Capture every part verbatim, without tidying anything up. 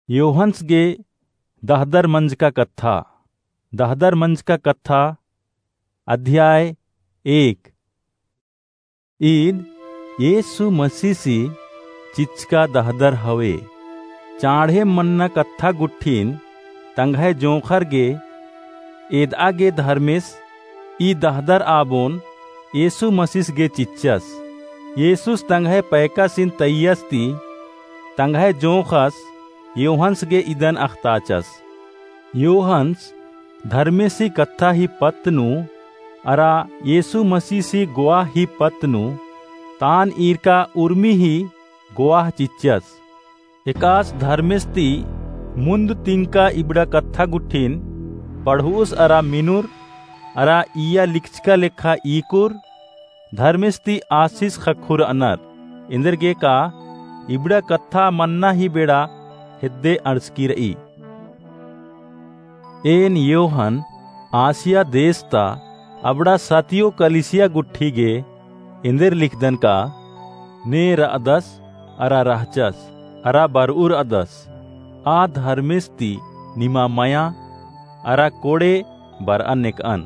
योहन्स गे दहदर मंजका कत्था। दहदर मंजका कत्था, अध्याय एक। ईद येसु मसीसी चिच्चका दहदर हवे। चाँड़े मन्ना कत्था गुट्ठिन तंग्है जोंख़र गे एदआ गे धर्मेस ई दहदर आबोन येसु मसीस गे चिच्चस। येसुस तंग्है पैकासिन तैय्यस ती तंग्है जोंख़स योहन्स गे इदन अख़ताचस। योहन्स धर्मेसी कत्था ही पत्त नू अरा येसु मसीसी गोवाह ही पत्त नू तान ईरका उर्मी ही गोवाह चिच्चस। एकास धर्मेस ती मुन्द तिंका इबड़ा कत्था गुट्ठिन पढ़उस अरा मिनुर अरा इया लिखचका लेखा ईकुर धर्मेस ती आसिस ख़क्खुरअनर। एन्देरगेका इबड़ा कत्था मन्ना ही बेड़ा हेद्दे अंड़सकी रई। एन योहन आसिया देस ता अबड़ा सतियो कलिसिया गुट्ठी गे एन्देर लिखदन का, ने रअदस अरा रहचस अरा बरउरअदस, आ धर्मेस ती निमा मया अरा कोड़े बरआ नेकअन।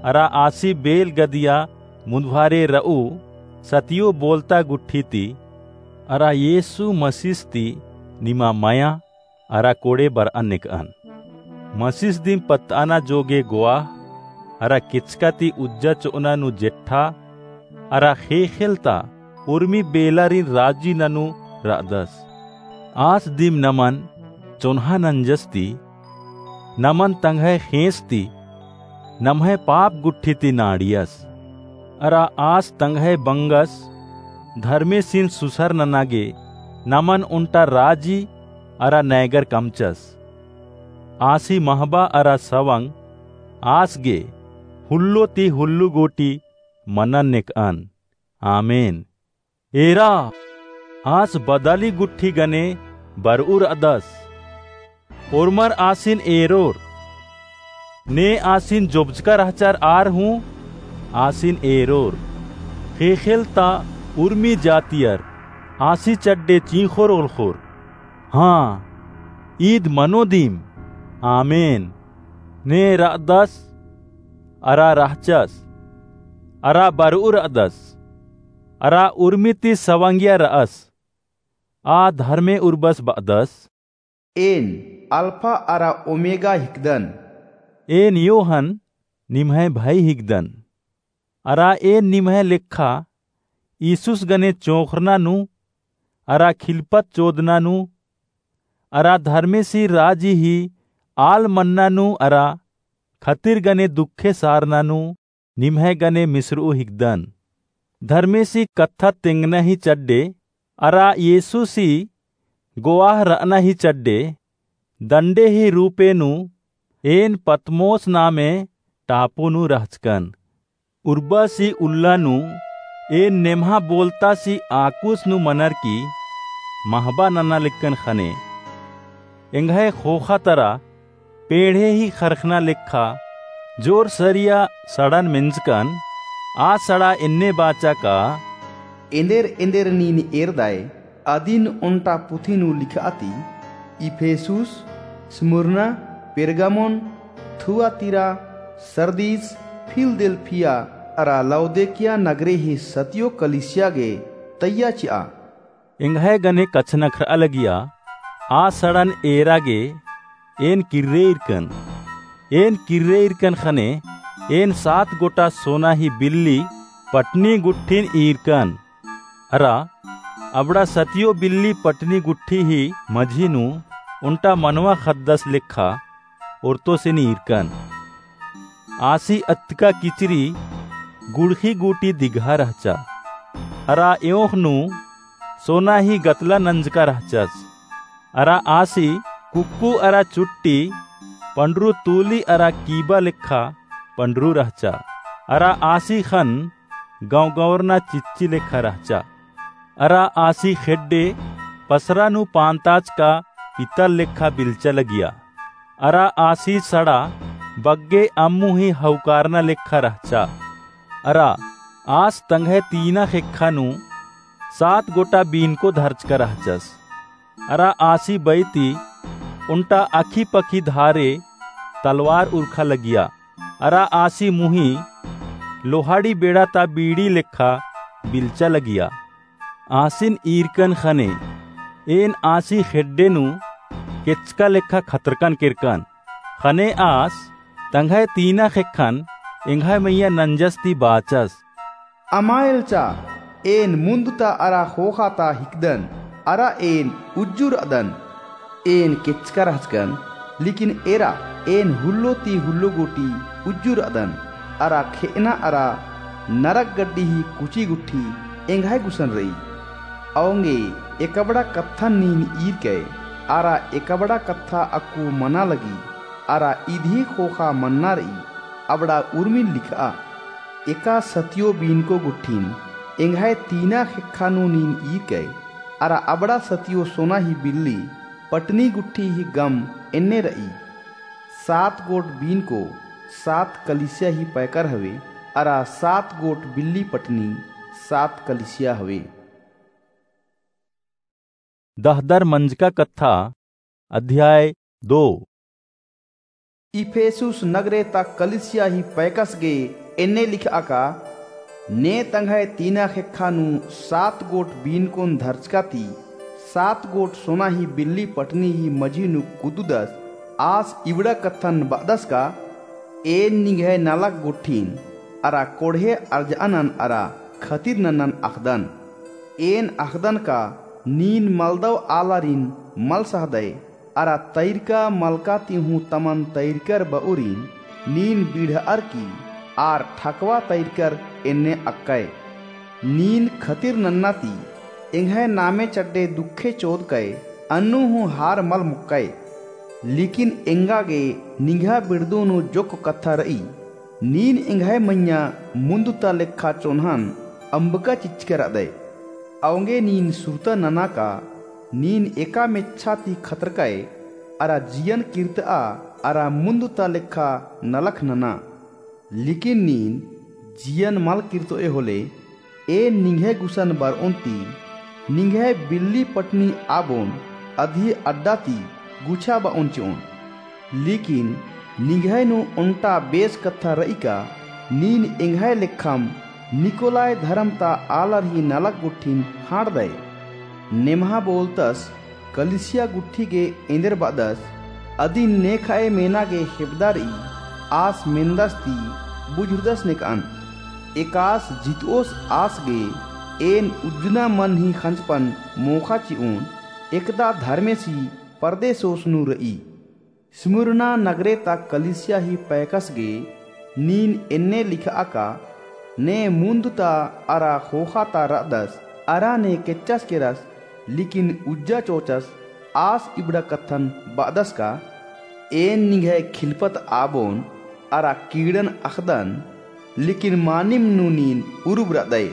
अरा आसी बेल गदिया मुन्दभारे रऊ सतियो बोलता गुट्ठी ती अरा येसु मसीस ती निमा मया अरा कोड़े बरआ नेकअन। मसीस दिम पत्तअना जोगे गोवाह अरा केचका ती उज्जा चोअना नू जेठा अरा ख़ेख़ेल ता उर्मी बेलारिन राजी ननू रअदस। आस दिम नमन चोन्हा नंजस ती नमन तंग्है ख़ेंस ती नम्है पाप गुट्ठी ती नाड़ियस। अरा आस तंग्है बंगस धर्मेसिन सुसर नना गे नमन ओन्टा राजी अरा नैगर कमचस। आसी महबा अरा सवंग आस गे हुल्लो ती हुल्लो गूटी मनन नेकअन। आमेन। एरा, आस बदाली गुट्ठी गने बरउरअदस। ओर्मर आसिन एरोर। ने आसिन जोबजका रहचर आर हूँ आसिन एरोर। ख़ेख़ेल ता उर्मी जातियर आसी चड्डे चींख़ोर ओलख़ोर। हाँ, ईद मनो दिम। आमेन। ने रअदस अरा रहचस अरा बरउरअदस अरा उर्मी ती सवंगिया रअस। आ धर्मे उर्बस बअदस, एन अल्फा अरा ओमेगा हिकदन। एन योहन निम्है भई हिकदन। अरा एन निम्है लेखा ईसुस गने चोंख़रना नू अरा खिलपत चोदना नू अरा धर्मेसी राजी ही आल मन्ना नू अरा खतिर गने दुखे सारना नू निम्है गने मिसरऊ हिकदन। धर्मेसी कत्था तेंगना ही चड्डे अरा येसुसी गोवाह रअना ही चड्डे दंडे ही रूपे नू एन पतमोस नामे टापू नू रहचकन। उर्बासी उल्ला नू एन नेम्हा बोलतासी आकुस नू मनर की महबा नना लेक्कन ख़ने। एंग्है ख़ोख़ा तरा पेंड़े ही ख़रख़ना लेखा जोर सरिया सड़न मेंजकन। आ सड़ा एन्ने बाचा का, एन्देर एन्देर नीन एरदय अदिन ओन्टा पुथी नू लिखआ ती, इफेसुस, स्मुरना, पेरगामोन, थुआतीरा, सरदीस, फिलदेल्फिया अरा लौदीकिया नगरे ही सतियो कलीसिया गे तैया चिआ। एंग्है गने कछनखरआ लगिया, आ सड़न एरा गे एन किर्रे ईरकन। एन किर्रे ईरकन ख़ने एन सात गोटा सोना ही बिल्ली पटनी गुट्ठिन ईरकन। अरा अबड़ा सतियो बिल्ली पटनी गुट्ठी ही मझी नू ओन्टा मनवा ख़द्दस लेखा ओर्तोसिन ईरकन। आसी अत्तका किचरी गुड़ख़ी गूटी दिगहा रहचा। अरा एओंख़ नू सोना ही गतला नंजका रहचस। अरा आसी कुक्कु अरा चुट्टी पंडरू तूली अरा कीबा लेखा पंडरू रहचा। अरा आसी ख़न्न गंवगंवरना चिच्ची लेखा रहचा। अरा आसी ख़ेड्डे पसरा नू पान्ताचका पितल लेखा बिल्चा लगिया। अरा आसी सड़ा बग्गे अम्मु ही हौकारना लेखा रहचा। अरा आस तंग्है तीना ख़ेक्खा नू सात गोटा बीनको धरचका रहचस। अरा आसी बई ती ओन्टा अखी पखी धारे तलवार उरखा लगिया। अरा आसी मुही लोहाड़ी बेड़ा ता बीड़ी लेखा बिलचा लगिया। आसिन ईरकन ख़ने, एन आसी ख़ेड्डे नू केचका लेखा खतरकन केरकन। ख़ने आस तंग्है तीना ख़ेक्खन एंग्है मइय्याँ नंजस ती बाचस। अमा एल्चा, एन मुन्द ता अरा ख़ोख़ा ता हिकदन, अरा एन उज्जु रअदन। एन केचका रहचकन, लेकिन एरा एन हुल्लो ती हुल्लो गूटी उज्जु रअदन, अरा खेअना अरा नरक गड्डी ही कुची गुट्ठी एंग्है गुसन रई। औंगे एकबड़ा कत्थन नीन ईरकय, अरा एकबड़ा कत्था अक्कु मना लगी, अरा इदी ख़ोख़ा मन्ना रई, अबड़ा उर्मिन लिखआ। एका सतियो बीनको गुट्ठिन एंग्है तीना ख़ेक्खा नू नीन ईरकय, अरा अबड़ा सतियो सोना ही बिल्ली पटनी गुट्ठी ही गम एन्ने रई। सात गोट बीनको सात कलिसिया ही पैकर हवे, अरा सात गोट बिल्ली पटनी सात कलिसिया हवे। दहदर मंजका कत्था, अध्याय दो। इफेसुस नगरे ता कलिसिया ही पैकस गे एन्ने लिखआ का, ने तंग्है तीना ख़ेक्खा नू सात गोट बीनकोन धरचका ती, सात गोट सोना ही बिल्ली पटनी ही मझी नू कुदुदस, आस इबड़ा कत्थन बअदस का, एन निंग्है नलख गुट्ठिन अरा कोड़हे अरजअनन अरा खतिर नन्नन अख़दन। एन अख़दन का नीन मलदव आलारिन मल सहदय, अरा तैरका मलका ती हूँ तमन तैरकर बउरिन नीन बिड़हअर की आर ठकवा तैरकर एन्ने अक्कय। नीन खतिर नन्ना ती एंग्है नामे चड्डे दुखे चोदकय, अन्नु हूँ हार मल मोक्कय। लेकिन एंगा गे निंग्हा बिड़दू नू जोक्क कत्था रई, नीन एंग्है मइय्याँ मुन्द ता लेखा चोन्हन अम्बका चिच्चका रअदय। औंगे नीन सुरता नना का, नीन एका मेच्छा ती खतरकय, अरा जियन किर्तआ, अरा मुन्द ता लेखा नलख नना। लेकिन नीन जियन मल किर्तओय होले, एन निंग्है गुसन बरओन ती, निंग्है बिल्ली पटनी आबोन अदी अड्डा ती गुछा बओन चिओन। लेकिन निंग्है नू ओन्टा बेस कत्था रई का, नीन एंग्है लेखम निकोलाय धरम ता आलर ही नलख गुट्ठिन ख़ाँड़दय। नेम्हा बोलतस कलिसिया गुट्ठी गे एन्देर बअदस, अदिन नेखअय मेना गे हेबदा रई, आस मेन्दस ती बुझुरदस नेकअन। एकास जितओस आस गे एन उज्जना मन ही ख़ंजपन मोख़ा चिओन, एकदा धर्मेसी परदेसोस नू रई। स्मुरना नगरे ता कलिसिया ही पैकस गे नीन एन्ने लिखआ का, ने मुन्द ता अरा ख़ोख़ा ता रअदस, अरा ने केच्चस केरस, लेकिन उज्जा चोचस, आस इबड़ा कत्थन बअदस का, एन निंग्है खिलपत आबोन अरा कीड़न अख़दन, लेकिन मानिम नू नीन उरुब रअदय।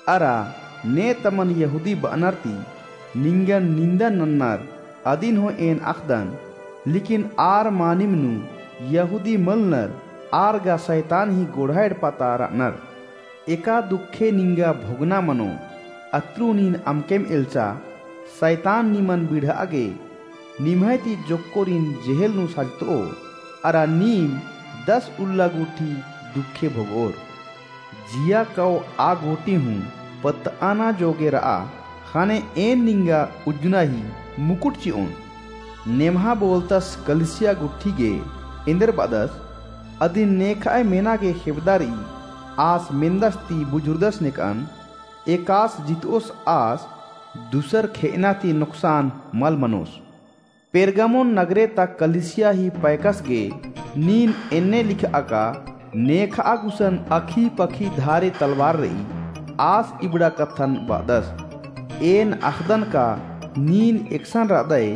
अरा ने तमन यहूदी बअनर ती निंगन निन्दा नन्नर अदिन हूँ एन अख़दन, लेकिन आर मानिम नू यहूदी मलनर, आर गा सैतान ही गोड़हा एड़पा ता रअनर। एका दुखे निंगा भोगना मनो, अत्रु नीन अमकेम एल्चा, सैतान निमन बिड़हआ गे निम्है ती जोक्कोरिन जेहेल नू साजतओ, अरा नीम दस उल्ला गूटी दुखे भोगओर। जिया कओ आ गूटी हूँ पत्तआना जोगे रआ, ख़ने एन निंगा उज्जना ही मुकुट चिओन। नेम्हा बोलतस कलिसिया गुट्ठी गे एन्देर बअदस, अदिन नेखअय मेना गे हेबदा रई, आस मेन्दस ती बुझुरदस नेकअन, एकास जितओस आस दुसर खेअना ती नोकसान मल मनोस। पेरगामोन नगरे ता कलिसिया ही पैकस गे नीन एन्ने लिखआ का, नेखआ गुसन अखी पखी धारे तलवार रई, आस इबड़ा कत्थन बअदस। एन अख़दन का नीन एकसन रअदय,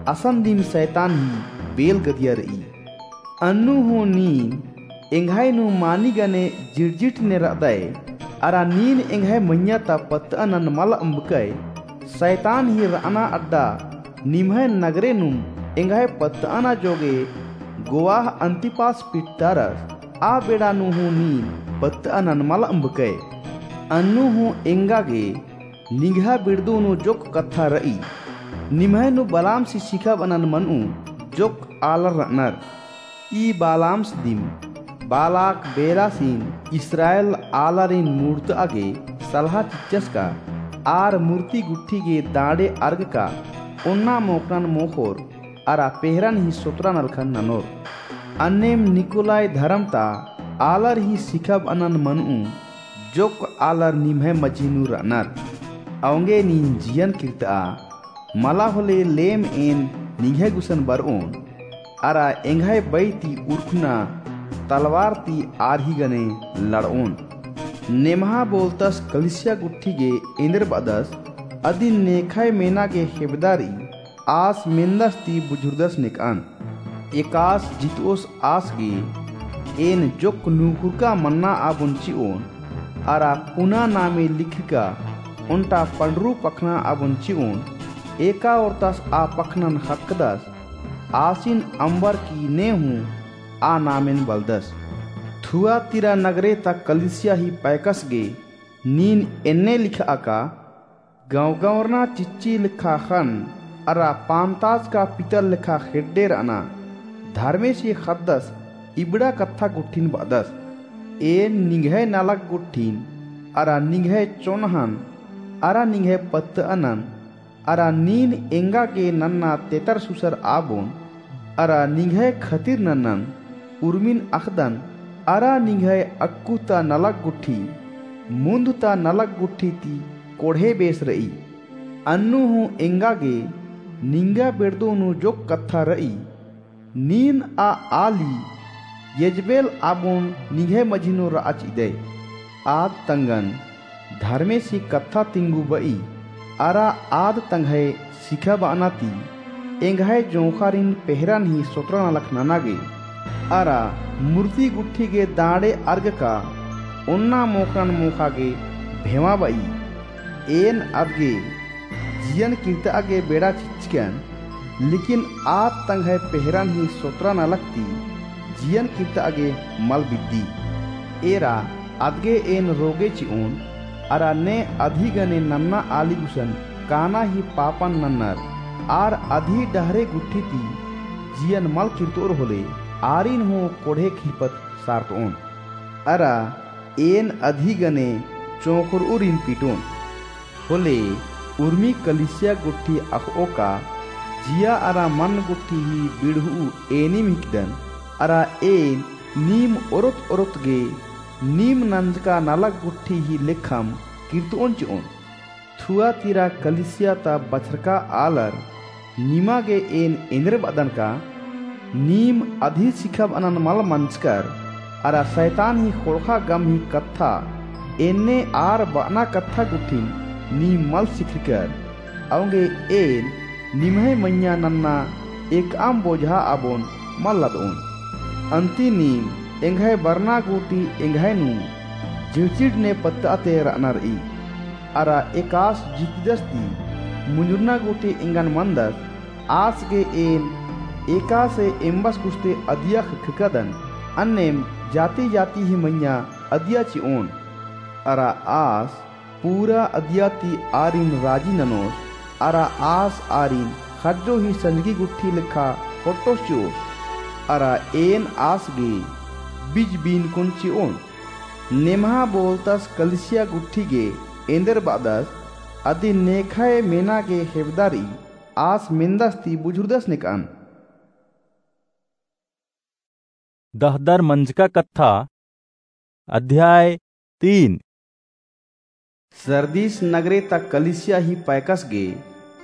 असन दिम सैतान ही बेल गदिया रई। अन्नु हूँ नीन एंग्है नू मानी गने जिड़जिट ने रअदय, अरा नीन एंग्है मइय्याँ ता पत्तअनन मल अम्बकय। सैतान ही रअना अड्डा निम्है नगरे नुम एंग्है पत्तअना जोगे गोवाह अन्तिपास पिट्टारस, आ बेड़ा नू हूँ नीन पत्तअनन मल अम्बकय। अन्नु हूँ एंगा गे निंग्हा बिड़दू नू जोक्क कत्था रई। निम्है नू बलामसी सिखाबअनन मनऊ जोक्क आलर रअनर। ई बलामस दिम बालाक बेलासिन इस्राएल आलारिन मूड़तआ गे सलहा चिच्चस का आर मूर्ति गुट्ठी गे दांड़े अर्ग का ओन्ना मोख़नन मोख़ोर अरा पेहरन ही सोतरा नलखन ननोर। अन्नेम निकोलाई धरम ता आलर ही सिखाबअनन मनऊ जोक्क आलर निम्है मझी नू रअनर। औंगे नीन जियन किर्तआ मला होले लेम एन निंग्है गुसन बरओन, अरा एंग्है बई ती उरखना तलवार ती आर ही गने लड़ओन। नेम्हा बोलतस कलीसिया गुट्ठी गे एन्देर बअदस, अदिन नेखय मेना गे हेबदा रई, आस मेन्दस ती बुझुरदस नेकअन। एकास जितओस आस गे, एन जोक्क नूखुरका मन्ना आबोन चिओन, अरा पुना नामे लिखरका ओन्टा पंडरू पखना आबोन चिओन। एका ओर्तस आ पखनन ख़क्खदस, आसिन अम्बरकी ने हूँ आ नामेन बलदस। थुआतीरा नगरे ता कलीसिया ही पैकस गे नीन एन्ने लिखा का, गँवगँवरना चिच्ची लेखा ख़न्न, अरा पान्ताजका पितर लेखा ख़ेड्डे रअना, धर्मेसी ख़द्दस इबड़ा कत्था गुट्ठिन बअदस। एन निंग्है नलख गुट्ठिन, अरा निंग्है चोन्हन, अरा निंग्है पत्तअनन, अरा नीन एंगा गे नन्ना तेतर सुसर आबोन, अरा निंग्है खतिर नन्नन उर्मिन अख़दन, अरा निंग्है अक्कु ता नलख गुट्ठी, मुन्द ता नलख गुट्ठी ती कोड़हे बेस रई। अन्नु हूँ एंगा गे निंगा बेड़दो नू जोक्क कत्था रई। नीन आ आली येजबेल आबोन निंग्है मझी नू रआ चिदय। आद तंगन धर्मेसी कत्था तिंगु बई, अरा आद तंग्है सिखाबअना ती एंग्है जोंख़ारिन पेहरन ही सोतरा नलख नना गे, अरा मूर्ति गुट्ठी गे दांड़े अर्ग का ओन्ना मोख़नन मोख़ा गे भेमा बई। एन अदगे जियन किर्तआ गे बेड़ा चिच्चकन, लेकिन आद तंग्है पेहरन ही सोतरा नलख ती जियन किर्तआ गे मल बिद्दी। एरा अदगे एन रोगे चिओन, अरा ने अदही गने नन्ना आली गुसन काना ही पापन नन्नर, आर अदही डहरे गुट्ठी ती जियन मल किर्तओर होले, आरिन हूँ कोड़हे खिरपत सारतओन। अरा एन अदही गने चोंख़रउरिन पिटोन। होले उर्मी कलीसिया गुट्ठी अख़ओका जिया अरा मन गुट्ठी ही बिड़हू एनिम हिकदन, अरा एन नीम ओरोत ओरोत गे नीम नंजका नलख गुट्ठी ही लेखम किर्तओन चिओन। थुआतीरा कलीसिया ता बछरका आलर, निमा गे एन एन्देर बअदन का, नीम अदही सिखाबअनन मल मंजकर, अरा सैतान ही ख़ोंड़ख़ा गम ही कत्था, एन्ने आर बअना कत्था गुट्ठिन नीम मल सिखरकर। औंगे एन निम्है मइय्याँ नन्ना एकअम बोझा आबोन मल लदओन। अन्ती नीम एंग्है बरना गूटी एंग्है नू झिड़झिड़ ने पत्तआ ते रअना रई। अरा एकासे जितदस ती मुंजुरना गूटी एंगन मनदस, आस गे एन एकासे एम्बस गुस्ते अदिया ख़क्खकदन, अन्नेम जाति-जाति ही मइय्याँ अदिया चिओन। अरा आस पूरा अदिया ती आरिन राजी ननोस, अरा आस आरिन ख़ज्जो ही संजगी गुट्ठी लेखा ख़ोट्टोस चिओस, अरा एन आस गे बिज बीनकोन चिओन। नेम्हा बोलतस कलीसिया गुट्ठी गे एन्देर बअदस, अदिन नेखय मेना गे हेबदा रई, आस मेन्दस ती बुझुरदस नेकअन। दहदर मंजका कत्था, अध्याय तीन। सरदीस नगरे ता कलीसिया ही पैकस गे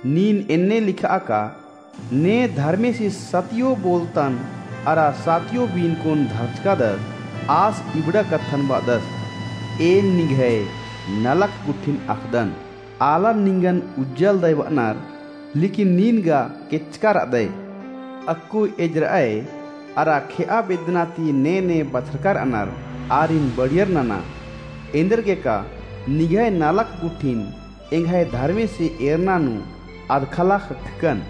नीन एन्ने लिखआ का, ने धर्मेसी सतियो बोलतन अरा सातियो बीनकोन धरचकादस, आस इबड़ा कत्थन बअदस। एन निंग्है नलख गुट्ठिन अख़दन, आलर निंगन उज्जलदय बअनर, लेकिन नीन गा केचका रअदय। अक्कु एजरअय अरा खेआ बेद्दना ती ने ने बछरका रअनर, आरिन बड़ियर नना। एन्देरगे का निंग्है नलख गुट्ठिन एंग्है धर्मेसी एरना नू अदखला ख़क्खकन।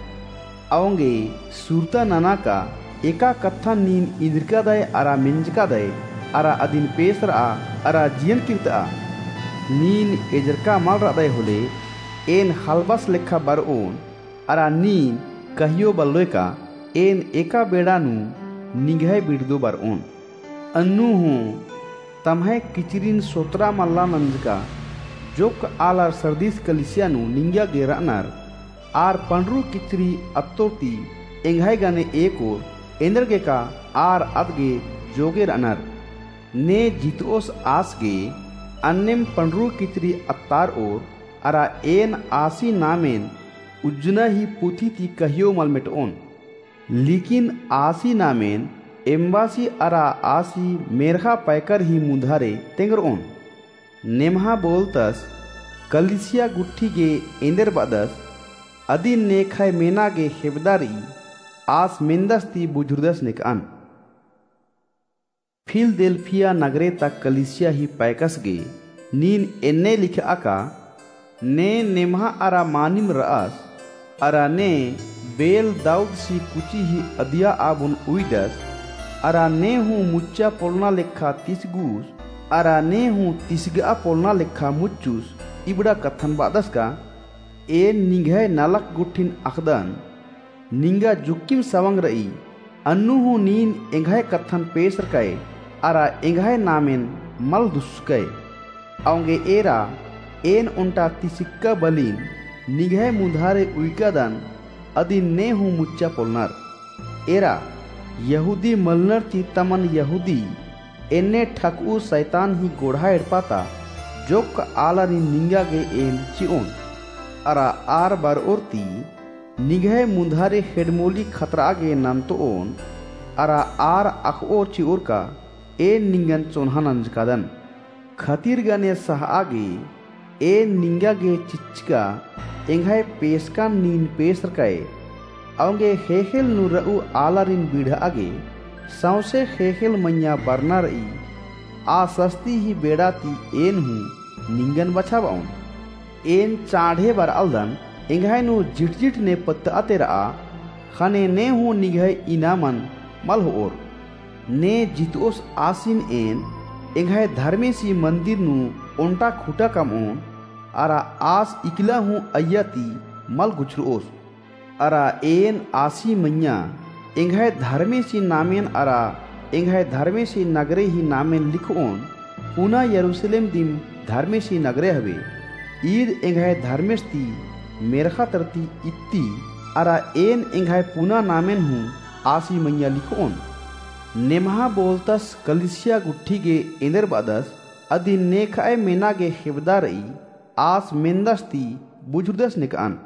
औंगे सुरता नना का एका कत्थन नीन इन्द्रिकादय अरा मेंजकादय अरा अदिन पेसरआ अरा जियन किर्तआ। नीन एजरका मल रअदय होले एन ख़ल्बस लेखा बरओन, अरा नीन कहियो बल्लोय का, एन एका बेड़ा नू निंग्है बिड़दो बरओन। अन्नु हूँ तम्है किचरिन सोतरा मल्ला नंजका, जोक्क आलर सरदीस कलिसिया नू निंगा गे रअनर, आर पंडरू किचरी अत्तोर ती एंग्है गने एकोर, एन्देरगे का आर अदगे जोगे रअनर। ने जितओस आस गे, अन्नेम पंडरू किचरी अत्तारओर, अरा एन आसी नामेन उज्जना ही पुथी ती कहियो मल मेटओन। लेकिन आसी नामेन एम्बासी अरा आसी मेर्ख़ा पैकर ही मुन्धारे तेंगरओन। नेम्हा बोलतस कलिसिया गुट्ठी गे एन्देर बअदस, अदिन नेखय मेना गे हेबदा रई, आस मेन्दस ती बुझुरदस नेकअन। फिलदेल्फिया नगरे ता कलिसिया ही पैकस गे नीन एन्ने लिखआ का, ने नेम्हा अरा मानिम रअस, अरा ने बेल दाऊदसी कुची ही अदिया आबुन उइदस, अरा ने हूँ मुच्चा पोलना लेखा तिसगुस, अरा ने हूँ तिसगआ पोलना लेखा मुच्चुस, इबड़ा कत्थन बअदस का, एन निंग्है नलख गुट्ठिन अख़दन, निंगा जुक्किम सवंग रई, अन्नु हूँ नीन एंग्है कत्थन पेसरकय, अरा एंग्है नामेन मल दुस्सकय। औंगे एरा, एन ओन्टा तिसिक्का बलिन निंग्है मुन्धारे उइकादन, अदिन ने हूँ मुच्चा पोलनर। एरा, यहूदी मलनर ती तमन यहूदी एन्ने ठकऊ सैतान ही गोड़हा एड़पा ता जोक्क आलारिन निंगा गे एन चिओन। अरा आर बरओर ती निंग्है मुन्धारे हेड़मोली खतरआ गे नन्तओन, अरा आर अख़ओर चिओर का एन निंगन चोन्हा नंजकादन। खतिर गने सहआ गे एन निंगा गे चिच्चका एंग्है पेसकन नीन पेसरकय। औंगे ख़ेख़ेल नू रऊ आलारिन बिड़हआ गे सौंसे ख़ेख़ेल मइय्याँ बरना रई। आ सस्ती ही बेड़ा ती एन हूँ निंगन बछाबओन। एन चाँड़े बरआलदन, एंग्है नू झिटझिट ने पत्तआते रआ, ख़ने ने हूँ निंग्है इनामन मल होओर। ने जितओस आसिन एन एंग्है धर्मेसी मन्दिर नू ओन्टा खुटा कमओन, अरा आस इकला हूँ अइय्या ती मल गुछरओस। अरा एन आसी मइय्याँ एंग्है धर्मेसी नामेन अरा एंग्है धर्मेसी नगरे ही नामेन लिखओन, पुना यरूसलेम दिम धर्मेसी नगरे हवे। ईद एंग्है धर्मेस ती मेर्ख़ा तरती इत्ती, अरा एन एंग्है पुना नामेन हूँ आसी मइय्याँ लिखओन। नेम्हा बोलतस कलिसिया गुट्ठी गे एन्देर बअदस, अदिन नेखय मेना गे हेबदा रई, आस मेन्दस ती बुझुरदस नेकअन।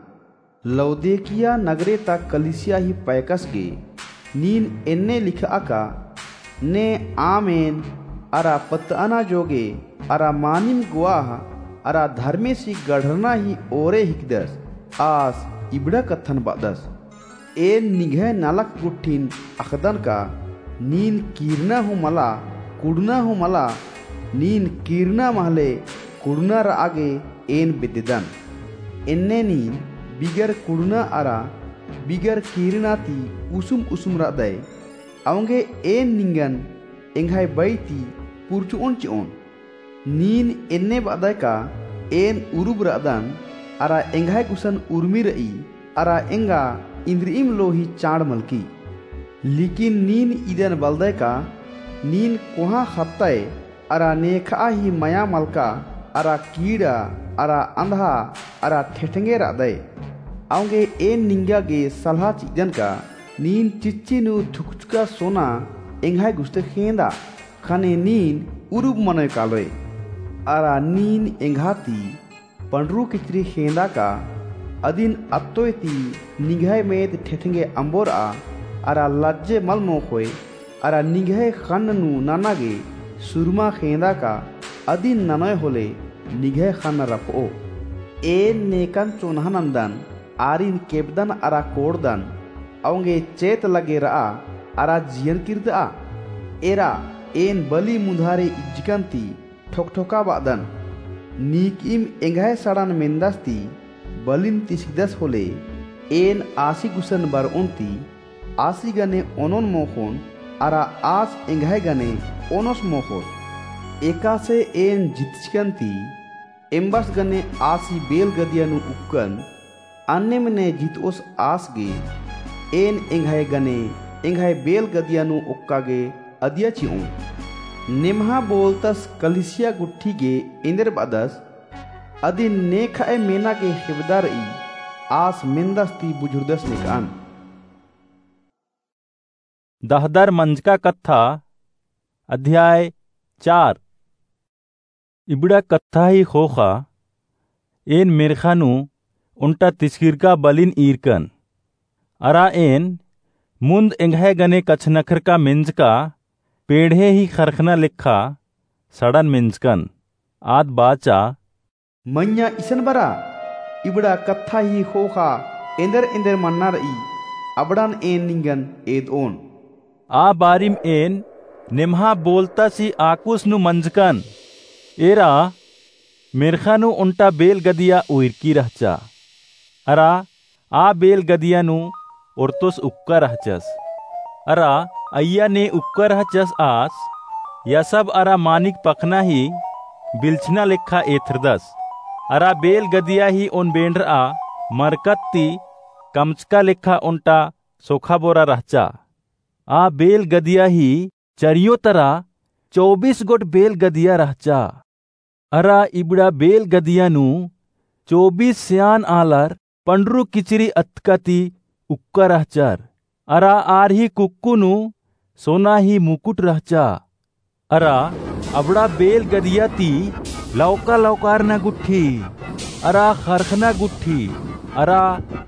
लौदीकिया नगरे ता कलिसिया ही पैकस गे नीन एन्ने लिखआ का, ने आमेन अरा पत्तअना जोगे अरा मानिम गोआह अरा धर्मेसी गढ़रना ही ओरे हिकदस, आस इबड़ा कत्थन बअदस। एन निंग्है नलख गुट्ठिन अख़दन का, नीन कीरना हूँ मला, कुड़ना हूँ मला, नीन कीरना महले कुड़ना रआ गे एन बेद्देदन। एन्ने नीन बिगर कुड़ना अरा बिगर कीरना ती उसुम उसुम रअदय। औंगे एन निंगन एंग्है बई ती पुरचुओन चिओन। नीन एन्ने बअदय का एन उरुब रअदन, अरा एंग्है गुसन उर्मी रई, अरा एंगा इन्द्रिइम लोही चाड़ मलकी। लेकिन नीन इदन बलदय का, नीन कोहाँ ख़त्तय, अरा नेखआ ही मया मलका, अरा कीड़ा, अरा अंधा, अरा ठेठेंगे रअदय। औंगे एन निंगा गे सलहा चिअदन का, नीन चिच्ची नू धुकचका सोना एंग्है गुस्ते खेंदा, ख़ने नीन उरुब मनोय कालोय। अरा नीन एंग्हा ती पंडरू किचरी खेंदा का, अदिन अत्तोय ती निंग्है मेद ठेठेंगे अम्बोरआ, अरा लज्जे मल मोख़ोय, अरा निंग्है ख़न्न नू नना गे सुरमा खेंदा का, अदिन ननोय होले निंग्है ख़न्न रपओ। एन नेकन चोन्हा नन्दन, आरिन केबदन अरा कोड़दन, औंगे चेत लगे रआ, अरा जियन किर्दआ। एरा, एन बलि मुन्धारे इज्जकन ती ठोकठोका बअदन। नीकइम एंग्है सड़न मेन्दस ती बलिन तिसगदस होले, एन आसी गुसन बरओन ती आसी गने ओनोन मोख़ोन, अरा आस एंग्है गने ओनोस मोख़ोस। एकासे एन जितचकन ती एम्बस गने आसी बेल गदिया नू उक्कन, अन्नेम ने जितओस आस गे, एन एंग्है गने एंग्है बेल गदिया नू ओक्का गे अदिया चिओन। नेम्हा बोलतस कलीसिया गुट्ठी गे एन्देर बअदस, अदिन नेखअय मेना गे हेबदा रई, आस मेन्दस ती बुझुरदस नेकअन। दहदर मंजका कत्था, अध्याय चार। इबड़ा कत्था ही ख़ोख़ा, एन मेर्ख़ा नू ओन्टा तिसकिरका बलिन ईरकन। अरा एन मुन्द एंग्है गने कछनखरका मेंजका पेंड़हे ही ख़रख़ना लेखा सड़न मेंजकन। आद बाचा, मइय्याँ इसन बरा, इबड़ा कत्था ही ख़ोख़ा एन्देर एन्देर मन्ना रई, अबड़न एन निंगन एदओन। आ बारिम एन नेम्हा बोलतस ही आकुस नू मंजकन। एरा मेर्ख़ा नू ओन्टा बेल गदिया उइरकी रहचा। अरा आ बेल गदिया नू ओर्तोस उक्का रहचस। अरा अइय्या ने उक्का रहचस आस, यसब अरा मानिक पखना ही बिलछना लेखा एथरदस। अरा बेल गदिया ही ओन बेंड़रआ मरकत ती कमचका लेखा ओन्टा सोखा बोरा रहचा। आ बेल गदिया ही चरियो तरा चौबीस गोट बेल गदिया रहचा। अरा इबड़ा बेल गदिया नू चौबीस सेयान आलर पंडरू किचरी अतका ती उक्का रहचर। अरा आर ही कुक्कु नू सोना ही मुकुट रहचा। अरा अबड़ा बेल गदिया ती लौका लौकारना गुट्ठी, अरा ख़रख़ना गुट्ठी, अरा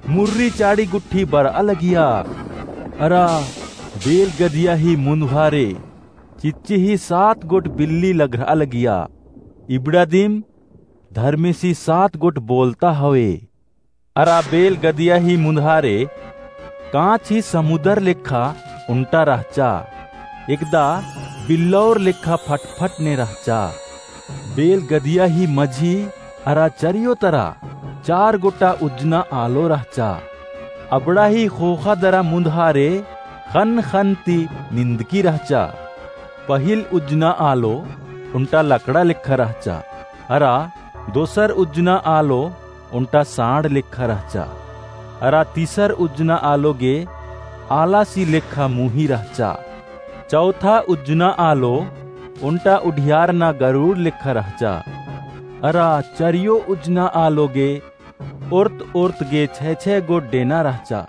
मुर्री चाड़ी गुट्ठी बरआ लगिया। अरा बेल गदिया ही मुन्दहारे चिच्ची ही सात गोट बिल्ली लघरआ लगिया। इबड़ा दिम धर्मेसी सात गोट बोलता हवे। अरा बेल गदिया ही मुन्दहारे काँच ही समुदर लेखा ओन्टा रहचा, एकदा बिल्लौर लेखा फटफट ने रहचा। बेल गदिया ही मझी अरा चरियो तरा चार गोटा उज्जना आलो रहचा। अबड़ा ही ख़ोख़ा दरा मुन्दहारे ख़न्न ख़न्न ती निंदकी रहचा। पहिल उज्जना आलो ओन्टा लकड़ा लेखा रहचा, अरा दोसर उज्जना आलो ओन्टा साँड़ लेखा रहचा, अरा तीसर उज्जना आलो गे आलासी लेखा मुही रहचा। चौथा उज्जना आलो ओन्टा उढियारना गरुड़ लेखा रहचा। अरा चरियो उज्जना आलो गे ओर्त ओर्त गे छै छै गोट डेना रहचा।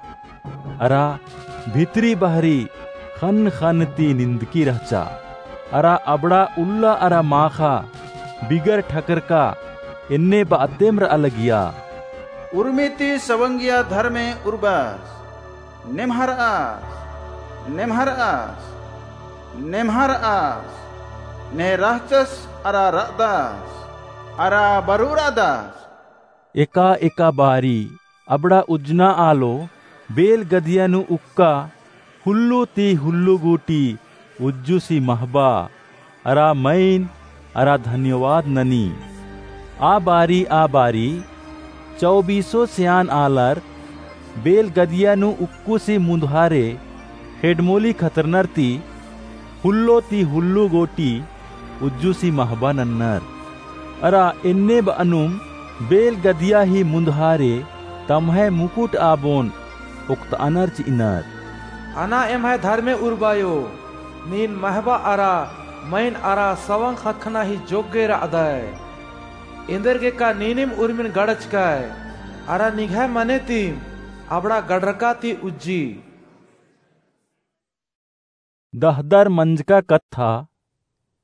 अरा भितरी बहरी ख़न्न ख़न्न ती निंदकी रहचा। अरा अबड़ा उल्ला अरा माख़ा बिगर ठकरका एन्ने बअतेम रआ लगिया। उर्मी ती सवंगिया धर्मे उर्बस, नेम्हरअस, नेम्हरअस, नेम्हरअस, ने रहचस अरा रअदस, अरा बरउरअदस। एका एका बारी अबड़ा उज्जना आलो बेल गदिया नू उक्का हुल्लू ती हुल्लू गूटी उज्जुसी महबा अरा मइन अरा धन्यवाद ननी। आ बारी आ बारी चौबीसो सेयान आलर बेल गदिया नू उक्कुसी मुन्दहारे ख़ेड्डमोली खतरनर ती हुल्लो ती हुल्लू गूटी उज्जुसी महबा नन्नर। अरा एन्ने बअनुम बेल गदिया ही मुन्दहारे तम्है मुकुट आबोन ओक्तअनर चिअनर। अना एम्है धर्मे उर्बायो, नीन महबा अरा मइन अरा सवंग ख़क्खना ही जोग्गे रअदय। एन्देरगेका नीनिम उर्मिन गड़चकय, अरा निंग्है मने तीम अबड़ा गड़रका ती उज्जी। दहदर मंजका कत्था,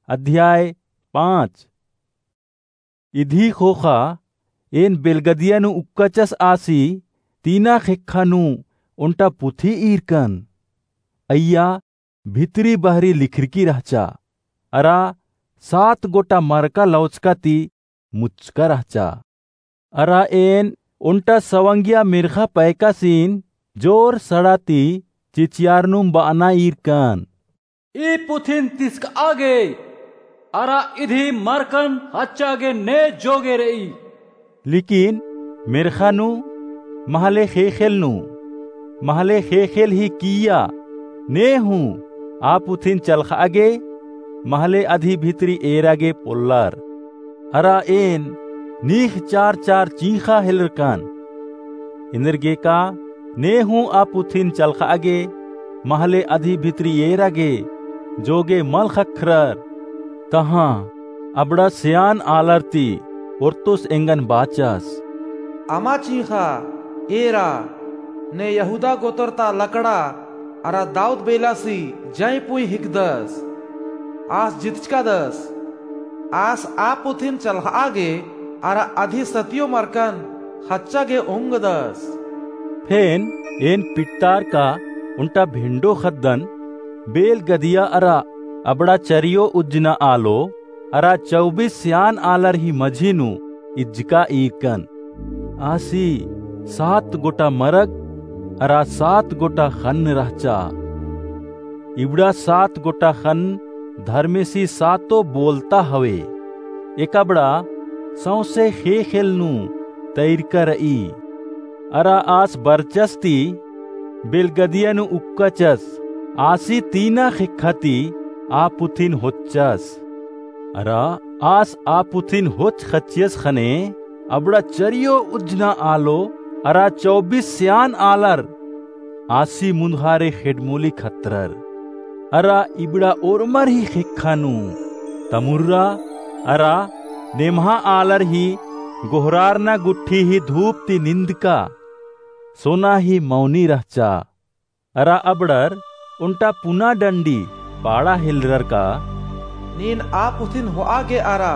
अध्याय पाँच। इदी ख़ोख़ा एन बेलगदिया नू उक्काचस आसी तीना ख़ेक्खा नू ओन्टा पुथी ईरकन। अइय्या भितरी बहरी लिखरकी रहचा, अरा सात गोटा मरका लौचका ती मुचका रहचा। अरा एन ओन्टा सवंगिया मेर्ख़ा पैकासिन जोर सड़ा ती चिचियारनुम बअना ईरकन। ई पुथिन तिसकआ गे, अरा इदी मरकन हच्चा गे ने जोगे रई। लेकिन मेर्ख़ा नू, महले ख़ेख़ेल नू, महले ख़ेख़ेल ही किइय्या, ने हूँ आ पुथिन चलख़आ गे, महले अदी भितरी एरा गे पोल्लर। अरा एन नीख चार चार चींख़ा हेलरकन। एन्देरगेका ने हूँ आ पुथिन चलखआ गे, महले अदी भितरी एरा गे, जो गे मल ख़क्खरर। तहाँ अबड़ा सेआन आलर ती ओर्तुस एंगन बाचस, अमा चींख़ा, एरा, ने यहूदा गोतर ता लकड़ा अरा दाऊद बेलासी जंय पुंई हिकदस। आस जितचकादस। आस आ पुथिन चलखआ गे अरा अदी सतियो मरकन ख़च्चा गे ओंगदस। फेन एन पिटतारका ओन्टा भेंडो ख़द्दन बेल गदिया अरा अबड़ा चरियो उज्जना आलो अरा चौबीस सेआन आलर ही मझी नू इज्जका ईरकन। आसी सात गोटा मरग अरा सात गोटा ख़न्न रहचा। इबड़ा सात गोटा ख़न्न धर्मेसी सातो बोलता हवे। एकबड़ा सौंसे ख़ेख़ेल नू तैरका रई। अरा आस बरचस ती बेलगदिया नू उक्काचस, आसी तीना ख़ेक्खा ती आ पुथिन होच्चस। अरा आस आ पुथिन होच ख़च्चियस ख़ने अबड़ा चरियो उज्जना आलो अरा चौबीस सेआन आलर आसी मुन्दहारे ख़ेड्डमोली खतरर। अरा इबड़ा ओर्मर ही ख़ेक्खा नू तमुर्रा अरा नेम्हा आलर ही गोहरारना गुट्ठी ही धूप ती निंदका सोना ही मौनी रहचा। अरा अबड़र ओन्टा पुना डंडी पाड़ा हेलरर का, नीन आ पुथिन होआ गे अरा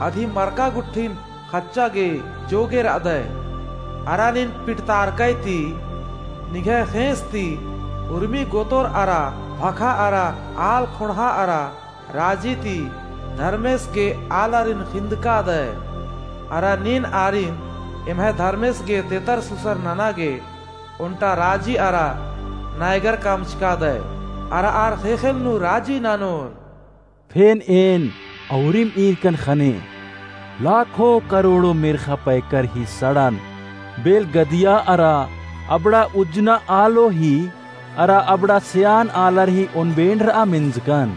अदी मरका गुट्ठिन ख़च्चा गे जो गे रअदय। अरा नीन पिटतारकय ती निंग्है ख़ेंस ती उर्मी गोतर अरा भखा अरा आल ख़ोंड़हा अरा राजी ती धर्मेस गे आलारिन ख़िंदकादय। अरा नीन आरिन एम्है धर्मेस गे तेतर सुसर नना गे ओन्टा राजी अरा नायगर कमचकादय। अरा आर ख़ेख़ेल नू राजी ननोर। फेन एन अउरिम ईरकन ख़ने लाखों करोड़ों मेर्ख़ा पैकर ही सड़न बेलगदिया अरा अबड़ा उज्जना आलो ही अरा अबड़ा सेआन आलर ही ओन्बेंड़रआ मेंजकन।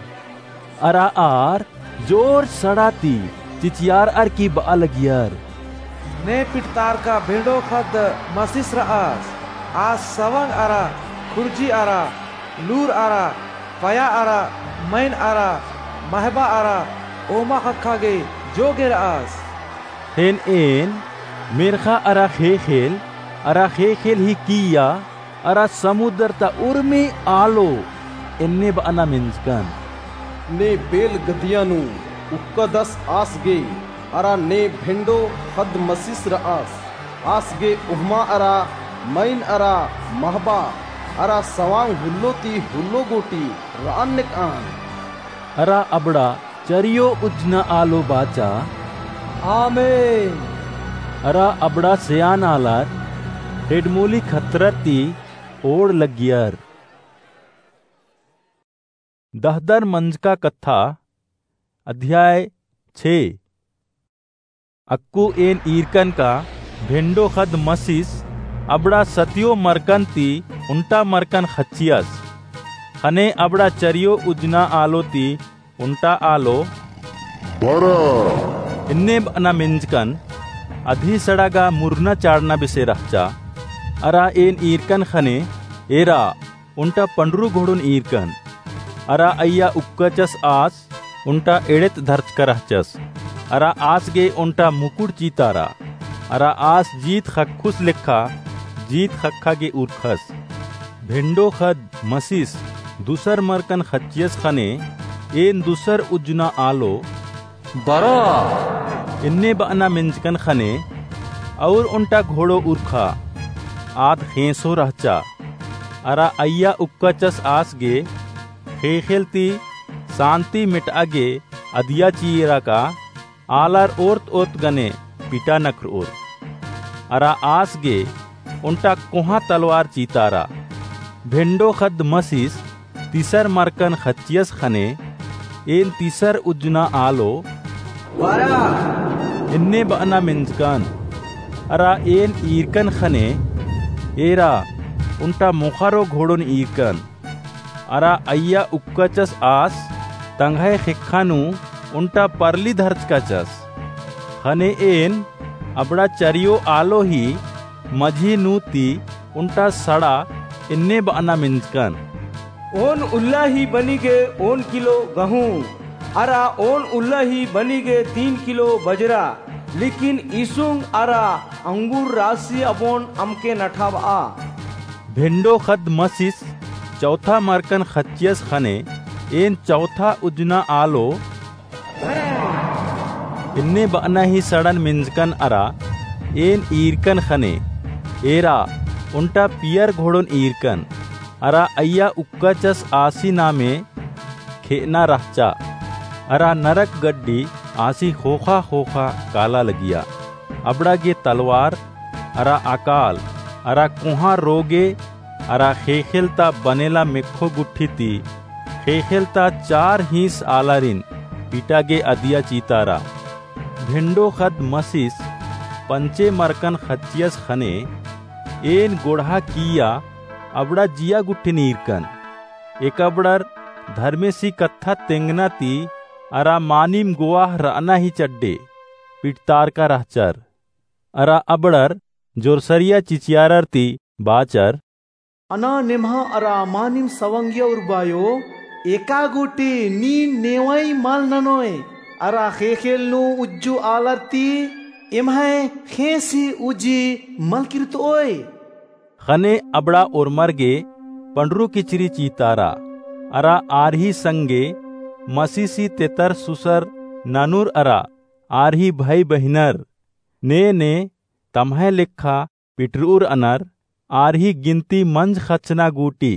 अरा आर जोर सड़ा ती चिचियारअर की बआ लगियर, ने पिटतारका भेंड़ो ख़द्द मसिस रअस। आस सवंग अरा खुर्जी अरा लूर अरा पया अरा मइन अरा महबा अरा ओहमा ख़क्खा गे जो गे रअस। फेन एन मेर्ख़ा अरा ख़ेख़ेल अरा ख़ेख़ेल ही किइय्या अरा समुदर ता उर्मी आलो एन्ने बअना मेंजकन, ने बेलगदिया नू उक्कादस आस गे अरा ने भेंड़ो ख़द्द मसिस रअस। आस गे ओहमा अरा मइन अरा महबा अरा सवांग हुल्लो ती हुल्लो गूटी रअन नेकअन। अरा अबड़ा चरियो उज्जना आलो बाचा, आमेन। अरा अबड़ा सेआन आलर ख़ेड्डमोली खतरर ती ओड़ लगियर। दहदर मंजका कत्था, अध्याय छे। अक्कु एन ईरकन का भेंड़ो ख़द्द मसिस अबड़ा सतियो मरकन ती ओन्टा मरकन ख़च्चियस। ख़ने अबड़ा चरियो उज्जना आलो ती ओन्टा आलो बरआ एन्ने बअना मेंजकन। अदी सड़ा गा मुरना चाड़ना बेसे रहचा। अरा एन ईरकन ख़ने एरा ओन्टा पंडरू घोड़ोन ईरकन। अरा अइय्या उक्काचस आस ओन्टा एड़ेत धरचका रहचस। अरा आस गे ओन्टा मुकुट चीतारा। अरा आस जीत ख़क्खुस लेखा जीत ख़क्खा गे उरखस। भेंड़ो ख़द्द मसिस दुसर मरकन ख़च्चियस ख़ने एन दुसर उज्जना आलो बरआ एन्ने बअना मेंजकन ख़ने अउर ओन्टा घोड़ो उरखा। आद ख़ेंसो रहचा। अरा अइय्या उक्काचस आस गे ख़ेख़ेल ती सान्ति मेटआ गे अदिया चिइरा का आलर ओर्त ओर्त गने पिटा नखरओर। अरा आस गे ओन्टा कोहाँ तलवार चीतारा। भेंड़ो ख़द्द मसिस तीसर मरकन ख़च्चियस ख़ने एन तीसर उज्जना आलो बरआ एन्ने बअना मेंजकन। अरा एन ईरकन ख़ने एरा ओन्टा मोख़रो घोड़ोन ईरकन। अरा अइय्या उक्काचस आस तंग्है ख़ेक्खा नू ओन्टा परली धरचकाचस। ख़ने एन अबड़ा चरियो आलो ही मझी नू ती ओन्टा सड़ा एन्ने बअना मेंजकन। ओन उल्ला ही बनी गे ओन किलो गहूँ, अरा ओन उल्ला ही बनी गे तीन किलो बजरा, लेकिन ईसुंग अरा अंगूर रासी अबोन अमके नठाबआ। भेंडो ख़द्द मसिस चौथा मरकन ख़च्चियस ख़ने, एन चौथा उज्जना आलो एन्ने बअना ही सड़न मेंजकन अरा एन ईरकन ख़ने, एरा ओन्टा पियर घोड़ोन ईरकन, अरा अइय्या उक्काचस आसी नामे खेअना रहचा, अरा नरक गड्डी आसी ख़ोख़ा ख़ोख़ा काला लगिया। अबड़ा गे तलवार, अरा अकाल, अरा कोहाँ रोगे, अरा ख़ेख़ेल ता बनेला मेक्खो गुट्ठी ती ख़ेख़ेल ता चार हीस आलारिन पिटा गे अदिया चीतारा। भेंडो ख़द्द मसिस पंचे मरकन ख़च्चियस ख़ने, एन गोड़हा किइय्या अबड़ा जिया गुट्ठिन ईरकन। एकअबड़र धर्मेसी कत्था तेंगना ती अरा मानिम गोवाह रअना ही चड्डे पिटतारका रहचर। अरा अबड़र जोरसरिया चिचियारर ती बाचर, अना नेम्हा अरा मानिम सवंगिया उर्बायो, एका गूटी नीन नेवई मल ननोय, अरा ख़ेख़ेल नू उज्जु आलर ती एम्है ख़ेंस ही उज्जी मल किरतओय। ख़ने अबड़ा ओर्मर गे पंडरू किचरी चीतारा, अरा आर ही संगे मसीसी तेतर सुसर ननुर अरा आर ही भई बहिनर, ने ने तम्है लेखा पिटरउर अनर, आर ही गिनती मंज ख़च्चना गूटी,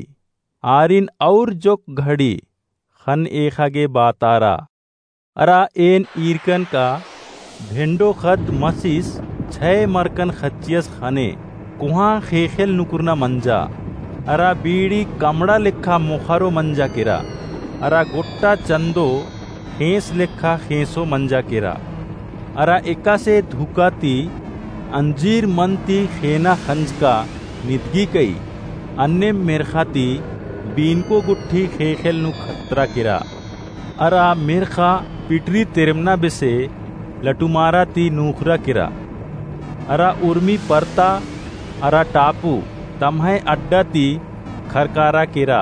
आरिन और जोक घड़ी ख़न एख़ा गे बातारा। अरा एन ईरकन का भेंडो ख़द्द मसिस छै मरकन ख़च्चियस ख़ने, कोहाँ ख़ेख़ेल नुकुरना मंजा, अरा बीड़ी कमड़ा लेखा मोख़रो मंजा केरा, अरा गोट्टा चन्दो ख़ेंस लेखा ख़ेंसो मंजा केरा। अरा एकासे धुका ती अंजीर मन ती ख़ेना ख़ंजका निदगी कई, अन्नेम मेर्ख़ा ती बीनको गुट्ठी ख़ेख़ेल नू खतरा केरा। अरा मेर्ख़ा पिटरी तेरमना बेसे लटुमारा ती नूख़रा केरा। अरा उर्मी परता अरा टापू तम्है अड्डा ती खरकारा केरा।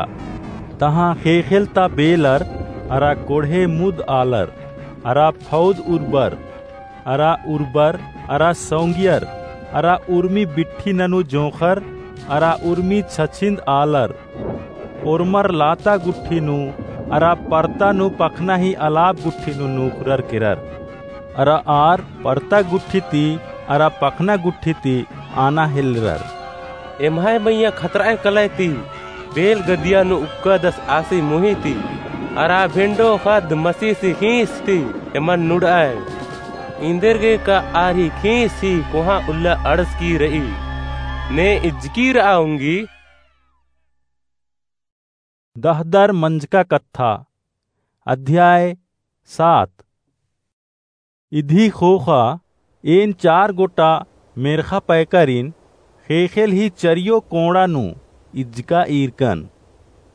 तहाँ ख़ेख़ेल ता बेलर अरा कोड़हे मुद आलर अरा फौद उर्बर अरा उर्बर अरा सौंगियर अरा उर्मी बिट्ठी ननू जोंख़र अरा उर्मी छछिन्द आलर ओर्मर लाता गुट्ठी नू अरा परता नू पखना ही अलाप गुट्ठी नू नूख़रर केरर। अरा आर परता गुट्ठी ती अरा पखना गुट्ठी ती आना हेलरर। एम्है मइय्याँ खतरअय कलय ती, बेल गदिया नू उक्कादस आसी मुही ती, अरा भेंडो ख़द्द मसीसी ख़ीस ती एमन नुड़अय। इन्देरगे का आर ही ख़ीस ही कोहाँ उल्ला अंड़सकी रई, ने इज्जकी रआ ओंगी। दहदर मंजका कत्था, अध्याय सात। इदी ख़ोख़ा एन चार गोटा मेर्ख़ा पैकारिन ख़ेख़ेल ही चरियो कोंड़ा नू इज्जका ईरकन।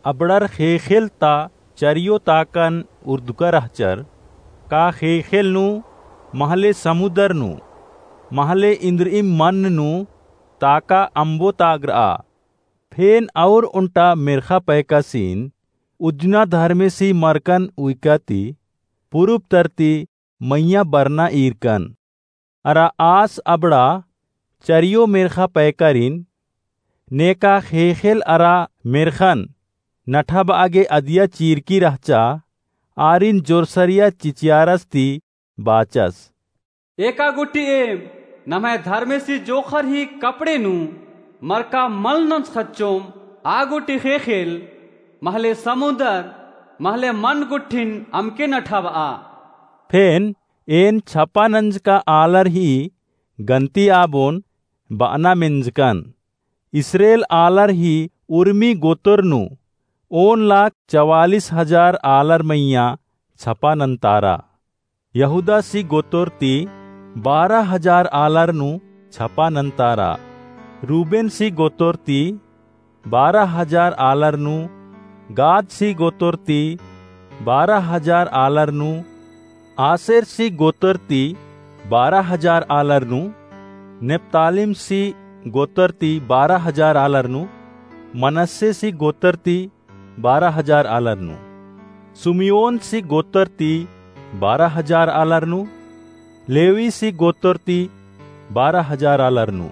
अबड़र ख़ेख़ेल ता चरियो ताकन उर्दुका रहचर, का ख़ेख़ेल नू, महले समुदर नू, महले इन्द्रिइम मन नू ताका अम्बो तागरआ। फेन और ओन्टा मेर्ख़ा पैकासिन उज्जना धर्मेसी मरकन उइका ती पुरुब तरती मइय्याँ बरना ईरकन। अरा आस अबड़ा चरियो मेर्ख़ा पैकारिन, नेका ख़ेख़ेल अरा मेर्ख़न नठाबआ गे अदिया चीरकी रहचा, आरिन जोरसरिया चिचियारस ती बाचस। एका गुट्ठी एम नम्है धर्मेसी जोंख़र ही कपड़े नू मरका मल नंजख़च्चोम, आ गुट्ठी ख़ेख़ेल महले समुदर महले मन गुट्ठिन अमके नठाबआ। फेन एन छपा नंजका आलर ही गन्ती आबोन बअना मेंजकन। इस्रेल आलर ही उर्मी गोतर नू ओन लाख चवालिस हजार आलर मइय्याँ छपा नन्तारा। यहूदासी गोतर ती बारह हजार आलर नू छपा नन्तारा। रूबेनसी गोतर ती बारह हजार आलर नू, गादसी गोतर ती बारह हजार आलर नू, आसेरसी गोतर ती बारह हजार आलर नू, नेप्तालिमसी गोत्रती बारह हजार आलर नू, मनस्सेसी गोत्रती बारह हजार आलर नू, सुमियोनसी गोत्रती बारह हजार आलर नू, लेवीसी गोत्रती बारह हजार आलर नू,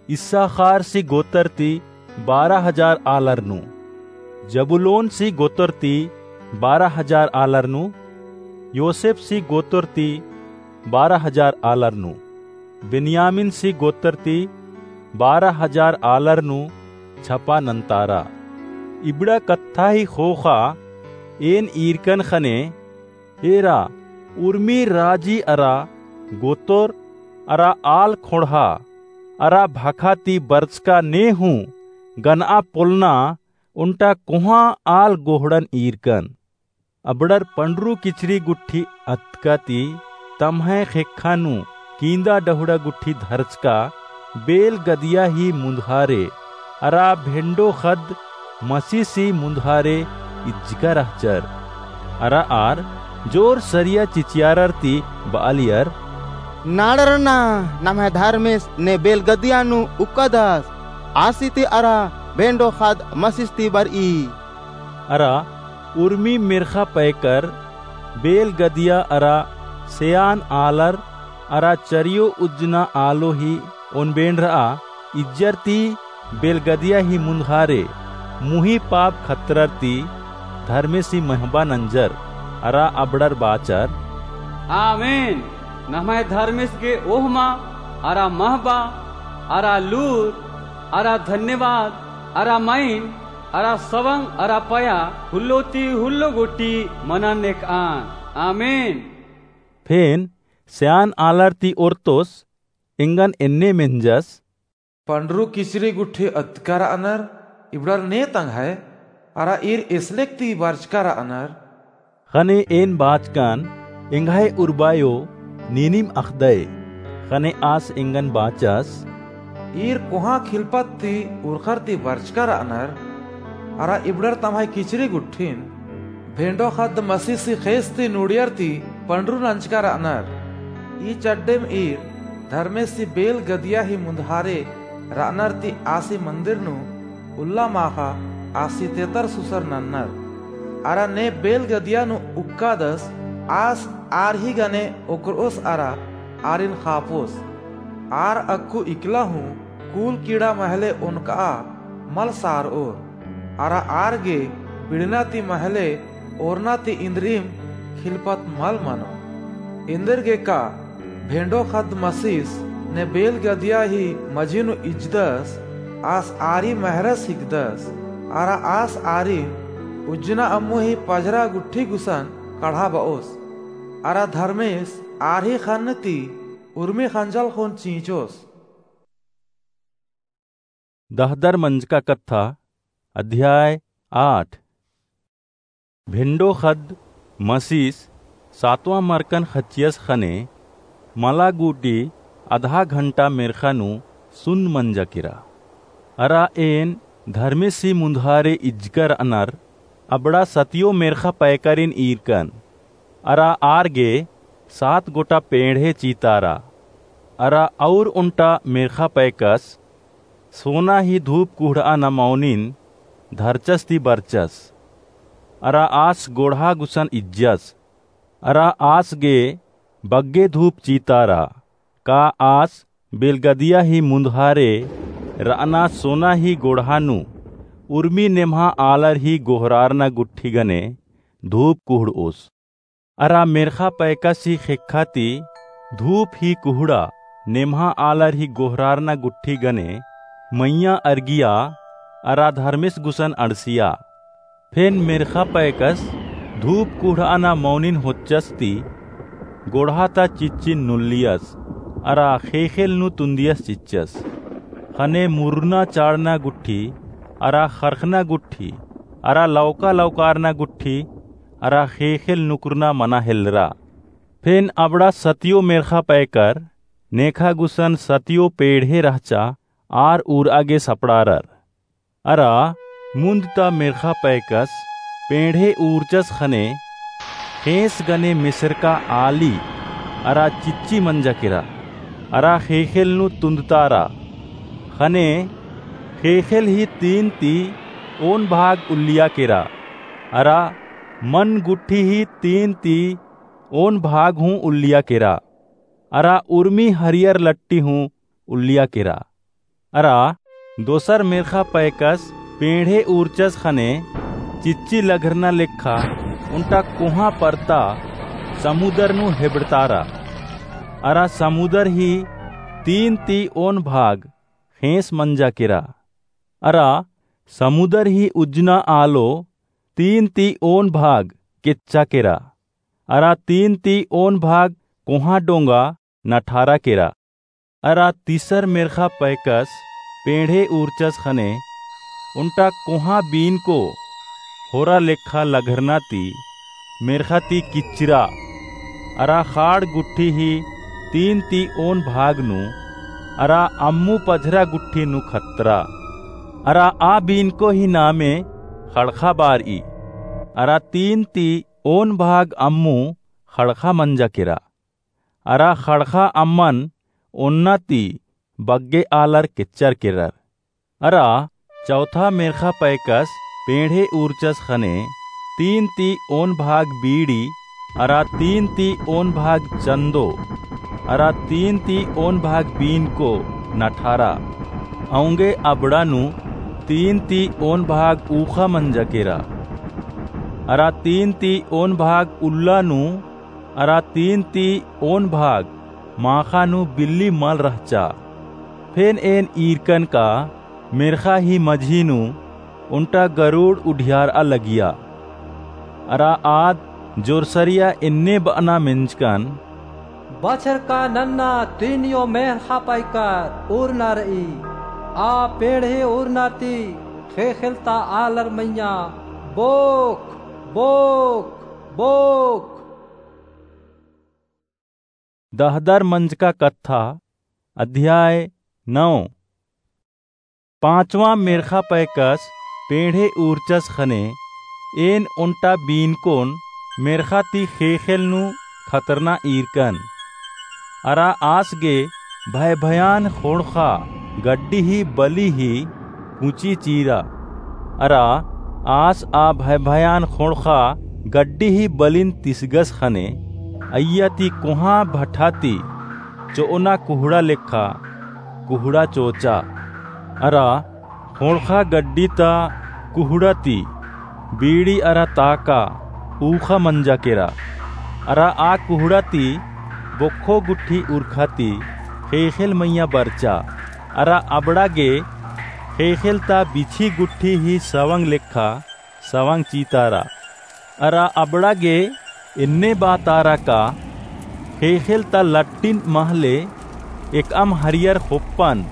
इस्साखारसी गोत्रती बारह हजार आलर नू, जबूलूनसी गोत्रती बारह हजार आलर नू, योसेफसी गोत्रती बारह हजार आलर नू, बेन्यामीनसी गोत्रती बारह हजार आलर नू छपा नन्तारा। इबड़ा कत्था ही ख़ोख़ा एन ईरकन ख़ने, एरा उर्मी राजी अरा गोतर अरा आल ख़ोंड़हा अरा भखा ती बरचका ने हूँ गनआ पोल्लना ओन्टा कोहाँ आल गोहड़न ईरकन। अबड़र पंडरू किचरी गुट्ठी अतका ती तम्है ख़ेक्खा नू कींदा डहुड़ा गुट्ठी धरचका बेल गदिया ही मुन्धारे अरा भेंडो ख़द्द मसीसी मुन्धारे इज्जका रहचर। अरा आर जोर सरिया चिचियारर ती बआलियर, नाड़रना, नम्है धर्मेस ने बेल गदिया नू उक्कादस, आसी ती अरा भेंडो ख़द्द मसीस ती बरई। अरा उर्मी मेर्ख़ा पैकर बेल गदिया अरा सेआन आलर अरा चरियो उज्जना आलो ही ओन बेंड़रआ इज्जर ती बेल गदिया ही मुन्धारे मुही पाप खतरर ती धर्मेसी महबा नंजर अरा अबड़र बाचर, आमीन। नम्है धर्मेस गे ओहमा अरा महबा अरा लूर अरा धन्यवाद अरा मइन अरा सवंग अरा पया हुल्लो ती हुल्लो गुट्ठी मनन नेकआन। आमीन। फेन सेआन आलर ती ओर्तोस एंगन एन्ने मेंजस, पंडरू किचरी गुट्ठी अतका रअनर इबड़र ने तंग्है अरा ईर एसलेक ती बरचका रअनर। ख़ने एन बाचकन एंग्है उर्बायो नीनिम अख़दय। ख़ने आस एंगन बाचस, ईर कोहाँ खिलपत ती उरख़र ती बरचका रअनर, अरा इबड़र तम्है किचरी गुट्ठिन भेंडो ख़द्द मसीसी ख़ेस ती नुड़ियर ती पंडरू नंजका रअनर। ई चड्डेम ईर धर्मेसी बेल गदिया ही मुन्धारे रअनर ती आसी मन्दिर नू उल्ला माख़ा आसी तेतर सुसर नन्नर। अरा ने बेल गदिया नू उक्कादस आस आर ही गने ओकरओस अरा आरिन ख़ापोस। आर अक्कु इकला हूँ कूल कीड़ा महले ओनकआ मल सारओर। अरा आर गे बिड़ना ती महले ओरना ती इन्द्रिइम खिलपत मल मनो। एन्देरगेका भेंडो ख़द्द मसीस ने बेल गदिया ही मझी नू इज्जदस, आस आरी महरस हिकदस, अरा आस आरिन उज्जना अम्मु ही पझरा गुट्ठी गुसन कड़हा बओस, अरा धर्मेस आर ही ख़न्न ती उर्मी ख़ंजल ख़ोन चींचोस। दहदर मंजका कत्था, अध्याय आठ। भेंडो ख़द्द मसीस सातवाँ मरकन ख़च्चियस ख़ने मला गूटी अधा घंटा मेर्ख़ा नू सुन्न मंजा केरा। अरा एन धर्मेसी मुन्धारे इज्जका रअनर अबड़ा सतियो मेर्ख़ा पैकारिन ईरकन। अरा आर गे सात गोटा पेंड़हे चीतारा। अरा अउर ओन्टा मेर्ख़ा पैकस सोना ही धूप कुहड़ाना मौनिन धरचस ती बरचस। अरा आस गोड़हा गुसन इज्जस। अरा आस गे बग्गे धूप चीतारा। का आस बेलगदिया ही मुन्धारे रअना सोना ही गोड़हा नू उर्मी नेम्हा आलर ही गोहरारना गुट्ठी गने धूप कुहड़ओस। अरा मेर्ख़ा पैकस ही ख़ेक्खा ती धूप ही कुहड़ा नेम्हा आलर ही गोहरारना गुट्ठी गने मइय्याँ अरगिया अरा धर्मेस गुसन अंड़सिया। फेन मेर्ख़ा पैकस धूप कुहड़ाना मौनिन होच्चस ती गोड़हा ता चिच्चिन नुल्लियस अरा ख़ेख़ेल नू तुन्दियस चिच्चस। ख़ने मुरना चाड़ना गुट्ठी अरा ख़रख़ना गुट्ठी अरा लौका लौकारना गुट्ठी अरा ख़ेख़ेल नुकरना मना हेलरा। फेन अबड़ा सतियो मेर्ख़ा पैकर नेखा गुसन सतियो पेंड़हे रहचा आर उरआ गे सपड़ारर। अरा मुन्द ता मेर्ख़ा पैकस पेंड़हे उरचस ख़ने ख़ेंस गने मेसरका आली अरा चिच्ची मंजा केरा अरा ख़ेख़ेल नू तुन्दतारा। ख़ने ख़ेख़ेल ही तीन ती ओन भाग उल्लिया केरा, अरा मन गुट्ठी ही तीन ती ओन भाग हूँ उल्लिया केरा, अरा उर्मी हरियर लट्टी हूँ उल्लिया केरा। अरा दोसर मेर्ख़ा पैकस पेंड़हे ऊर्चस ख़ने चिच्ची लघरना लेखा ओन्टा कोहाँ परता समुदर नू हेबड़तारा। अरा समुदर ही तीन ती ओन भाग ख़ेंस मंजा केरा। अरा समुदर ही उज्जना आलो तीन ती ओन भाग केच्चा केरा। अरा तीन ती ओन भाग कोहाँ डोंगा नठारा केरा। अरा तीसर मेर्ख़ा पैकस पेंड़हे ऊर्चस ख़ने ओन्टा कोहाँ बीनको होरा लेखा लघरना ती मेर्ख़ा ती किच्चरा, अरा ख़ाड़ गुट्ठी ही तीन ती ओन भाग नू, अरा अम्मू पझरा गुट्ठी नू खतरा। अरा आ बीनको ही नामे ख़ड़ख़ा बारई। अरा तीन ती ओन भाग अम्मू ख़ड़ख़ा मंजा केरा। अरा ख़ड़ख़ा अम्मन ओन्ना ती बग्गे आलर केच्चर केरर। अरा चौथा मेर्ख़ा पैकस पेंड़हे ऊर्चस ख़ने तीन ती ओन भाग बीड़ी, अरा तीन ती ओन भाग चन्दो, अरा तीन ती ओन भाग बीनको नठारा। औंगे अबड़ा नू तीन ती ओन भाग ऊख़ा मंजा केरा। अरा तीन ती ओन भाग उल्ला नू अरा तीन ती ओन भाग माख़ा नू बिल्ली मल रहचा। फेन एन ईरकन का मेर्ख़ा ही मझी नू ओन्टा गरुड़ उढियारआ लगिया। अरा आद जोरसरिया एन्ने बअना मेंजकन, बछरका नन्ना तीनियो मेर्ख़ा पैकर उरना रई, आ पेंड़हे उरना ती ख़ेख़ेल ता आलर मइय्याँ बोख, बोख, बोख। दहदर मंजका कत्था, अध्याय नौ। पाँचवाँ मेर्ख़ा पैकस पेंड़हे ऊर्चस ख़ने एन ओन्टा बीनकोन मेर्ख़ा ती ख़ेख़ेल नू खतरना ईरकन। अरा आस गे भय भयान ख़ोंड़ख़ा गड्डी ही बली ही कुँची चीरा। अरा आस आ भय भयान ख़ोंड़ख़ा गड्डी ही बलिन तिसगस ख़ने अइय्या ती कोहाँ भठा ती चोअना कुहड़ा लेखा कुहड़ा चोचा। अरा ख़ोंड़ख़ा गड्डी ता कुहड़ा ती बीड़ी अरा ताका ऊख़ा मंजा केरा। अरा आ कुहड़ा ती बोक्खो गुट्ठी उरखा ती ख़ेख़ेल मइय्याँ बरचा। अरा अबड़ा गे ख़ेख़ेल ता बिछी गुट्ठी ही सवंग लेखा सवंग चीतारा। अरा अबड़ा गे एन्ने बातारा का ख़ेख़ेल ता लट्टिन महले एकअम हरियर ख़ोप्पन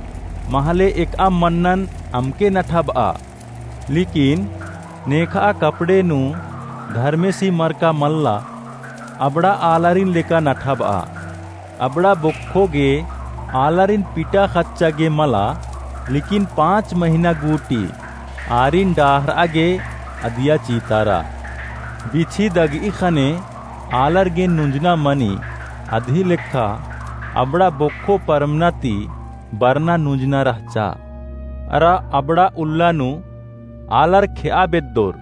महले एकअम मन्नन अमके नठाबआ। लेकिन नेखआ कपड़े नू धर्मेसी मरका मल्ला, अबड़ा आलारिन लेका नठाबआ। अबड़ा बोक्खो गे आलारिन पिटा ख़च्चा गे मला, लेकिन पाँच महिना गूटी आरिन डाहरआ गे अदिया चीतारा। बिछी दगई ख़ने आलर गे नुंजना मनी, अदही लेखा अबड़ा बोक्खो परमना ती बरना नुंजना रहचा। अरा अबड़ा उल्ला नू आलर खेआ बेद्दोर,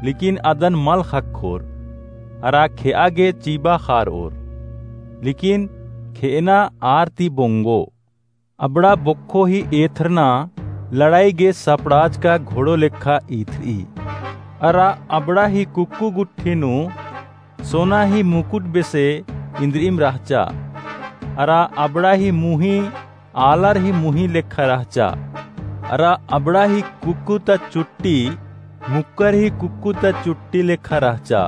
लेकिन अदन मल ख़क्खोर। अरा खेआ गे चीबा ख़ारओर, लेकिन खेअना आर ती बोंगो। अबड़ा बोक्खो ही एथरना लड़ाई गे सपड़ाज का घोड़ो लेखा ईथरई। अरा अबड़ा ही कुक्कु गुट्ठी नू सोना ही मुकुट बेसे इन्द्रिइम रहचा। अरा अबड़ा ही मुही आलर ही मुही लेखा रहचा। अरा अबड़ा ही कुक्कु ता चुट्टी मुक्कर ही कुक्कु ता चुट्टी लेखा रहचा।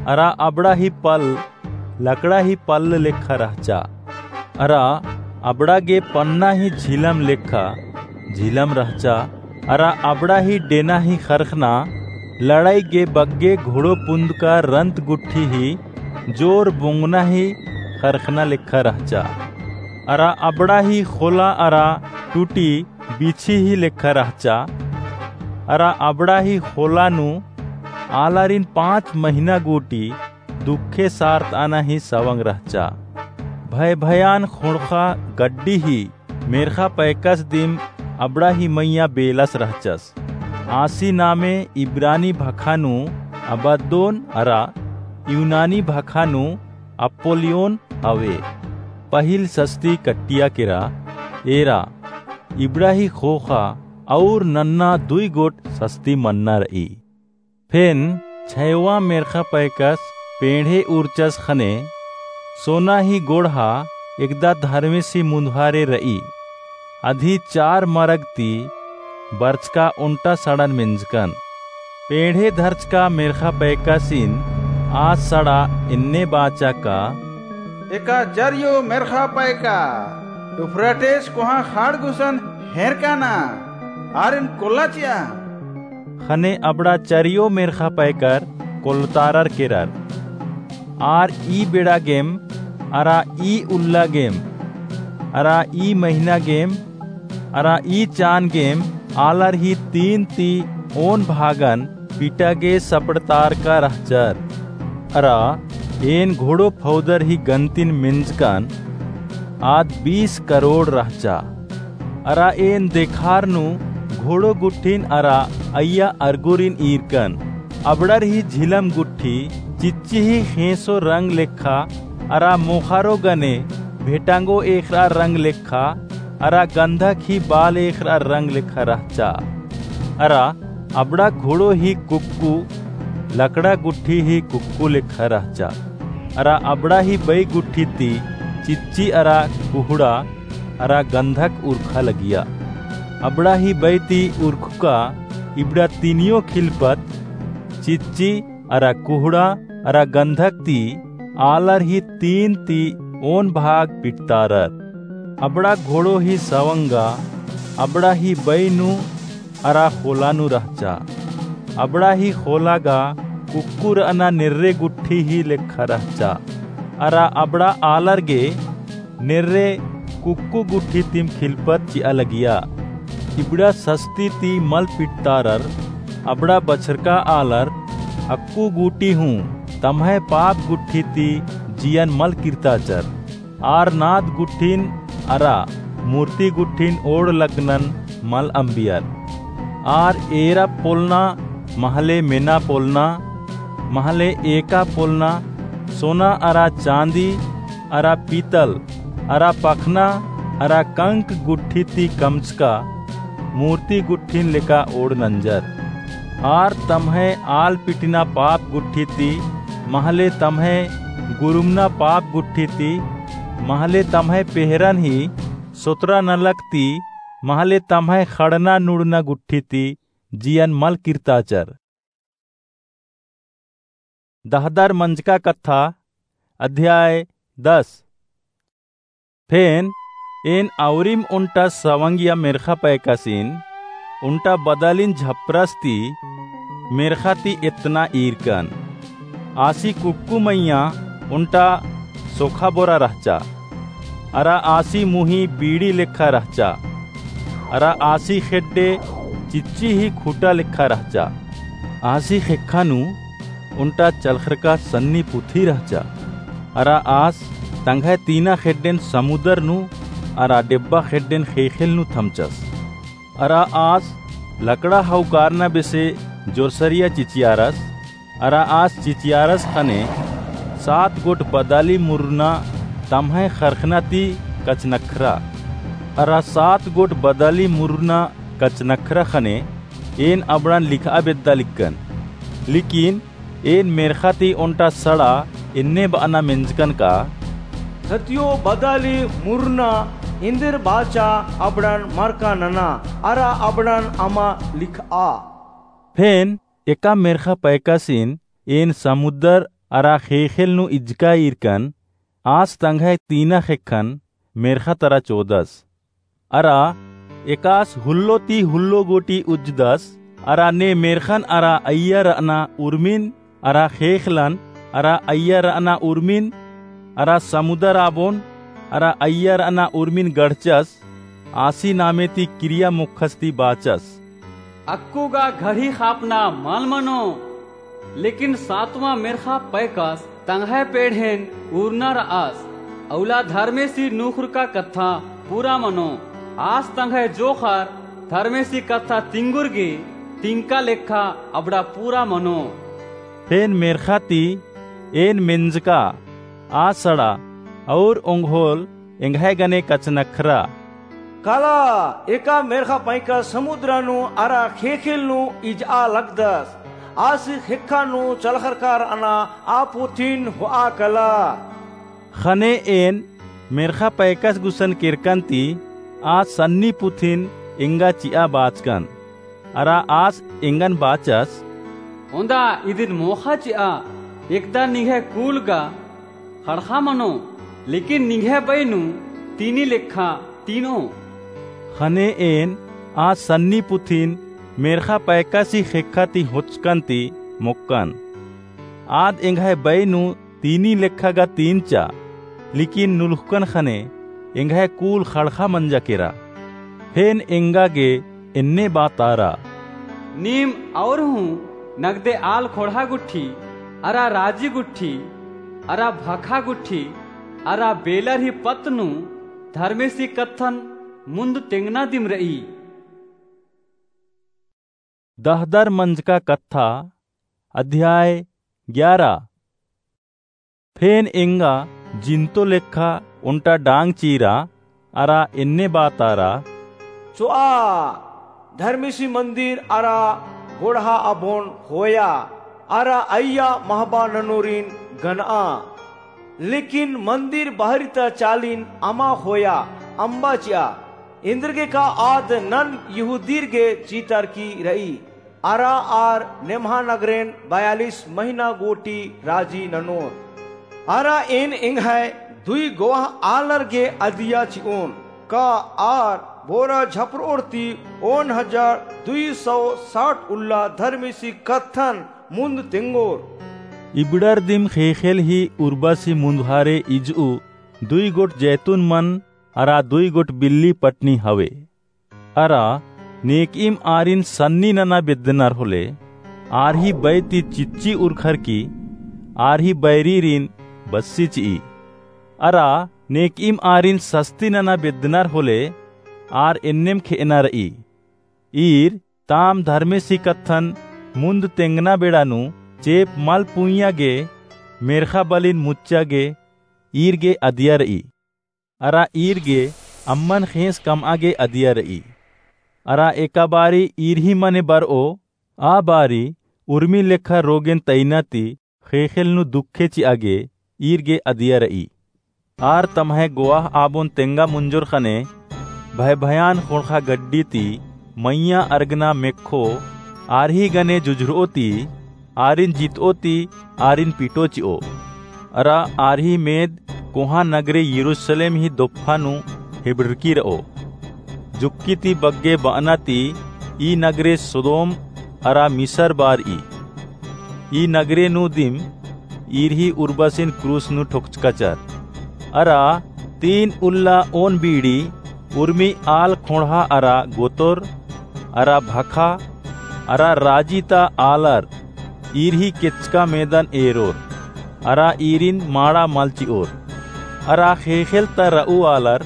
अरा अबड़ा ही पल लकड़ा ही पल्ल लेखा रहचा। अरा अबड़ा गे पन्ना ही झिलम लेखा झिलम रहचा। अरा अबड़ा ही डेना ही ख़रख़ना लड़ाई गे बग्गे घोड़ो पुंद का रंत गुट्ठी ही जोर बोंगना ही ख़रख़ना लेखा रहचा। अरा अबड़ा ही ख़ोला अरा टूटी बिछी ही लेखा रहचा। अरा अबड़ा ही ख़ोला नू आलारिन पाँच महिना गूटी दुखे सारतअना ही सवंग रहचा। भय भयान ख़ोंड़ख़ा गड्डी ही मेर्ख़ा पैकस दिम अबड़ा ही मइय्याँ बेलस रहचस। आसी नामे इब्रानी भखा नू अबद्दोन अरा यूनानी भखा नू अप्पोलियोन हवे। पहिल सस्ती कट्टिया केरा एरा इबड़ा ही ख़ोख़ा अउर नन्ना दुई गोट सस्ती मन्ना र'ई। फेन छयवा मेर्ख़ा पैकस पेंड़े उरचस ख़ने सोना ही गोड़हा एकदा धर्मेसी मुन्धारे र'ई। अदी चार मरग ती बरचका ओन्टा सड़न मेंजकन। पेंड़े धरचका मेर्ख़ा पैकासिन आ सड़ा एन्ने बाचा का, एका चरियो मेर्ख़ा पैका यूफ्रेटिस कोहाँ ख़ाड़ गुसन हेरकाना, आरिन कोल्ला चिआ। ख़ने अबड़ा चरियो मेर्ख़ा पैकर कोल्लतारर केरर। आर ई बेड़ा गेम, अरा ई उल्ला गेम, अरा ई महिना गेम, अरा ई चान गेम आलर ही तीन ती ओन भागन पिटा गे सपड़तारका रहचर। अरा एन घोड़ो फौदर ही गन्तिन मेंजकन, आद बीस करोड़ रहचा। अरा एन देखार नू घोड़ो गुट्ठिन अरा अइय्या अरगुरिन ईरकन। अबड़र ही झिलम गुट्ठी चिच्ची ही ख़ेंसो रंग लेखा अरा मोख़ारो गने भेटांगो एख़रा रंग लेखा अरा गंधक ही बाल एख़रा रंग लेखा रहचा। अरा अबड़ा घोड़ो ही कुक्कु लकड़ा गुट्ठी ही कुक्कु लेखा रहचा। अरा अबड़ा ही बई गुट्ठी ती चिच्ची अरा कुहड़ा अरा गंधक उरखा लगिया। अबड़ा ही बई ती उरखुका इबड़ा तीनियो खिलपत चिच्ची अरा कुहड़ा अरा गंधक ती आलर ही तीन ती ओन भाग पिटतारर। अबड़ा घोड़ो ही सवंगा अबड़ा ही बई नू अरा ख़ोला नू रहचा। अबड़ा ही ख़ोला गा कुक्कु र'अना नेर्रे गुट्ठी ही लेखा रहचा। अरा अबड़ा आलर गे नेर्रे कुक्कु गुट्ठी तिम खिलपत चिआ लगिया। इबड़ा सस्ती ती मल पिटतारर अबड़ा बछरका आलर अक्कु गूटी हूँ तम्है पाप गुट्ठी ती जियन मल किर्ताचर। आर नाद गुट्ठिन अरा मूर्ति गुट्ठिन ओड़ लगनन मल अम्बियर। आर एरा पोलना महले मेना पोलना महले एका पोलना सोना अरा चाँदी अरा पीतल अरा पखना अरा कंक गुट्ठी ती कमचका मूर्ति गुट्ठिन लेका ओड़ नंजर। आर तम्है आल पिटिना पाप गुट्ठी ती महले तम्है गुरुमना पाप गुट्ठी ती महले तम्है पेहरन ही सोतरा नलख ती महले तम्है ख़ड़ना नुड़ना गुट्ठी ती जियन मल किर्ताचर। दहदर मंजका कत्था, अध्याय दस। फेन एन अउरिम ओन्टा सवंगिया मेर्ख़ा पैकासिन ओन्टा बदालिन झपरस ती मेर्ख़ा ती एतना ईरकन। आसी कुक्कु मइय्याँ ओन्टा सोखा बोरा रहचा। अरा आसी मुही बीड़ी लेखा रहचा। अरा आसी खेड्डे चिच्ची ही खूटा लेखा रहचा। आसी ख़ेक्खा नू ओन्टा चलख़रका सन्नी पुथी रहचा। अरा आस तंग्है तीना खेड्डेन समुदर नू अरा डेब्बा खेड्डेन ख़ेख़ेल नू थमचस। अरा आस लकड़ा हौकारना बेसे जोरसरिया चिचियारस। अरा आस चिचियारस ख़ने सात गोट बदाली मुरुना तम्है ख़रख़ना ती कचनख्रा। अरा सात गोट बदाली मुरुना कचनख्रा ख़ने एन अबड़ान लिखआ बेद्दा लिक्कन। लिकिन एन मेर्ख़ा ती ओन्टा सड़ा एन्ने बअना मेंजकन का, खतियो बदाली मुरुना इन्दिर बाचा अबड़ान मरका नना, अरा अबड़ान अमा लिखआ। फेन एका मेर्ख़ा पैकासिन एन समुदर अरा ख़ेख़ेल नू इजका ईरकन। आस तंग्है तीना ख़ेक्खन मेर्ख़ा तरा चोदस। अरा एकास हुल्लो ती हुल्लो गूटी उज्जदस। अरा ने मेर्ख़न अरा अइय्या रअना उर्मिन अरा ख़ेख़लन अरा अइय्या रअना उर्मिन अरा समुदर आबोन अरा अइय्या रअना उर्मिन गड़चस। आसी नामे ती किरिया मोख़स ती बाचस। अक्कु गा घड़ी ख़ापना मल मनो, लेकिन सातवाँ मेर्ख़ा पैकस तंग्है पेड़हेन उरना रअस। अउला धर्मेसी नुख़ुरका कत्था पूरा मनो। आस तंग्है जोख़र धर्मेसी कत्था तिंगुर गे तिंका लेखा अबड़ा पूरा मनो। फेन मेर्ख़ा ती एन मेंजका आ सड़ा और ओंगोल एंग्है गने कछनखरा। काला, एका मेर्ख़ा पैंका समुद्र नू अरा ख़ेख़ेल नू इजआ लगदस। आस ख़ेक्खा नू चलख़रका रअना आ पुथिन होआ कला। ख़ने एन मेर्ख़ा पैकस गुसन केरकन ती आ सन्नी पुथिन एंगा चिआ बाचकन। अरा आस एंगन बाचस। ओन्दा इदिन मोख़ा चिआ, एकदा निंग्है कूल गा ख़ड़ख़ा मनो, लेकिन निंग्है बई नू तीनी लेखा तीनो। ख़ने एन आ सन्नी पुथिन मेर्ख़ा पैकसी ख़ेक्खा ती होचकन ती मोक्कन। आद एंग्है बई नू तीनी लेखा गा तीनचा, लेकिन नुलुख़कन ख़ने एंग्है कूल ख़ड़ख़ा मंजा केरा। फेन एंगा गे एन्ने बातारा। नीम और हूँ नगदे आल ख़ोंड़हा गुट्ठी, अरा राजी गुट्ठी, अरा भखा गुट्ठी, अरा बेलर ही पत्त नू धर्मेसी कत्थन मुन्द तेंगना दिम रई। दहदर मंजका कत्था, अध्याय ग्यारा। फेन एंगा जिन्तो लेखा ओन्टा डांग चीरा, अरा एन्ने बातारा। चोआ, धर्मेसी मन्दिर अरा गोड़हा आबोन ख़ोया, अरा अइय्या महबा ननोरिन गनआ। लेकिन मन्दिर बहरी ता चालिन अमा ख़ोया अम्बा चिआ। एन्देरगे का आद नन यहूदीर गे चीतरकी रई। अरा आर नेम्हा नगरेन बयालिस महिना गूटी राजी ननोर। अरा एन एंग्है दुई गोवाह आलर गे अदिया चिओन, का आर बोरा झपरओर ती ओन हजार दुई सौ साठ उल्ला धर्मेसी कत्थन मुन्द तेंगोर। इबड़र दिम ख़ेख़ेल ही उर्बासी मुन्दहारे इजऊ दुई गोट जैतून मन अरा दुई गोट बिल्ली पटनी हवे। अरा नेकइम आरिन सन्नी नना बेद्दनर होले, आर ही बई ती चिच्ची उरखरकी, आर ही बैरीरिन बस्सी चिई। अरा नेकइम आरिन सस्ती नना बेद्दनर होले, आर एन्नेम खेअना रई। ईर ताम धर्मेसी कत्थन मुन्द तेंगना बेड़ा नू चेंप मल पुइय्या गे मेर्ख़ा बलिन मुच्चा गे ईर गे अदिया रई। अरा ईर गे अम्मन ख़ेंस कमआ गे अदिया रई। अरा एका बारी ईर ही मने बरओ, आ बारी उर्मी लेखा रोगेन तइना ती ख़ेख़ेल नू दुखे चिआ गे ईर गे अदिया रई। आर तम्है गोवाह आबोन तेंगा मुंजोर ख़ने भय भयान ख़ोंड़ख़ा गड्डी ती मइय्याँ अरगना मेक्खो, आर ही गने जुझरओ ती आरिन जितओ ती आरिन पिटओ चिओ। अरा आर ही मेद कोहाँ नगरे यरूसलेम ही दोप्पा नू हेबड़रकी रओ। जुक्की ती बग्गे बअना ती ई नगरे सोदोम अरा मिसर बारई। ई नगरे नू दिम ईर ही उर्बासिन क्रूस नू ठोकचकाचर। अरा तीन उल्ला ओन बीड़ी उर्मी आल ख़ोंड़हा अरा गोतोर अरा भखा अरा राजी ता आलर ईर ही केचका मेदन एरोर, अरा ईरिन माड़ा मल चिओर। अरा ख़ेख़ेल ता रऊ आलर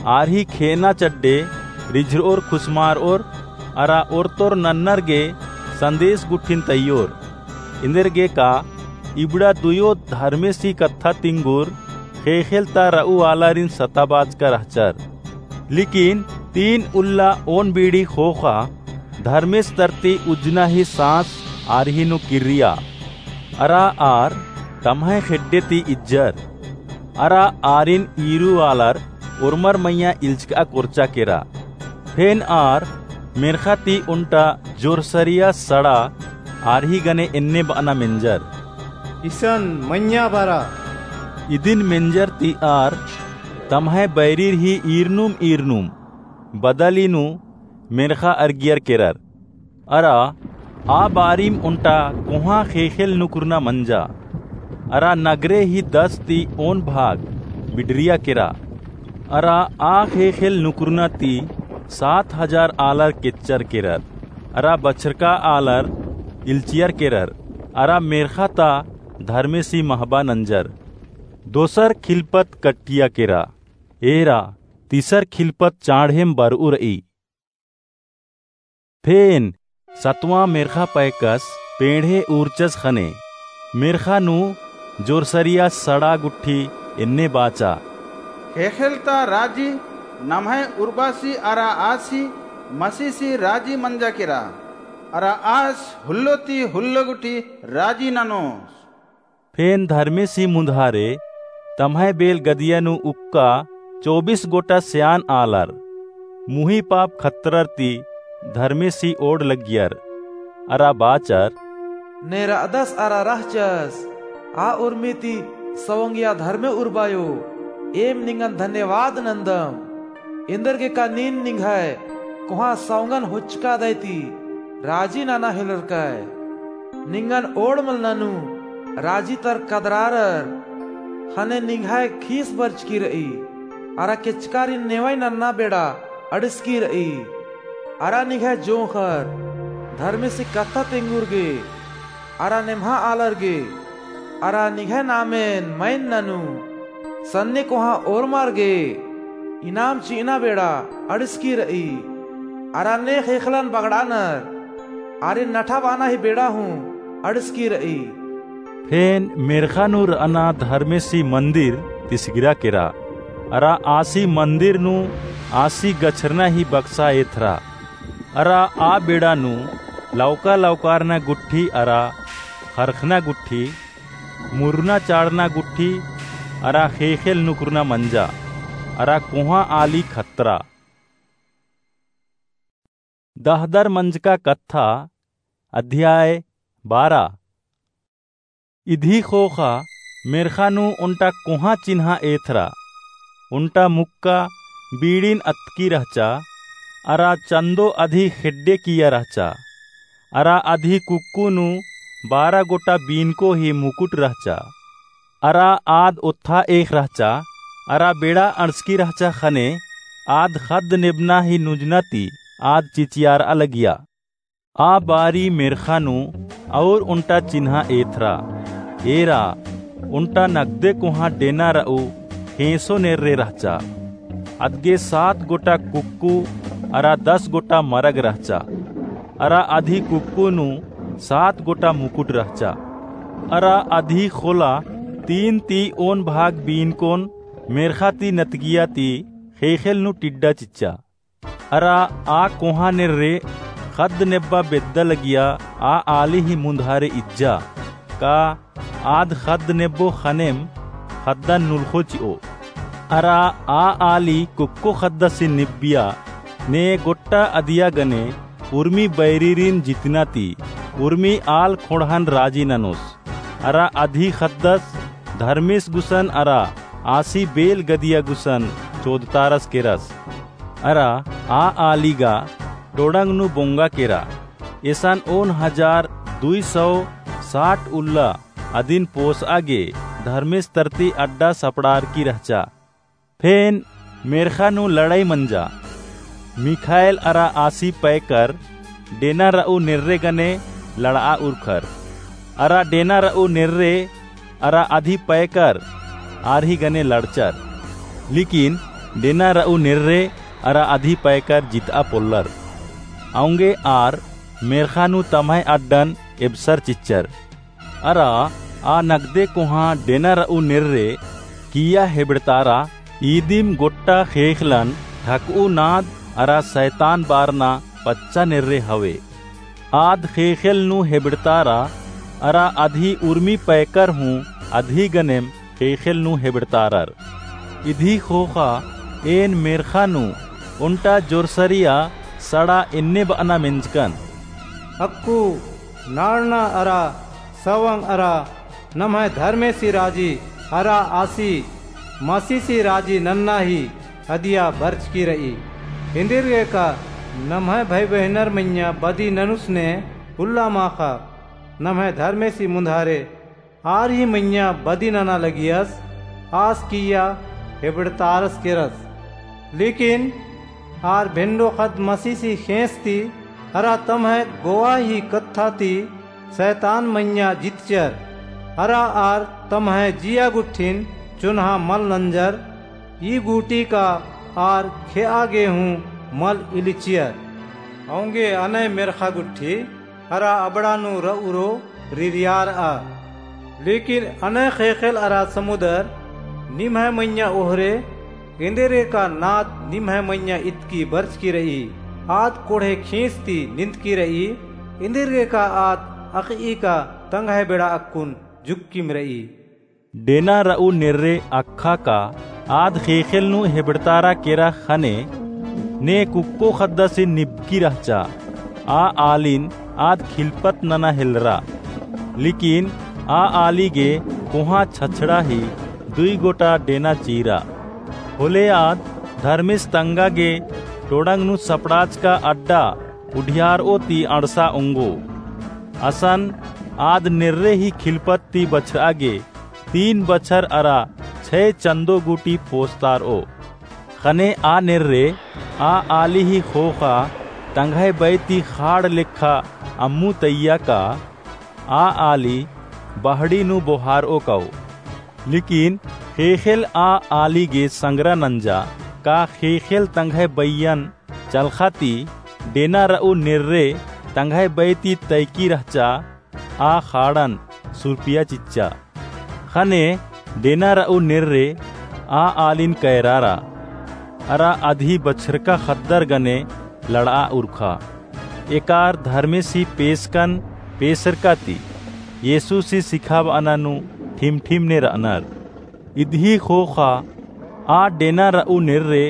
आर ही खेअना चड्डे रिझरओर खुसमारओर, अरा ओर्तोर नन्नर गे संदेस गुट्ठिन तइयोर। एन्देरगे का इबड़ा दुयो धर्मेसी कत्था तिंगुर ख़ेख़ेल ता रऊ आलारिन सताबाचका रहचर। लेकिन तीन उल्ला ओन बीड़ी ख़ोख़ा धर्मेस तरती उज्जना ही साँस आर ही नू किर्रिया। अरा आर तम्है खेड्डे ती इज्जर। अरा आरिन ईरू आलर ओर्मर मइय्याँ इल्चकआ कोरचा केरा। फेन आर मेर्ख़ा ती ओन्टा जोरसरिया सड़ा आर ही गने एन्ने बअना मेंजर। इसन मइय्याँ बरा। इदिन मेंजर ती आर तम्है बैरीर ही ईरनुम ईरनुम बदली नू मेर्ख़ा अरगियर केरर। अरा आ बारिम ओन्टा कोहाँ ख़ेख़ेल नुकुरना मंजा। अरा नगरे ही दस ती ओन भाग बिडरिया केरा। अरा आ ख़ेख़ेल नुकुरना ती सात हजार आलर केच्चर केरर। अरा बछरका आलर इल्चियर केरर। अरा मेर्ख़ा ता धर्मेसी महबा नंजर। दोसर खिलपत कट्टिया केरा। एरा तीसर खिलपत चाँड़ेम बरऊ रई। फेन सतवाँ मेर्ख़ा पैकस पेंड़हे उर्चस ख़ने। मेर्ख़ा नू जोरसरिया सड़ा गुट्ठी एन्ने बाचा, ख़ेख़ेल ता राजी नम्है उर्बासी अरा आसी मसीसी राजी मंजा केरा। अरा आस हुल्लो ती हुल्लो गुट्ठी राजी ननोस। फेन धर्मेसी मुन्धारे तम्है बेल गदिया नू उक्का चौबीस गोटा स्यान आलर, मुही पाप खतरर ती धर्मेसी ओड़ लगियर। अरा बाचर, ने रअदस अरा रहचस, आ उर्मी ती सवंगिया धर्मे उर्बायो, एम निंगन धन्यवाद नन्दम। एन्देरगे का नीन निंग्है कोहाँ सवंगन होचकादय ती राजी नना हेलरकय। निंगन ओड़ मल ननू राजी तर कदरारर ख़ने निंग्है खीस बरचकी रई। अरा केचकारिन नेवई नन्ना बेड़ा अंड़सकी रई। अरा निंग्है जोंख़र धर्मेसी कत्था तेंगुर गे अरा नेम्हा आलर गे अरा निंग्है नामेन मइन ननू सन्ने कोहाँ ओर्मर गे इनाम चिअना बेड़ा अंड़सकी रई। अरा ने ख़ेख़ेलन बगड़ानर आरिन नठा बाना ही बेड़ा हूँ अंड़सकी रई। फेन मेर्ख़ा नू रअना धर्मेसी मन्दिर तिसगिरा केरा। अरा आसी मन्दिर नू आसी गछरना ही बक्सा एथरा। अरा आ बेड़ा नू लौका लौकारना गुट्ठी अरा ख़रख़ना गुट्ठी, मुरना चाड़ना गुट्ठी अरा ख़ेख़ेल नुकुरना मंजा। अरा कोहाँ आली खतरा। दहदर मंजका कत्था, अध्याय बारह। इदी ख़ोख़ा मेर्ख़ा नू ओन्टा कोहाँ चिन्हा एथरा। ओन्टा मुक्का बीड़िन अतकी रहचा, अरा चन्दो अदी ख़ेड्डे किया रहचा। अरा अदी कुक्कु नू बारह गोटा बीनको ही मुकुट रहचा। अरा आद ओत्था एख़ रहचा, अरा बेड़ा अंड़सकी रहचा ख़ने आद ख़द्द नेबना ही नुजना ती आद चिचियारआ लगिया। आ बारी मेर्ख़ा नू और ओन्टा चिन्हा एथरा। एरा, ओन्टा नगदे कोहाँ डेना रऊ ख़ेंसो नेर्रे रहचा। अदगे सात गोटा कुक्कु अरा दस गोटा मरग रहचा। अरा अदी कुक्कु नू सात गोटा मुकुट रहचा। अरा अदी ख़ोला तीन ती ओन भाग बीनकोन मेर्ख़ा ती नतगिया ती ख़ेख़ेल नू टिड्डा चिच्चा। अरा आ कोहाँ नेर्रे ख़द्द नेब्बा बेद्दा लगिया आ आली ही मुन्धारे इज्जा, का आद ख़द्द नेब्बो ख़नेम ख़द्दन नुल्ख़ो चिओ। अरा आ आली कुक्को ख़द्दसिन निब्बिया, ने गोट्टा अदिया गने उर्मी बैरिरिन जितना ती उर्मी आल ख़ोंड़हन राजी ननोस। अरा अदी ख़द्दस धर्मेस गुसन अरा आसी बेल गदिया गुसन चोदतारस केरस। अरा आ आली गा टोड़ंग नू बोंगा केरा। एसन ओन हजार दुई सौ साठ उल्ला अदिन पोसआ गे धर्मेस तरती अड्डा सपड़ारकी रहचा। फेन मेर्ख़ा नू लड़ाई मंजा। मिख़ाएल अरा आसी पैकर डेना रऊ नेर्रे गने लड़आ उरखर। अरा डेना रऊ नेर्रे अरा अदी पैकर आर ही गने लड़चर। लेकिन डेना रऊ नेर्रे अरा अदी पैकर जितआ पोल्लर। औंगे आर मेर्ख़ा नू तम्है अड्डन एबसर चिच्चर। अरा आ नगदे कोहाँ डेना रऊ नेर्रे किइय्या हेबड़तारा। ईदिम गोट्टा ख़ेख़लन ढकऊ नाद अरा सैतान बारना पच्चा नेर्रे हवे। आद ख़ेख़ेल नू हेबड़तारा अरा अदी उर्मी पैकर हूँ अदी गनेम ख़ेख़ेल नू हेबड़तारर। इदी ख़ोख़ा एन मेर्ख़ा नू ओन्टा जोरसरिया सड़ा एन्ने बअना मेंजकन। अक्कु नाड़ना अरा सवंग अरा नम्है धर्मेसी राजी अरा आसी मसीसी राजी नन्ना ही अदिया बरचकी रई। एन्देरगे का नम्है भई बहिनर मइय्याँ बदी ननुस ने उल्ला माख़ा नम्है धर्मेसी मुन्धारे आर ही मइय्याँ बदी नना लगियस, आस किइय्या हेबड़तारस केरस। लेकिन आर भेंडो ख़द्द मसीसी ख़ेंस ती अरा तम्है गोवा ही कत्था ती सैतान मइय्याँ जितचर। अरा आर तम्है जिया गुट्ठिन चोन्हा मल नंजर, ई गूटी का आर खेआ गे हूँ मल इलिचियर। औंगे अनय मेर्ख़ा गुट्ठी अरा अबड़ा नू र'उरो रिरियार'आ। लेकिन अनय ख़ेख़ेल अरा समुदर निम्है मइय्याँ ओहरे, एन्देरगेका नाद निम्है मइय्याँ इतकी बरचकी र'ई। आद कोड़हे खींस ती निंदकी र'ई, एन्देरगेका आद अख़'ई का तंग्है बेड़ा अक्कुन जुक्किम र'ई। डेना र'ऊ नेर्रे अख़ा का आद ख़ेख़ेल नू हेबड़तारा केरा ख़ने, ने कुक्को ख़द्दासिन निबकी रहचा। आ आलिन आद खिलपत नना हेलरा। लेकिन आ आली गे कोहाँ छछड़ा ही दुई गोटा डेना चीरा। होले आद धर्मेस तंगा गे टोड़ंग नू सपड़ाचका अड्डा उढियार'ओ ती अंड़सा ओंगो। असन आद नेर्रे ही खिलपत ती बछर'आ गे तीन बछर अरा छै चंदो गूटी पोसतार'ओ। ख़ने आ नेर्रे आ आली ही ख़ोख़ा तंग्है बई ती ख़ाड़ लेखा अम्मु तइय्या का आ आली बहड़ी नू बोहार'ओ काओ। लेकिन ख़ेख़ेल आ आली गे संगरा नंजा का ख़ेख़ेल तंग्है बइयन चलख़ा ती डेना र'ऊ नेर्रे तंग्है बई ती तइकी रहचा आ ख़ाड़न सुरपिया चिच्चा। ख़ने डेना र'ऊ नेर्रे आ आलिन कैरारा अरा अदही बछरका ख़द्दर गने लड़'आ उरखा। एकार धर्मेसी पेसकन पेसरका ती येसुसी सिखाब'अना नू ठिमठिम ने र'अनर। इदही ख़ोख़ा आ डेना र'ऊ नेर्रे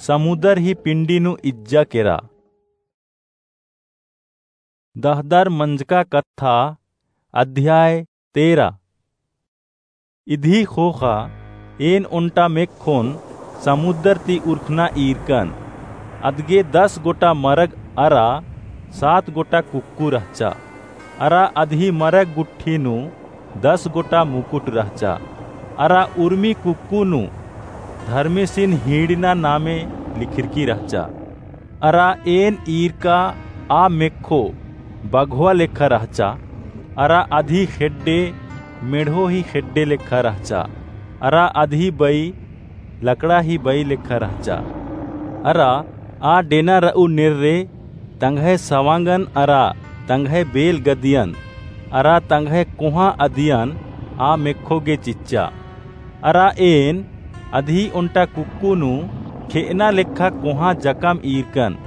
समुदर ही पिंडी नू इज्जा केरा। दहदर मंजका कत्था, अध्याय तेरा। इदही ख़ोख़ा एन ओन्टा मेक्खोन समुदर ती उरखना ईरकन। अदगे दस गोटा मरग अरा सात गोटा कुक्कु रहचा। अरा अदही मरग गुट्ठी नू दस गोटा मुकुट रहचा। अरा उर्मी कुक्कु नू धर्मेसिन हीड़ना नामे लिखिरकी रहचा। अरा एन ईरका आ मेक्खो बघवा लेखा रहचा। अरा अदही खेड्डे मेढ़ो ही खेड्डे लेखा रहचा। अरा अदही बई लकड़ा ही बई लेखा रहचा। अरा आ डेना र'ऊ नेर्रे तंग्है सवांगन अरा तंग्है बेल गदियन अरा तंग्है कोहाँ अदियन आ मेक्खो गे चिच्चा। अरा एन अदही ओन्टा कुक्कु नू खे'अना लेखा कोहाँ जकम ईरकन।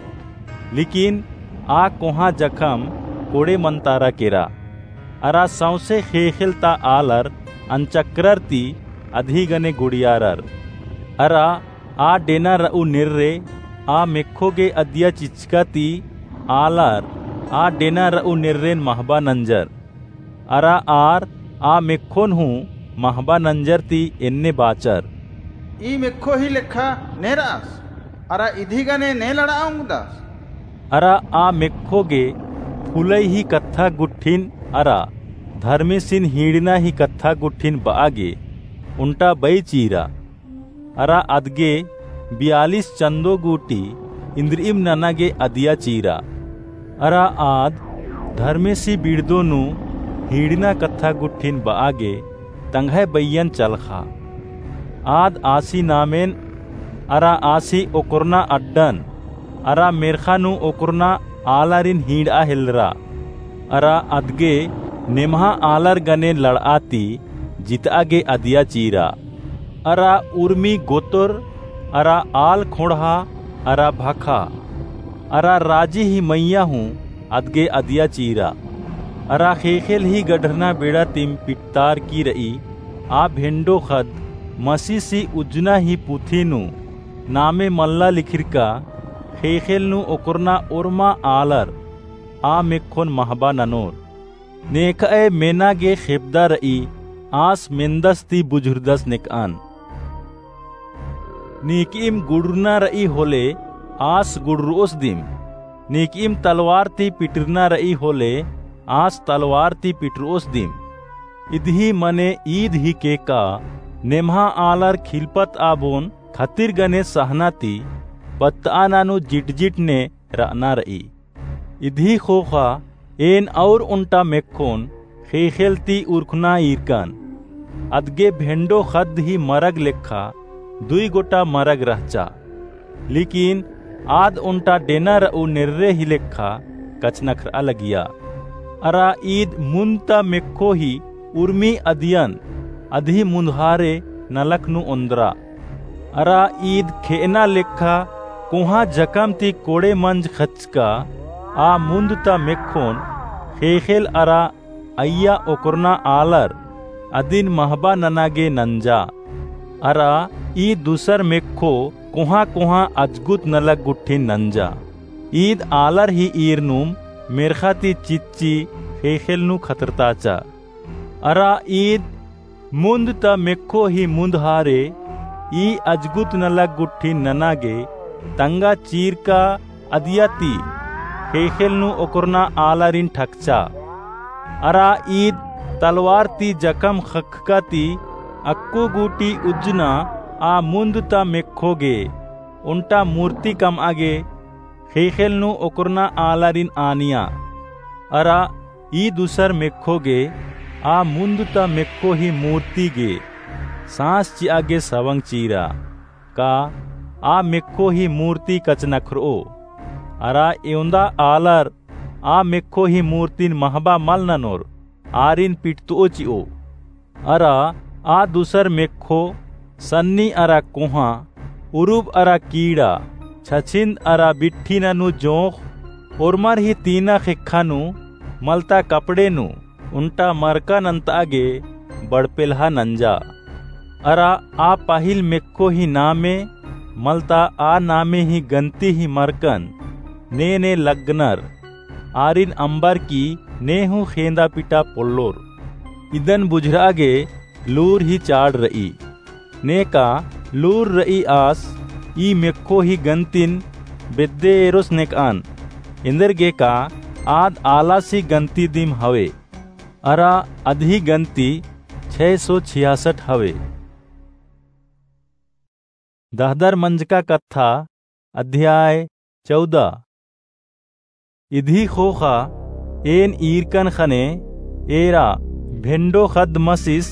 लेकिन आ कोहाँ जकम कोड़े मनतारा केरा। अरा सौंसे ख़ेख़ेल ता आलर अनचकरर ती अदही गने गुड़ियारर। अरा आ डेना र'ऊ नेर्रे आ मेक्खो गे अदिया चिचका ती आलर आ डेना र'ऊ नेर्रेन महबा नंजर। अरा आर आ मेक्खोन हूँ महबा नंजर ती एन्ने बाचर, ई मेक्खो ही लेखा ने र'अस, अरा इदही गने ने लड़'आ ओंगदस? अरा आ मेक्खो गे फुलई ही कत्था गुट्ठिन अरा धर्मेसिन हीड़ना ही कत्था गुट्ठिन ब'आ गे ओन्टा बई चीरा। अरा अदगे बियालिस चन्दो गूटी इन्द्रिइम नना गे अदिया चीरा। अरा आद धर्मेसी बिड़दो नू हीड़ना कत्था गुट्ठिन ब'आ गे तंग्है बइयन चलखा। आद आसी नामेन अरा आसी ओकरना अड्डन अरा मेर्खा नू ओकरना आलारिन हीड़आ हेलरा। अरा अदगे नेम्हा आलर गने लड़आ ती जितआ गे अदिया चीरा। अरा उर्मी गोतर अरा आल खोंड़हा अरा भखा अरा राजी ही मइय्याँ हूँ अदगे अदिया चीरा। अरा ख़ेख़ेल ही गढ़रना बेड़ा तिम पिटतारकी र'ई आ भेंडो ख़द्द मसीसी उज्जना ही पुथी नू नामे मल्ला लिखिरका ख़ेख़ेल नू ओकरना ओर्मा आलर आ मेक्खोन महबा ननोर। नेखअय मेना गे खेपदा र'ई आस मेन्दस ती बुझुरदस नेकअन। नीकइम गुड़ुरना र'ई होले आस गुड़ुरओस दिम। नीकइम तलवार ती पिटरना र'ई होले आस तलवार ती पिटरओस दिम। इदही मने ईद हिके का नेम्हा आलर खिलपत आबोन खतिर गने सहना ती पत्तआना नू जिटजिट ने र'अना र'ई। इदही ख़ोख़ा एन और ओन्टा मेक्खोन ख़ेख़ेल ती उरखना ईरकन। अदगे भेंडो ख़द्द ही मरग लेखा दुई गोटा मरग रहचा। लेकिन आद ओन्टा डेना रऊ नेर्रे ही लेखा कछनखरआ लगिया। अरा ईद मुन्द ता मेक्खो ही उर्मी अदियन अदही मुन्दहारे नलख नू ओन्द्रा। अरा ईद खेअना लेखा कोहाँ जकम ती कोड़े मंज खचका आ मुन्द ता मेक्खोन ख़ेख़ेल अरा अइय्या ओकरना आलर अदिन महबा नना गे नंजा। अरा ई दुसर मेक्खो कोहाँ कोहाँ अजगुत नलख गुट्ठिन नंजा। ईद आलर ही ईरनुम मेर्ख़ा ती चिच्ची ख़ेख़ेल नू खतरताचा। अरा ईद मुन्द ता मेक्खो ही मुन्दहारे ई अजगुत नलख गुट्ठिन नना गे तंगा चीरका अदिया ती ख़ेख़ेल नू ओकरना आलारिन ठकचा। अरा ईद तलवार ती जकम ख़क्खका ती अक्कु गूटी उज्जना आ मुन्द ता मेक्खो गे ओन्टा मूर्ति कमआ गे ख़ेख़ेल नू ओकरना आलारिन आनिया। अरा ई दुसर मेक्खो गे आ मुन्द ता मेक्खो ही मूर्ति गे साँस चिआ गे सवंग चीरा। का आ मेक्खो ही मूर्ति कछनखरओ? अरा एवंदा आलर आ मेक्खो ही मूर्तिन महबा मल ननोर, आरिन पिटतओ चिओ। अरा आ दुसर मेक्खो सन्नी अरा कोहाँ, उरुब अरा कीड़ा, छछिन्द अरा बिट्ठिना नू जोंख़, ओर्मर ही तीना ख़ेक्खा नू, मलता कपड़े नू, ओन्टा मरका नन्तआ गे बड़पेल्हा नंजा। अरा आ पहिल मेक्खो ही नामे, मलता आ नामे ही गन्ती ही मरकन, ने ने लग्गनर, आरिन अम्बर की ने हूँ ख़ेंदा पिटा पोल्लोर। इदन बुझरआ गे लूर ही चाड़ रई। नेका लूर रई आस ई मेक्खो ही गन्तिन बेद्दे एरोस नेकआन। एन्देरगेका आद आलासी गन्ती दिम हवे। अरा अदही गन्ती छय सौ छियासठ हवे। दहदर मंजका कत्था, अध्याय चौदह। इदही ख़ोख़ा एन ईरकन ख़ने एरा भेंडो ख़द्द मसिस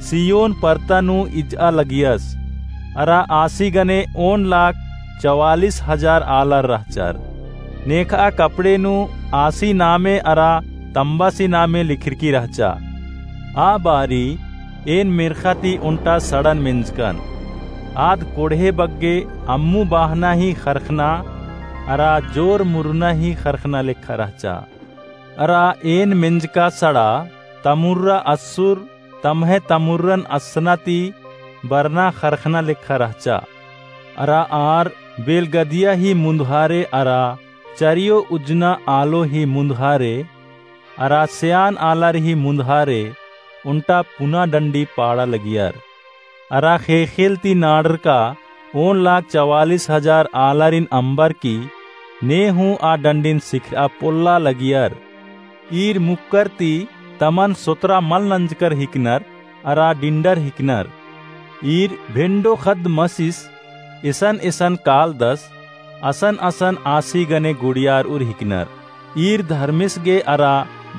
सियोन परता नू इजआ लगियस। अरा आसी गने ओन लाख चवालिस हजार आलर रहचर। नेखआ कपड़े नू आसी नामे अरा तम्बासी नामे लिखरकी रहचा। आ बारी एन मेर्ख़ा ती ओन्टा सड़न मेंजकन। आद कोड़हे बग्गे अम्मु बाहना ही ख़रख़ना अरा जोर मुरना ही ख़रख़ना लेखा रहचा। अरा एन मेंजका सड़ा तमुर्रा अस्सुर तम्है तमुर्रन असना ती बरना ख़रख़ना लेखा रहचा। अरा आर बेलगदिया ही मुन्दहारे अरा चरियो उज्जना आलो ही मुन्दहारे अरा सेआन आलर ही मुन्दहारे ओन्टा पुना डंडी पाड़ा लगियर। अरा ख़ेख़ेल ती नाड़रका ओन लाख चवालिस हजार आलारिन अम्बर की ने हूँ आ डंडिन सिखरआ पोल्ला लगियर। ईर मुक्कर ती तमन सोतरा मल नंजकर हिकनर अरा डिंडर हिकनर। ईर भेंडो ख़द्द मसिस एसन एसन कालदस असन असन आसी गने गुड़ियारउर हिकनर। ईर धर्मेस गे अरा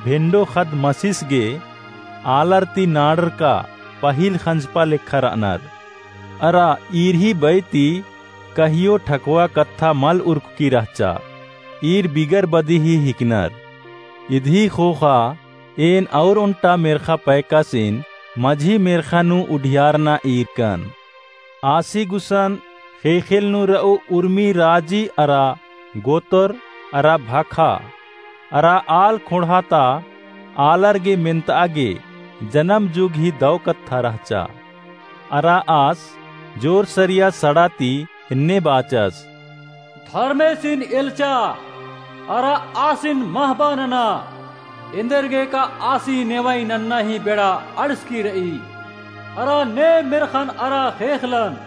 भेंडो ख़द्द मसिस गे आलर ती नाड़रका पहिल ख़ंजपा लेखा रअनर। अरा ईर ही बई ती कहियो ठकवा कत्था मल उरखकी रहचा। ईर बिगर बदी ही हिकनर। इदही ख़ोख़ा एन और ओन्टा मेर्ख़ा पैकासिन मझी मेर्ख़ा नू उढियारना ईरकन। आसी गुसन ख़ेख़ेल नू रऊ उर्मी राजी अरा गोतर अरा भाखा अरा आल ख़ोंड़हा ता आलर गे मेन्तआ गे जनम जुग ही दौ कत्था रहचा। अरा आस जोर सरिया सड़ा ती एन्ने बाचस। धर्मेसिन एल्चा, अरा आसिन महबा नना, एन्देरगेका आसी नेवई नन्ना ही बेड़ा अंड़सकी रई। अरा ने मेर्ख़न अरा ख़ेख़लन,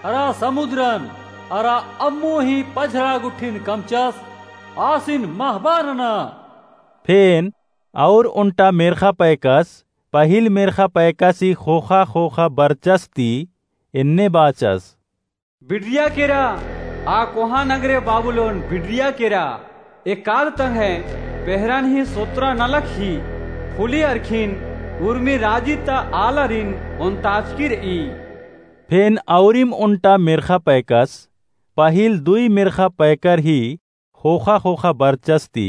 अरा समुद्रन, अरा अम्मु ही पझरा गुट्ठिन कमचस, आसिन महबा नना। फेन और ओन्टा मेर्ख़ा पैकस, पहिल मेर्ख़ा पैकासी ख़ोख़ा ख़ोख़ा बरचस ती एन्ने बाचस। बिडरिया केरा, आ कोहाँ नगरे बाबुलोन बिडरिया केरा, एकाद तंग्है पेहरन ही सोतरा नलख ही फुली अरखिन उर्मी राजी ता आलारिन ओन्ताचकी रई। फेन औरिम ओन्टा मेर्ख़ा पैकस, पहिल दुई मेर्ख़ा पैकर ही ख़ोख़ा ख़ोख़ा बरचस ती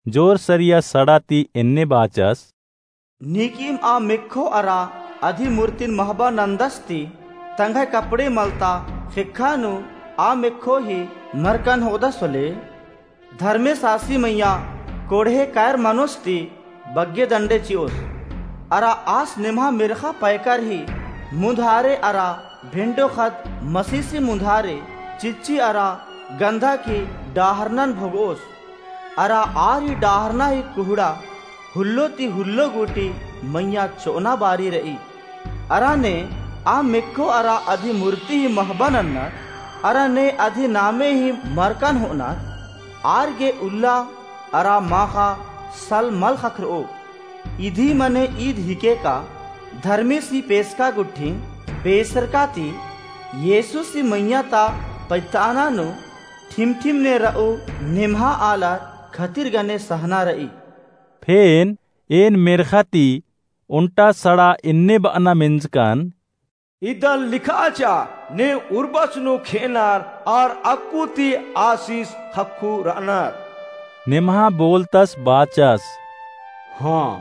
जोर सरिया सड़ा ती एन्ने बाचस। नीकिम आ मेक्खो अरा अधि मूर्तिन महबा नन्दस ती तंग्है कपड़े मलता ख़ेक्खा नू आ मेक्खो ही मरकन होदस होले। धर्मेस आसी मइय्याँ कोड़हे कायर मनोस ती बग्गे दंडे चिओस। अरा आस निम्हा मेर्ख़ा पैकर ही मुन्धारे अरा भेंडो ख़द्द मसीसी मुन्धारे चिच्ची अरा गंधा की डाहरनन भोगओस। अरा आर ही डाहरना ही कुहड़ा हुल्लो ती हुल्लो गूटी मइय्याँ चोअना बारी रई। अरा ने आ मेक्खो अरा अधि मूर्ति ही महबा नन्नर, अरा ने अधि नामे ही मरकन होअनर, आर गे उल्ला अरा माख़ा सल मल ख़क्खरओ। इदी मने ईद हिके का धर्मेसी पेसका गुट्ठिन पेसरका ती येसुसी मइय्याँ ता पैताना नू ठिमठिम ने रऊ निम्हा आलर खतिर गने सहना रई। फेन एन मेर्ख़ा ती ओन्टा सड़ा एन्ने बअना मेंजकन। इदन लिखा चिआ, ने उर्बस नू खेअनर आर अक्कु ती आसिस ख़क्खु रअनर। निम्हा बोलतस बाचस। हाँ,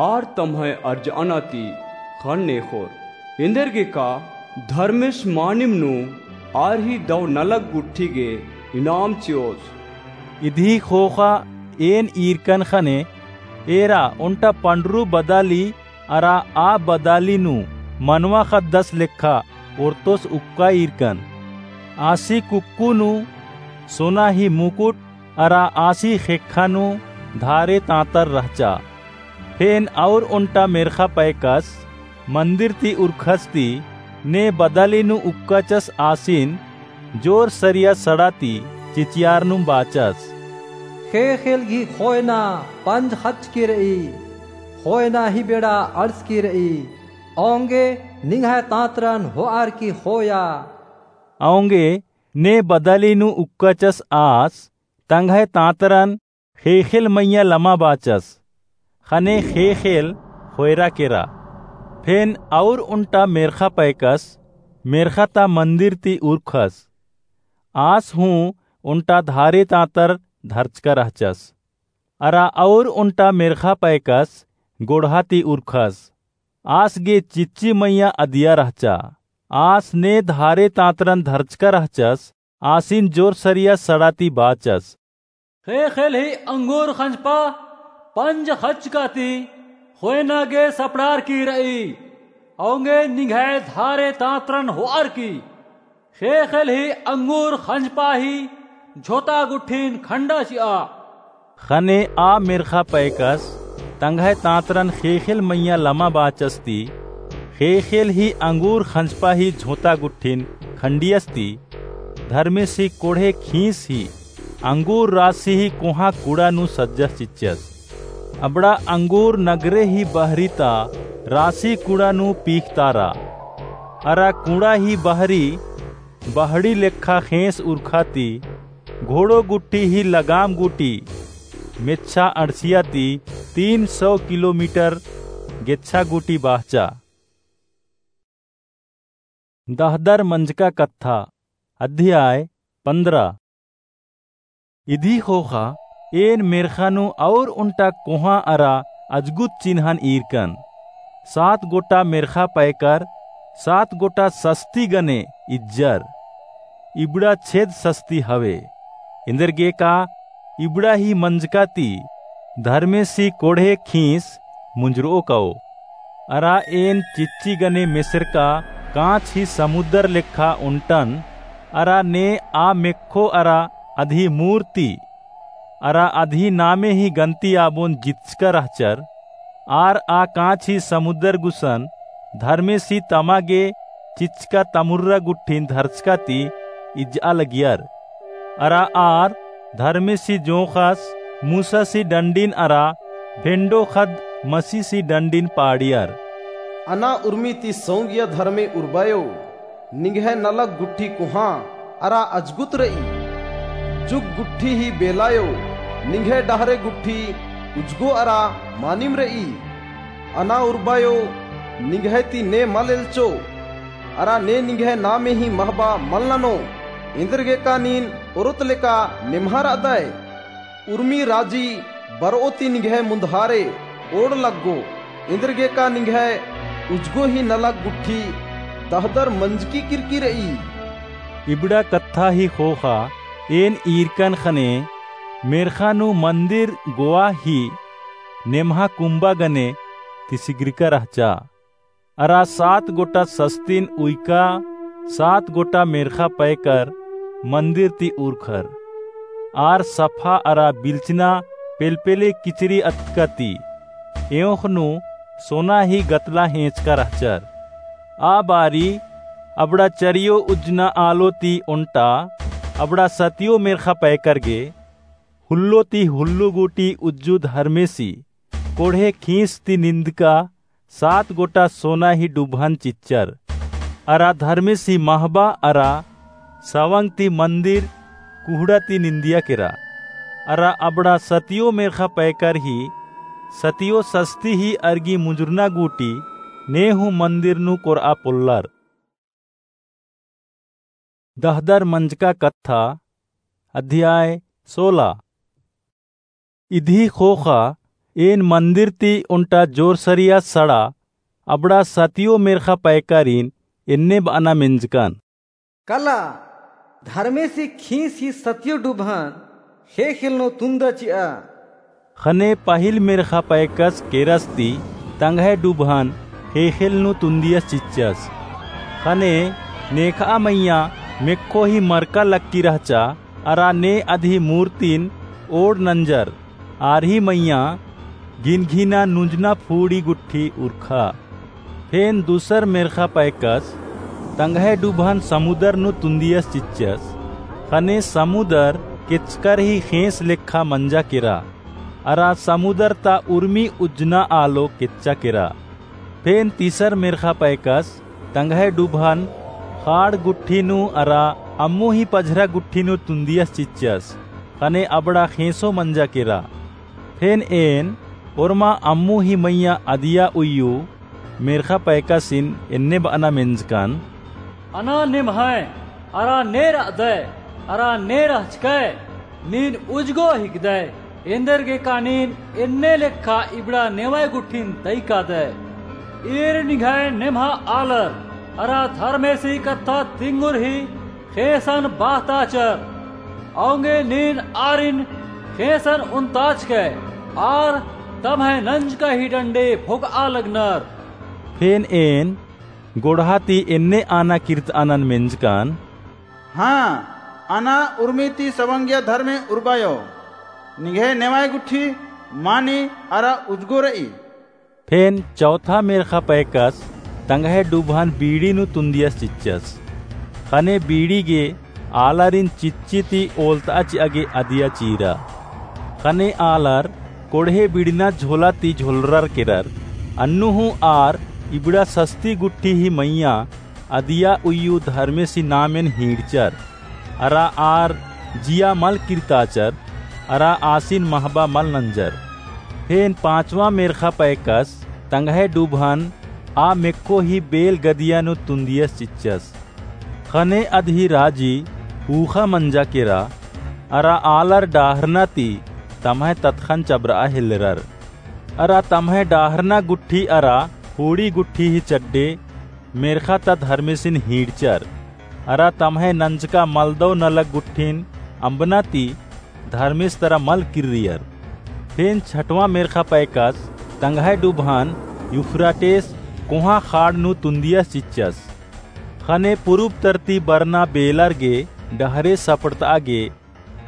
आर तम्है अर्जाना ती ख़न्न एख़ोर। एन्देरगे का धर्मेस मानिम नू आर ही दव नलख गुट्ठी गे इनाम चिओस। इदी ख़ोख़ा एन ईरकन ख़ने एरा ओन्टा पंडरू बदाली अरा आ बदाली नू मनवा ख़द्दस लेखा ओर्तोस उक्का ईरकन। आसी कुक्कु नू सोना ही मुकुट अरा आसी ख़ेक्खा नू धारे तांतर रहचा। फेन और ओन्टा मेर्ख़ा पैकस मन्दिर ती उरखस ती ने बदाली नू उक्काचस आसिन जोर सरिया सड़ा ती चिचियारनुम बाचस। ख़ेख़ेल गही ख़ोयना पंज ख़च्चकी रई, ख़ोयना ही बेड़ा अंड़सकी रई, औंगे निंग्है तांतरन होअर की ख़ोया। औंगे ने बदाली नू उक्काचस आस तंग्है तांतरन ख़ेख़ेल मइय्याँ लमा बाचस, ख़ने ख़ेख़ेल ख़ोयरा केरा। फेन और ओन्टा मेर्ख़ा पैकस मेर्ख़ा ता मन्दिर ती उरखस। आस हूँ ओन्टा धारे तांतर धरचका रहचस। अरा और ओन्टा मेर्ख़ा पैकस गोड़हा ती उरखस। आस गे चिच्ची मइय्याँ अदिया रहचा। आस ने धारे तांतरन धरचका रहचस, आसिन जोर सरिया सड़ा ती बाचस। ख़ेख़ेल ही अंगूर ख़ंजपा पंज ख़च्चका ती ख़ोयना गे सपड़ारकी रई, औंगे निंग्है धारे तांतरन होअर की। ख़ेख़ेल ही अंगूर ख़ंजपा ही झोता गुट्ठिन खंडा चिआ। ख़ने आ मेर्ख़ा पैकस तंग्है तांतरन ख़ेख़ेल मइय्याँ लमा बाचस ती ख़ेख़ेल ही अंगूर ख़ंजपा ही झोता गुट्ठिन खंडियस ती धर्मेसी कोड़हे खींस ही अंगूर रासी ही कोहाँ कुड़ा नू सज्जस चिच्चस। अबड़ा अंगूर नगरे ही बहरी ता रासी कुड़ा नू पीखतारा। अरा कुड़ा ही बहरी बहड़ी लेखा ख़ेंस उरखा ती घोड़ो गुट्ठी ही लगाम गूटी मेच्छा अंड़सिया ती तीन सौ किलोमीटर गेच्छा गूटी बाहचा। दहदर मंजका कत्था, अध्याय पन्द्रह। इदी ख़ोख़ा एन मेर्ख़ा नू और ओन्टा कोहाँ अरा अजगुत चिन्हन ईरकन। सात गोटा मेर्ख़ा पैकर सात गोटा सस्ती गने इज्जर। इबड़ा छेद सस्ती हवे। एन्देरगे का इबड़ा ही मंजका ती धर्मेसी कोड़हे खींस मुंजरओ काओ। अरा एन चिच्ची गने मेसेरका कांच ही समुद्दर लेखा ओन्टन, अरा ने आ मेक्खो अरा अदही मूर्ति, अरा अदही नामे ही गन्ती आबोन जितचका रहचर, आर आ कांच ही समुद्दर गुसन धर्मेसी तमा गे चिचका तमुर्रा गुट्ठिन धरचका ती इज्जआ लगियर। अरा आर धर्मेसी जोंख़स मूसासी डंडिन अरा भेंडो ख़द्द मसीसी डंडिन पाड़ियर। अना उर्मी ती सौंगिया धर्मे उर्बायो, निंग्है नलख गुट्ठी कोहाँ अरा अजगुत रई। जुग गुट्ठी ही बेलायो, निंग्है डहरे गुट्ठी उजगो अरा मानिम रई। अना उर्बायो, निंग्है ती ने मल एल्चो, अरा ने निंग्है नामे ही महबा मल ननो। एन्देरगेका नीन ओरोत लेका नेम्हा रअदय? उर्मी राजी बरओ ती निंग्है मुन्दहारे ओड़ लग्गो। एन्देरगेका निंग्है उज्जगो ही नलख गुट्ठी दहदर मंजकी किरकी रई। इबड़ा कत्था ही ख़ोख़ा एन ईरकन ख़ने मेर्ख़ा नू मन्दिर गोआ ही नेम्हा कुम्बा गने तिसिग्रिका रहचा। अरा सात गोटा सस्तिन उइका सात गोटा मेर्ख़ा पैकर मन्दिर ती उरखर। आर सफा अरा बिल्चना पेलपेले किचरी अतका ती। एंख़ नू सोना ही गतला हेंचका रहचर। आ बारी अबड़ा चरियो उज्जना आलो ती ओन्टा अबड़ा सतियो मेर्ख़ा पैकर गे हुल्लो ती हुल्लो गूटी उज्जु धर्मेसी कोढ़े खींस ती निंदका सात गोटा सोना ही डुभन चिच्चर। अरा धर्मेसी महबा अरा सवंग ती मन्दिर कुहड़ा ती निंदिया केरा। अरा अबड़ा सतियो मेर्ख़ा पैकर ही सतियो सस्ती ही अरगी मुंजुरना गूटी ने हूँ मन्दिर नू कोरआ पोल्लर। दहदर मंजका कत्था, अध्याय सोला। इदी ख़ोख़ा एन मन्दिर ती ओन्टा जोरसरिया सड़ा अबड़ा सतियो मेर्ख़ा पैकारिन एन्ने बअना मेंजकन। कला, धर्मेसी खींस ही सतियो डुभन ख़ेख़ेल नू तुन्दा चिआ। ख़ने पहिल मेर्ख़ा पैकस केरस ती तंग्है डुभन ख़ेख़ेल नू तुन्दियस चिच्चस। ख़ने नेखआ मइय्याँ मेक्खो ही मरका लक्की रहचा, अरा ने अदही मूर्तिन ओड़ नंजर, आर ही मइय्याँ गिनघिना नुंजना फूड़ी गुट्ठी उरखा। फेन दूसर मेर्ख़ा पैकस तंग्है डुभन समुदर नू तुन्दियस चिच्चस। ख़ने समुदर केच्चकर ही ख़ेंस लेखा मंजा केरा, अरा समुदर ता उर्मी उज्जना आलो केच्चा केरा। फेन तीसर मेर्ख़ा पैकस तंग्है डुभन ख़ाड़ गुट्ठी नू अरा अम्मु ही पझरा गुट्ठी नू तुन्दियस चिच्चस। ख़ने अबड़ा ख़ेंसो मंजा केरा। फेन एन ओर्मा अम्मु ही मइय्याँ अदिया उइयु मेर्ख़ा पैकसिन एन्ने बअना मेंजकन। अना नेम्है अरा ने रअदय, अरा ने रहचकय, नीन उज्जगो हिकदय, एन्देरगेका नीन एन्ने लेखा इबड़ा नेवय गुट्ठिन तइकादय। ईर निंग्है नेम्हा आलर, अरा धर्मेसी कत्था तिंगुर ही ख़ेंसन बाहताचर। औंगे नीन आरिन ख़ेंसन उन्ताचकय, आर तम्है नंजका ही डंडे फोकआ लगनर। फेन एन गोड़हा ती एन्ने आना किर्तआनन मेंजकन। हाँ, अना उर्मी ती सवंगिया धर्मे उर्बायो। निंग्है नेवय गुट्ठी मानी अरा उज्जगो रई। फेन चौथा मेर्ख़ा पैकस तंग्है डुभन बीड़ी नू तुन्दियस चिच्चस। ख़ने बीड़ी गे आलारिन चिच्ची ती ओलतआ चिआ गे अदिया चीरा। ख़ने आलर कोड़हे बिड़ना झोला ती झोलरर केरर। अन्नु हूँ आर इबड़ा सस्ती गुट्ठी ही मइय्याँ अदिया उइयु धर्मेसी नामेन हींड़चर। अरा आर जिया मल किर्ताचर, अरा आसिन महबा मल नंजर। फेन पाँचवा मेर्ख़ा पैकस तंग्है डुभन आ मेक्खो ही बेल गदिया नू तुन्दियस चिच्चस। ख़ने अदही राजी ऊख़ा मंजा केरा, अरा आलर डाहरना ती तम्है ततख़न चबरआ हेल्लरर। अरा तम्है डाहरना गुट्ठी अरा फूड़ी गुट्ठी ही चड्डे मेर्ख़ा ता धर्मेसिन हींड़चर। अरा तम्है नंजका मलदव नलख गुट्ठिन अम्बना ती धर्मेस तरा मल किर्रियर। फेन छठवाँ मेर्ख़ा पैकस तंग्है डुभन यूफ्राटेस कोहाँ ख़ाड़ नू तुन्दियस चिच्चस। ख़ने पुरुब तरती बरना बेलर गे डहरे सपड़तआ गे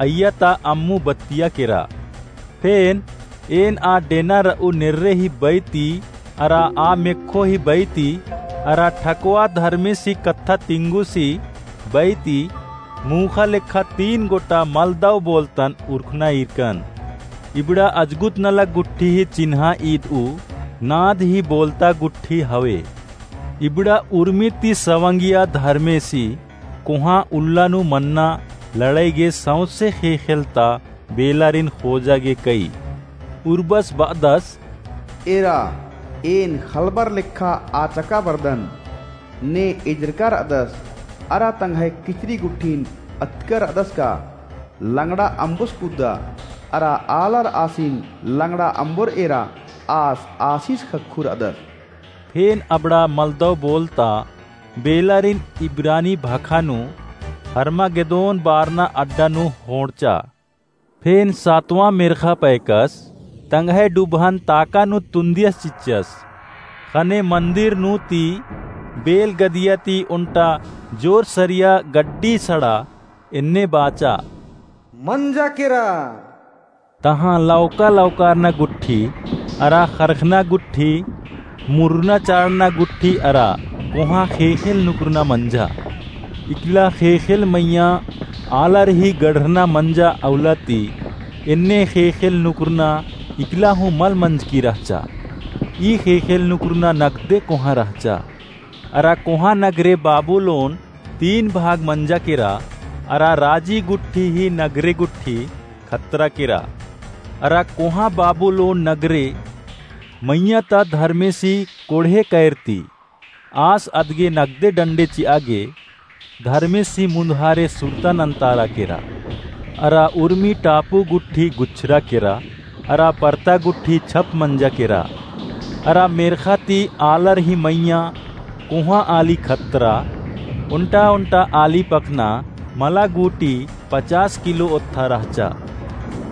अइय्या ता अम्मु बत्तिया केरा। फेन एन आ डेना रऊ नेर्रे ही बई ती, अरा आ मेक्खो ही बई ती, अरा ठकवा धर्मेसी कत्था तिंगुसी बई ती, मूख़ा लेखा तीन गोटा मलदव बोलतन उरखना ईरकन। इबड़ा अजगुत नलख गुट्ठी ही चिन्हा ईदऊ नाद ही बोलता गुट्ठी हवे। इबड़ा उर्मी ती सवंगिया धर्मेसी कोहाँ उल्ला नू मन्ना लड़ई गे सौंसे ख़ेख़ेल ता बेलारिन ख़ोजा गे कई। उर्बस बअदस, एरा, एन ख़लबर लेखा आचका बरदन। ने एजरका रअदस, अरा तंग्है किचरी गुट्ठिन अतकर अदस का लंगड़ा अम्बोस कुद्दा, अरा आलर आसिन लंगड़ा अम्बोर एरा आस आसिस ख़क्खु रअदस। फेन अबड़ा मलदव बोलता बेलारिन इब्रानी भाखा नू हर्मागेदोन बारना अड्डा नू होंड़चा। फेन सातवाँ मेर्ख़ा पैकस तंग्है डुबहन ताका नू तुन्दियस चिच्चस। ख़ने मन्दिर नू ती बेल गदिया ती ओन्टा जोर सरिया गड्डी सड़ा एन्ने बाचा, मंजा केरा। तहाँ लौका लौकारना गुट्ठी, अरा ख़रख़ना गुट्ठी, मुरुना चाड़ना गुट्ठी अरा कोहाँ ख़ेख़ेल नुकुरना मंजा। इकला ख़ेख़ेल मइय्याँ आलर ही गढ़रना मंजा अउला ती एन्ने ख़ेख़ेल नुकुरना इकला हूँ मल मंजकी रहचा। ई ख़ेख़ेल नुकुरना नगदे कोहाँ रहचा। अरा कोहाँ नगरे बाबुलोन तीन भाग मंजा केरा, अरा राजी गुट्ठी ही नगरे गुट्ठी खतरा केरा। अरा कोहाँ बाबुलोन नगरे मइय्याँ ता धर्मेसी कोड़हे कैर ती आस अदगे नगदे डंडे चिआ गे धर्मेसी मुन्दहारे सुरता नन्तारा केरा। अरा उर्मी टापू गुट्ठी गुच्छरा केरा, अरा परता गुट्ठी छप मंजा केरा। अरा मेर्ख़ा ती आलर ही मइय्याँ कोहाँ आली खतरा, ओन्टा ओन्टा आली पखना मला गूटी पचास किलो ओत्था रहचा।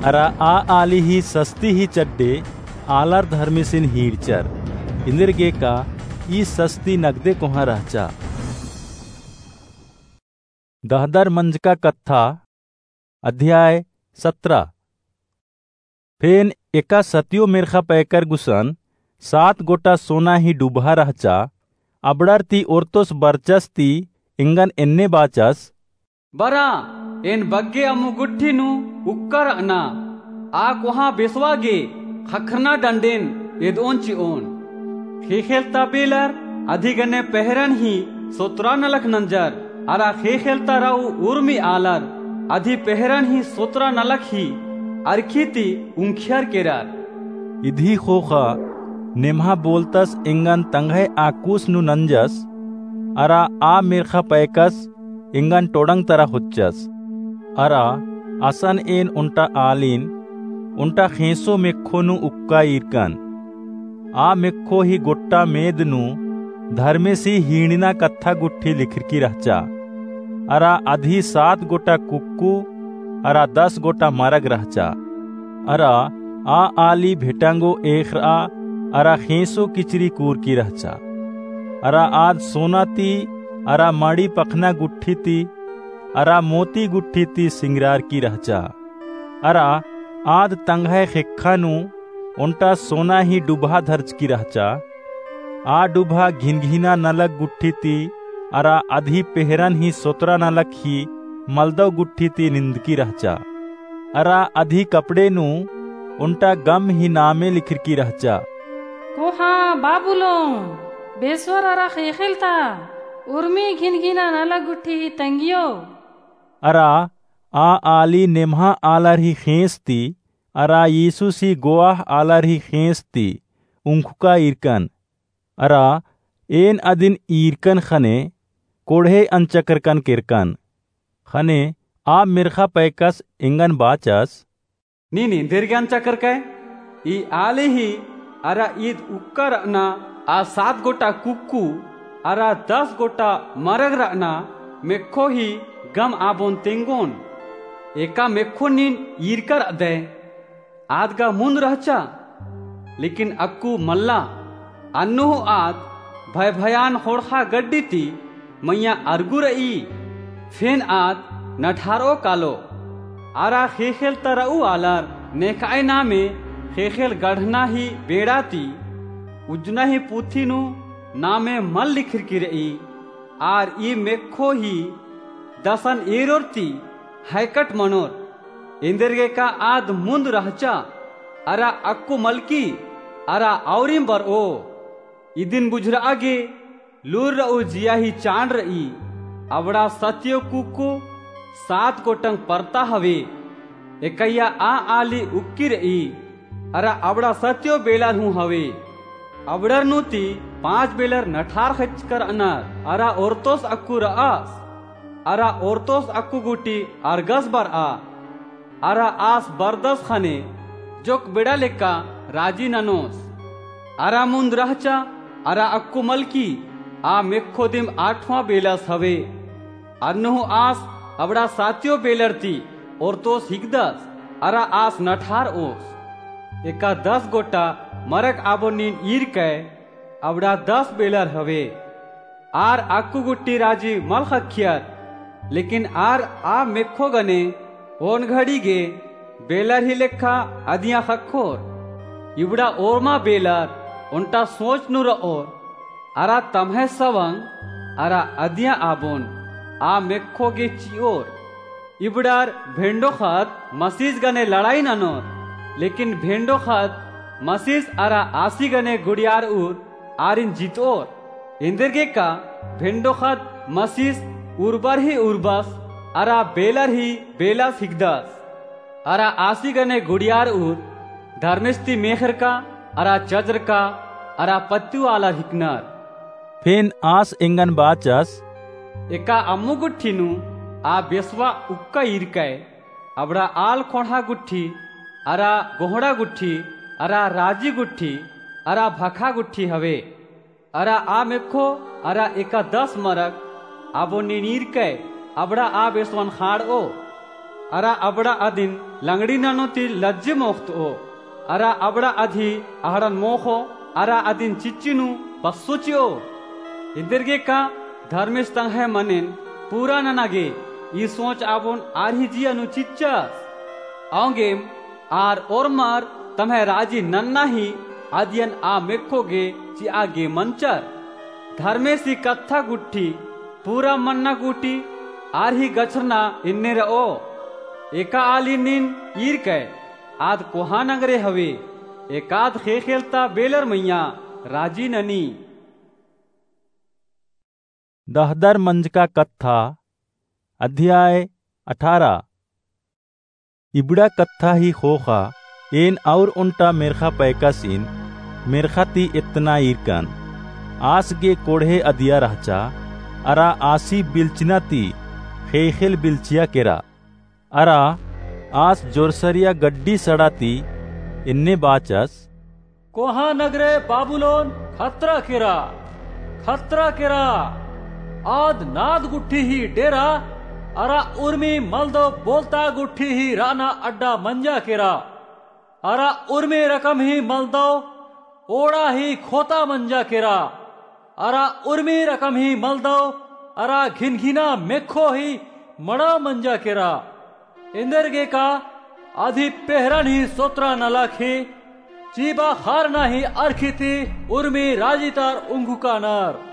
अरा आ आली ही सस्ती ही चड्डे आलर धर्मेसिन हीड़चर। इन्देरगे का ई सस्ती नगदे कोहाँ रहचा। दहदर मंजका कत्था, अध्याय सतरा। फेन एका सतियो मेर्ख़ा पैकर गुसन सात गोटा सोना ही डुबहा रहचा। अबड़र ती ओर्तोस बरचस ती एंगन एन्ने बाचस, बरा, एन बग्गे अम्मु गुट्ठी नू उक्का रअना, आ कोहाँ बेसवा गे ख़क्खरना डंडेन एदओन चिओन। ख़ेख़ेल ता बेलर अधी गने पहरन ही सोतरा नलख नंजर, अरा ख़ेख़ेल ता रऊ उर्मी आलर अधी पहरन ही सोतरा नलख ही अरखी ती उंखियर केरर। इदी ख़ोख़ा नेम्हा बोलतस एंगन तंग्है आकुस नू नंजस, अरा आ मेर्ख़ा पैकस एंगन टोड़ंग तरा होच्चस। अरा असन एन ओन्टा आलिन, ओन्टा ख़ेंसो मेक्खो नू उक्का ईरकन। आ मेक्खो ही गोट्टा मेद नू धर्मेसी हींड़ना कत्था गुट्ठी लिखरकी रहचा। अरा अदही सात गोटा कुक्कु अरा दस गोटा मरग रहचा। अरा आ आली भेटांगो एख़रआ अरा ख़ेंसो किचरी कूरकी रहचा। अरा आद सोना ती अरा मड़ी पखना गुट्ठी ती अरा मोती गुट्ठी ती सिंगरारकी रहचा। अरा आद तंग्है ख़ेक्खा नू ओन्टा सोना ही डुबहा धरचकी रहचा। आ डुबहा घिनघिना नलख गुट्ठी ती अरा अदही पेहरन ही सोतरा नलख ही मलदव गुट्ठी ती निंदकी रहचा। अरा अदही कपड़े नू ओन्टा गम ही नामे लिखरकी रहचा, कोहाँ बाबुलोन, बेसवर अरा ख़ेख़ेल ता उर्मी घिनघिना नलख गुट्ठी ही तंगियो। अरा आ आली नेम्हा आलर ही ख़ेंस ती अरा यीशुसी गोआह आलर ही ख़ेंस ती उंखुका ईरकन। अरा एन अदिन ईरकन ख़ने कोड़हे अंचकरकन केरकन। ख़ने आ मेर्ख़ा पैकस एंगन बाचस, नीन एन्देरगे अंचकरकय? ई आली ही अरा ईद उक्का रअना आ सात गोटा कुक्कु अरा दस गोटा मरग रअना मेक्खो ही गम आबोन तेंगोन। एका मेक्खो नीन ईरका रअदय। आद गा मुन्द रहचा, लेकिन अक्कु मल्ला। अन्नु हूँ आद भयभयान ख़ोंड़ख़ा गड्डी ती मइय्याँ अरगु रई। फेन आद नठारओ कालो। अरा ख़ेख़ेल ता रऊ आलर नेखअय नामे ख़ेख़ेल गढ़ना ही बेड़ा ती उज्जना ही पुथी नू नामे मल लिखरकी रई। आर ई मेक्खो ही दसन एरोर ती हैकट मनोर। एन्देरगेका आद मुन्द रहचा, अरा अक्कु मलकी, अरा औरिम बरओ। इदिन बुझुरआ गे लूर रऊ जिया ही चाड़ रई। अबड़ा सतियो कुक्कु सात गोटंग परता हवे। एकैया आ आली उक्की रई, अरा अबड़ा सतियो बेलर हूँ हवे। अबड़र नू ती पाँच बेलर नठार ख़ेच्चकर अनर, अरा ओर्तोस अक्कु रअस। अरा ओर्तोस अक्कु गुट्ठी अरगस बरआ। अरा आस बरदस ख़ने जोक बेड़ा लेक्का राजी ननोस। अरा मुन्द रहचा अरा अक्कु मलकी आ मेक्खो दिम आठवाँ बेलस हवे। अन्नु हूँ आस अबड़ा सातियो बेलर ती ओर्तोस हिकदस अरा आस नठारओस। एका दस गोट्टा मरक आबोन नीन ईरकय अबड़ा दस बेलर हवे। आर अक्कु गुट्ठी राजी मल ख़क्खियर, लेकिन आर आ मेक्खो गने ओन घड़ी गे बेलर ही लेखा अदियाँ ख़क्खोर। इबड़ा ओर्मा बेलर ओन्टा सोच नू रओर, अरा तम्है सवंग अरा अदियाँ आबोन आ मेक्खो गे चिओर। इबड़ार भेंडो ख़द्द मसीस गने लड़ाई ननोर, लेकिन भेंडो ख़द्द मसीस अरा आसी गने गुड़ियारउर आरिन जितओर। एन्देरगेका भेंडो ख़द्द मसीस उर्बर ही उर्बस अरा बेलर ही बेलस हिकदस। अरा आसी गने गुड़ियारउर धर्मेस ती मेख़रका अरा चजरका अरा पत्तियो आलर हिकनर। फेन आस एंगन बाचस, एका अम्मु गुट्ठी नू आ बेसवा उक्का ईरकय, अबड़ा आल ख़ोंड़हा गुट्ठी, अरा गोहड़ा गुट्ठी, अरा राजी गुट्ठी, अरा भखा गुट्ठी हवे। अरा आ मेक्खो, अरा एका दस मरक, आबोन नीन ईरकय, अबड़ा आ बेसवन ख़ाड़ओ। अरा अबड़ा अदिन लंगड़ी ननो ती लज्जे मोख़तओ। अरा अबड़ा अदही अहड़न मोख़ो, अरा अदिन चिच्ची नू बस्सो चिओ। एन्देरगेका धर्मेस तंग्है मनेन पूरा नना गे ई सोच आबोन आर ही जिया नू चिच्चस। औंगेम आर ओर्मर तम्है राजी नन्ना ही अदियन आ मेक्खो गे चिआ गे मंचर। धर्मेसी कत्था गुट्ठी पूरा मन्ना गूटी आर ही गछरना एन्ने रओ। एका आली नीन ईरकय, आद कोहा नगरे हवे, एकाद ख़ेख़ेल ता बेलर मइय्याँ राजी ननी। दहदर मंजका कत्था, अध्याय अठारह। इबड़ा कत्था ही ख़ोख़ा एन और ओन्टा मेर्ख़ा पैकासिन मेर्ख़ा ती एतना ईरकन। आस गे कोड़हे अदिया रहचा, अरा आसी बिल्चना ती ख़ेख़ेल बिल्चिया केरा। अरा आस जोरसरिया गड्डी सड़ा ती एन्ने बाचस, कोहा नगरे बाबुलोन खतरा केरा, खतरा केरा। आद नाद गुट्ठी ही डेरा, अरा उर्मी मलदव बोलता गुट्ठी ही रअना अड्डा मंजा केरा। अरा उर्मी रकम ही मलदव ओड़ा ही खोता मंजा केरा। अरा उर्मी रकम ही मलदव अरा घिनघिना मेक्खो ही मड़ा मंजा केरा। एन्देरगेका अदही पेहरन ही सोतरा नलख ही, चिबा ख़ारना ही अरखी ती उर्मी राजी तार उंगुकानर।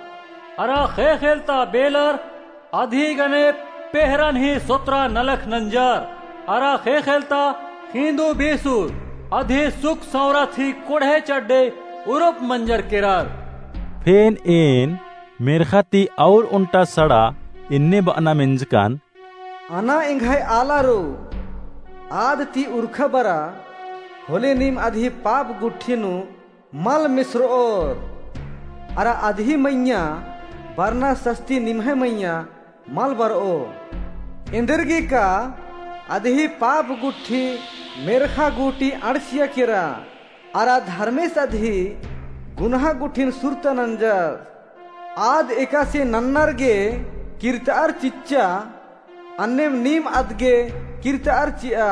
अरा ख़ेख़ेल ता बेलर अदही गने पेहरन ही सोतरा नलख नंजर। अरा ख़ेख़ेल ता खींदू बेसुर अदही सुख सौंरत ही कोड़हे चड्डे उरुप मंजर केरर। फेन एन मेर्ख़ा ती और ओन्टा सड़ा एन्ने बअना मेंजकन, अना एंग्है आलारो, आद ती उरखा बरा, होले नीम अदही पाप गुट्ठी नू मल मिसरओर। अरा अदही मइय्याँ बरना सस्ती निम्है मइय्याँ मल बरओ। एन्देरगेका अदही पाप गुट्ठी मेर्ख़ा गूटी अंड़सिया केरा, अरा धर्मेस अदही गुनहा गुट्ठिन सुरता नंजस। आद एकासे नन्नर गे किर्तअर चिच्चा, अन्नेम नीम अदगे किर्तअर चिआ।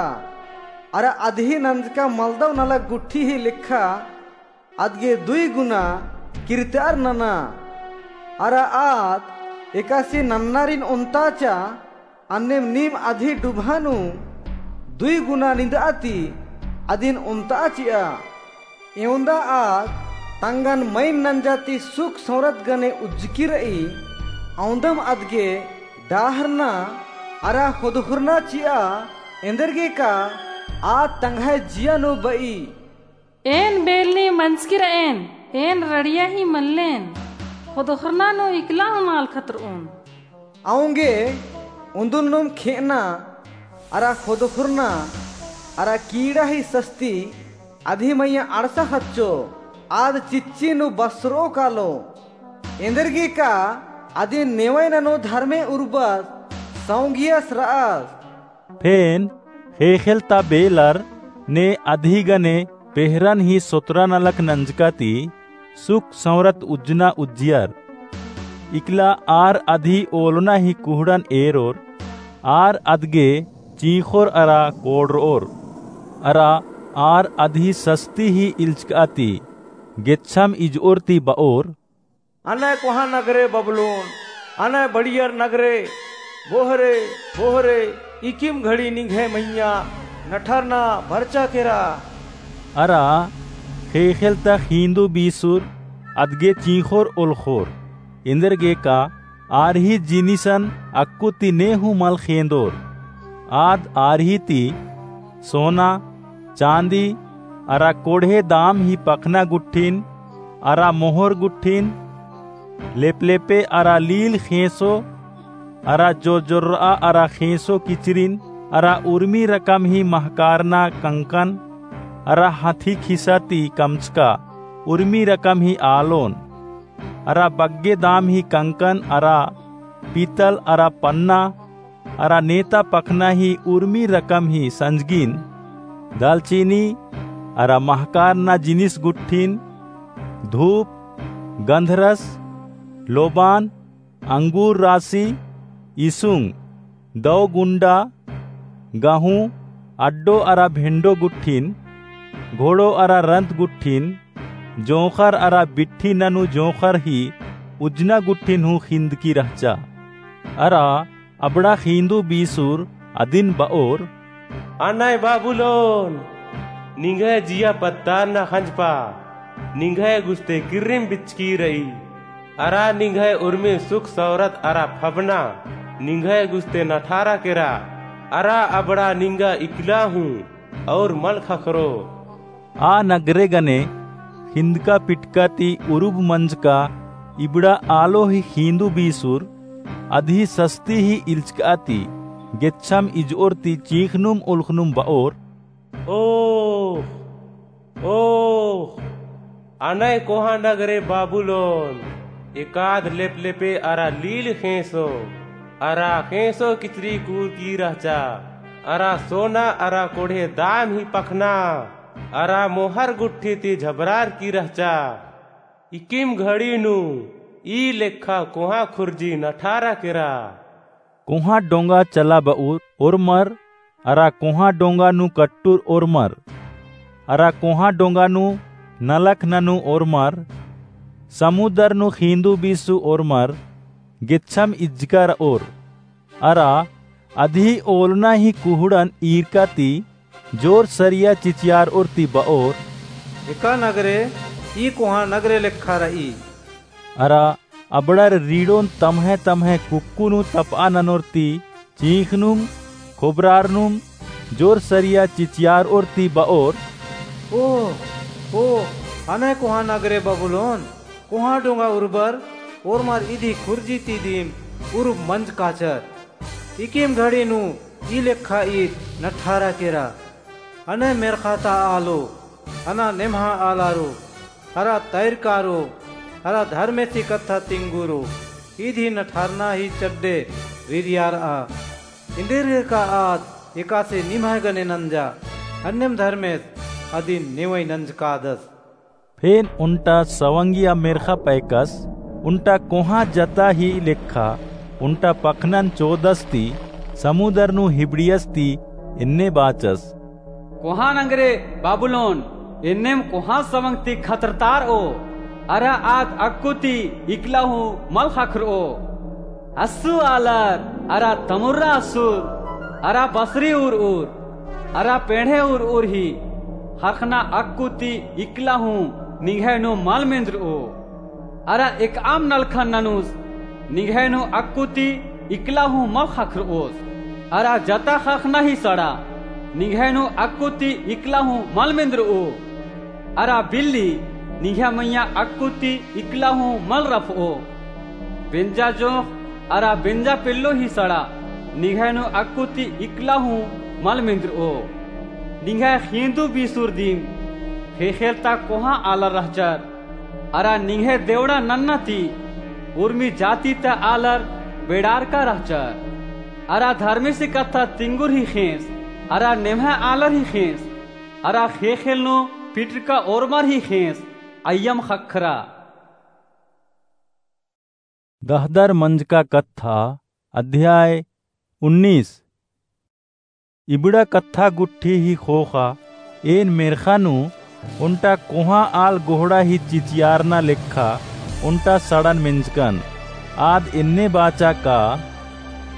अरा अदही नंजका मलदव नलख गुट्ठी ही लेखा अदगे दुई गुना किर्तअर नना। अरा आद एकासे नन्नारिन ओन्ताचा, अन्नेम नीम अदही डुबहा नू दुई गुना निंदआ ती अदिन ओन्ताआ चिआ। एवंदा आद तंगन मइन नंजा ती सुख सौंरत गने उज्जकी रई, औंदम अदगे डाहरना अरा ख़ोदख़ुरना चिआ, एन्देरगेका आद तंग्है जिया नू बई। एन बेलनी मंजकी रएन, एन रड़िया ही मल्लेन, ख़ोदख़ुरना नू इकला हूँ मल खतरओन। औंगे उन्दुल नुम खेअना अरा ख़ोदख़ुरना अरा कीड़ा ही सस्ती अदही मइय्याँ अंड़सा ख़च्चो, आद चिच्ची नू बसरओ कालो। एन्देरगेका अदिन नेवय ननू धर्मे उर्बस सौंगियस र'अस। फेन ख़ेख़ेल ता बेलर ने अदही गने पेहरन ही सोतरा नलख नंजका ती सुख सौंरत उज्जना उज्जियर। इकला आर अदही ओलना ही कुहड़न एरोर, आर अदगे चींख़ोर अरा कोड़र'ओर, अरा आर अदही सस्ती ही इल्चका ती गेच्छम इज'ओर ती ब'ओर, अनय कोहाँ नगरे बबुलोन, अनय बड़ियर नगरे, बोहरे, बोहरे, इकिम घड़ी निंग्है मइय्याँ नठरना बरचा केरा। अरा ख़ेख़ेल ता ख़ींदू बीसुर अदगे चींख़ोर ओलख़ोर, एन्देरगे का आर ही जिनिसन अक्कु ती ने हूँ मल ख़ेंदोर। आद आर ही ती सोना, चाँदी, अरा कोड़हे दाम ही पखना गुट्ठिन, अरा मोहर गुट्ठिन, लेपलेपे अरा लील ख़ेंसो, अरा जोरजोर्र'आ अरा ख़ेंसो किचरिन, अरा उर्मी रकम ही महकारना कंकन, अरा हथी खिसा ती कमचका उर्मी रकम ही आलोन, अरा बग्गे दाम ही कंकन, अरा पीतल अरा पन्ना, अरा नेता पखना ही उर्मी रकम ही संजगिन, दालचीनी अरा महकारना जिनिस गुट्ठिन, धूप, गंधरस, लोबान, अंगूर रासी, इसुंग, दौ गुंडा, गहूँ, अड्डो अरा भेंडो गुट्ठिन, घोड़ो अरा रंत गुट्ठिन, जोंख़र अरा बिट्ठी ननू जोंख़र ही उज्जना गुट्ठिन हूँ ख़िंदकी रहचा। अरा अबड़ा ख़ींदू बीसुर अदिन ब'ओर, अनय बाबुलोन, निंग्है जिया पद्दारना ख़ंजपा, निंग्है गुस्ते किर्रिम बिचकी र'ई, अरा निंग्है उर्मी सुख सौरत अरा फबना, निंग्है गुस्ते नठारा केरा, अरा अबड़ा निंगा इकला हूँ, और मल ख़क्खरो। आ नगरे गने ख़िंदका पिटका ती उरुब मंजका इबड़ा आलो ही ख़ींदू बीसुर अदही सस्ती ही इल्चका ती गेच्छम इज'ओर ती चींख़नुम ओलख़नुम ब'ओर, ओह, ओह, अनय कोहाँ नगरे बाबुलोन, एकाद लेपलेपे अरा लील ख़ेंसो, अरा ख़ेंसो किचरी कूरकी रहचा, अरा सोना अरा कोड़हे दाम ही पखना, अरा मोहर गुट्ठी ती झबरारकी रहचा। इकिम घड़ी नू ई लेखा कोहाँ खुर्जी नठारा केरा। कोहाँ डोंगा चलाब'उर ओर्मर, अरा कोहाँ डोंगा नू कट्टुर ओर्मर, अरा कोहाँ डोंगा नू नलख ननू ओर्मर, समुदर नू ख़ींदू बीसू ओर्मर, गेच्छम इज्जका र'ओर। अरा अदही ओलना ही कुहड़न ईरका ती जोर सरिया चिचियार'ओर ती ब'ओर, एका नगरे ई कोहाँ नगरे लेखा र'ई। अरा अबड़र रीड़ोन तम्है तम्है कुक्कु नू तप'आ ननोर ती चींख़नुम, खोबरारनुम, जोर सरिया चिचियार'ओर ती ब'ओर, ओह, ओह, अनय कोहाँ नगरे बबुलोन, कोहाँ डोंगा उर्बर ओर्मर इदी खुर्जी ती दिम उरुब मंजकाचर। इकिम घड़ी नू ई लेखा ईद नठारा केरा। अनय मेर्ख़ा ता आलो, अना नेम्हा आलारो, अरा तैरकारो, अरा धर्मेसी कत्था तिंगुरो, इदी नठारना ही चड्डे रिरियार'आ। एन्देरगे का आद एकासे निम्है गने नंजा, अन्नेम धर्मेस अदिन नेवई नंजकादस। फेन ओन्टा सवंगिया मेर्ख़ा पैकस, ओन्टा कोहाँ जता ही लेखा, ओन्टा पखनन चोदस ती, समुदर नू हिबड़ियस ती, एन्ने बाचस। कोहाँ नगरे बाबुलोन, एन्नेम कोहाँ सवंग ती खतरतार'ओ, अरा आद अक्कु ती इकला हूँ मल ख़क्खर'ओ। अस्सु आलर, अरा तमुर्रा अस्सुर, अरा बसरी उर उर, अरा पेंड़े उर उर ही, ख़रख़ना अक्कु ती इकला हूँ निंग्है नू मल मेंदर'ओ। अरा एकअम नलखन ननुस निंग्है नू अक्कु ती इकला हूँ मल ख़क्खर'ओस। अरा जता ख़रख़ना ही सड़ा निंग्है नू अक्कु ती इकला हूँ मल मेंदर'ओ। अरा बिल्ली निंग्है मइय्याँ अक्कु ती इकला हूँ मल रफ'ओ। बेंजा जोंख़ अरा बेंजा पेल्लो ही सड़ा निंग्है नू अक्कु ती इकला हूँ मल मेंदर'ओ। निंग्है ख़ींदू बीसुर दिम ख़ेख़ेल ता कोहाँ आलर रहचर, अरा निंग्है देवड़ा नन्ना ती उर्मी जाति ता आलर बेड़ारका रहचर। अरा धर्मेसी कत्था तिंगुर ही ख़ेंस, अरा नेम्है आलर ही ख़ेंस, अरा ख़ेख़ेल नू पिटरका ओर्मर ही ख़ेंस, अइय्यम ख़क्खरा। गहदर मंजका कत्था, अध्याय उन्नीस। इबड़ा कत्था गुट्ठी ही ख़ोख़ा एन मेर्ख़ा नू ओन्टा कोहाँ आल गोहड़ा ही चिचियारना लेखा ओन्टा सड़न मेंजकन। आद एन्ने बाचा का,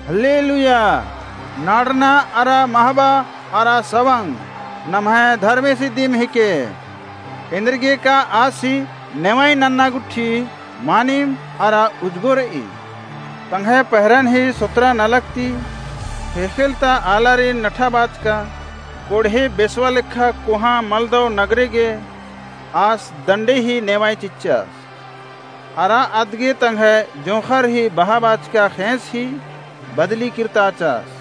हल्लेलुया! नाड़ना अरा महबा अरा सवंग नम्है धर्मेसी दिम हिके। एन्देरगे का आसी नेवई नन्ना गुट्ठी मानिम अरा उजगो रई। तंग्है पहरन ही सोतरा नलख ती ख़ेख़ेल ता आलारिन नठा बाचका कोड़हे बेसवा लेखा कोहाँ मलदव नगरे गे आस दंडे ही नेवई चिच्चस। अरा अदगे तंग्है जोंख़र ही बहा बाचका ख़ेंस ही बदली किर्ताचस।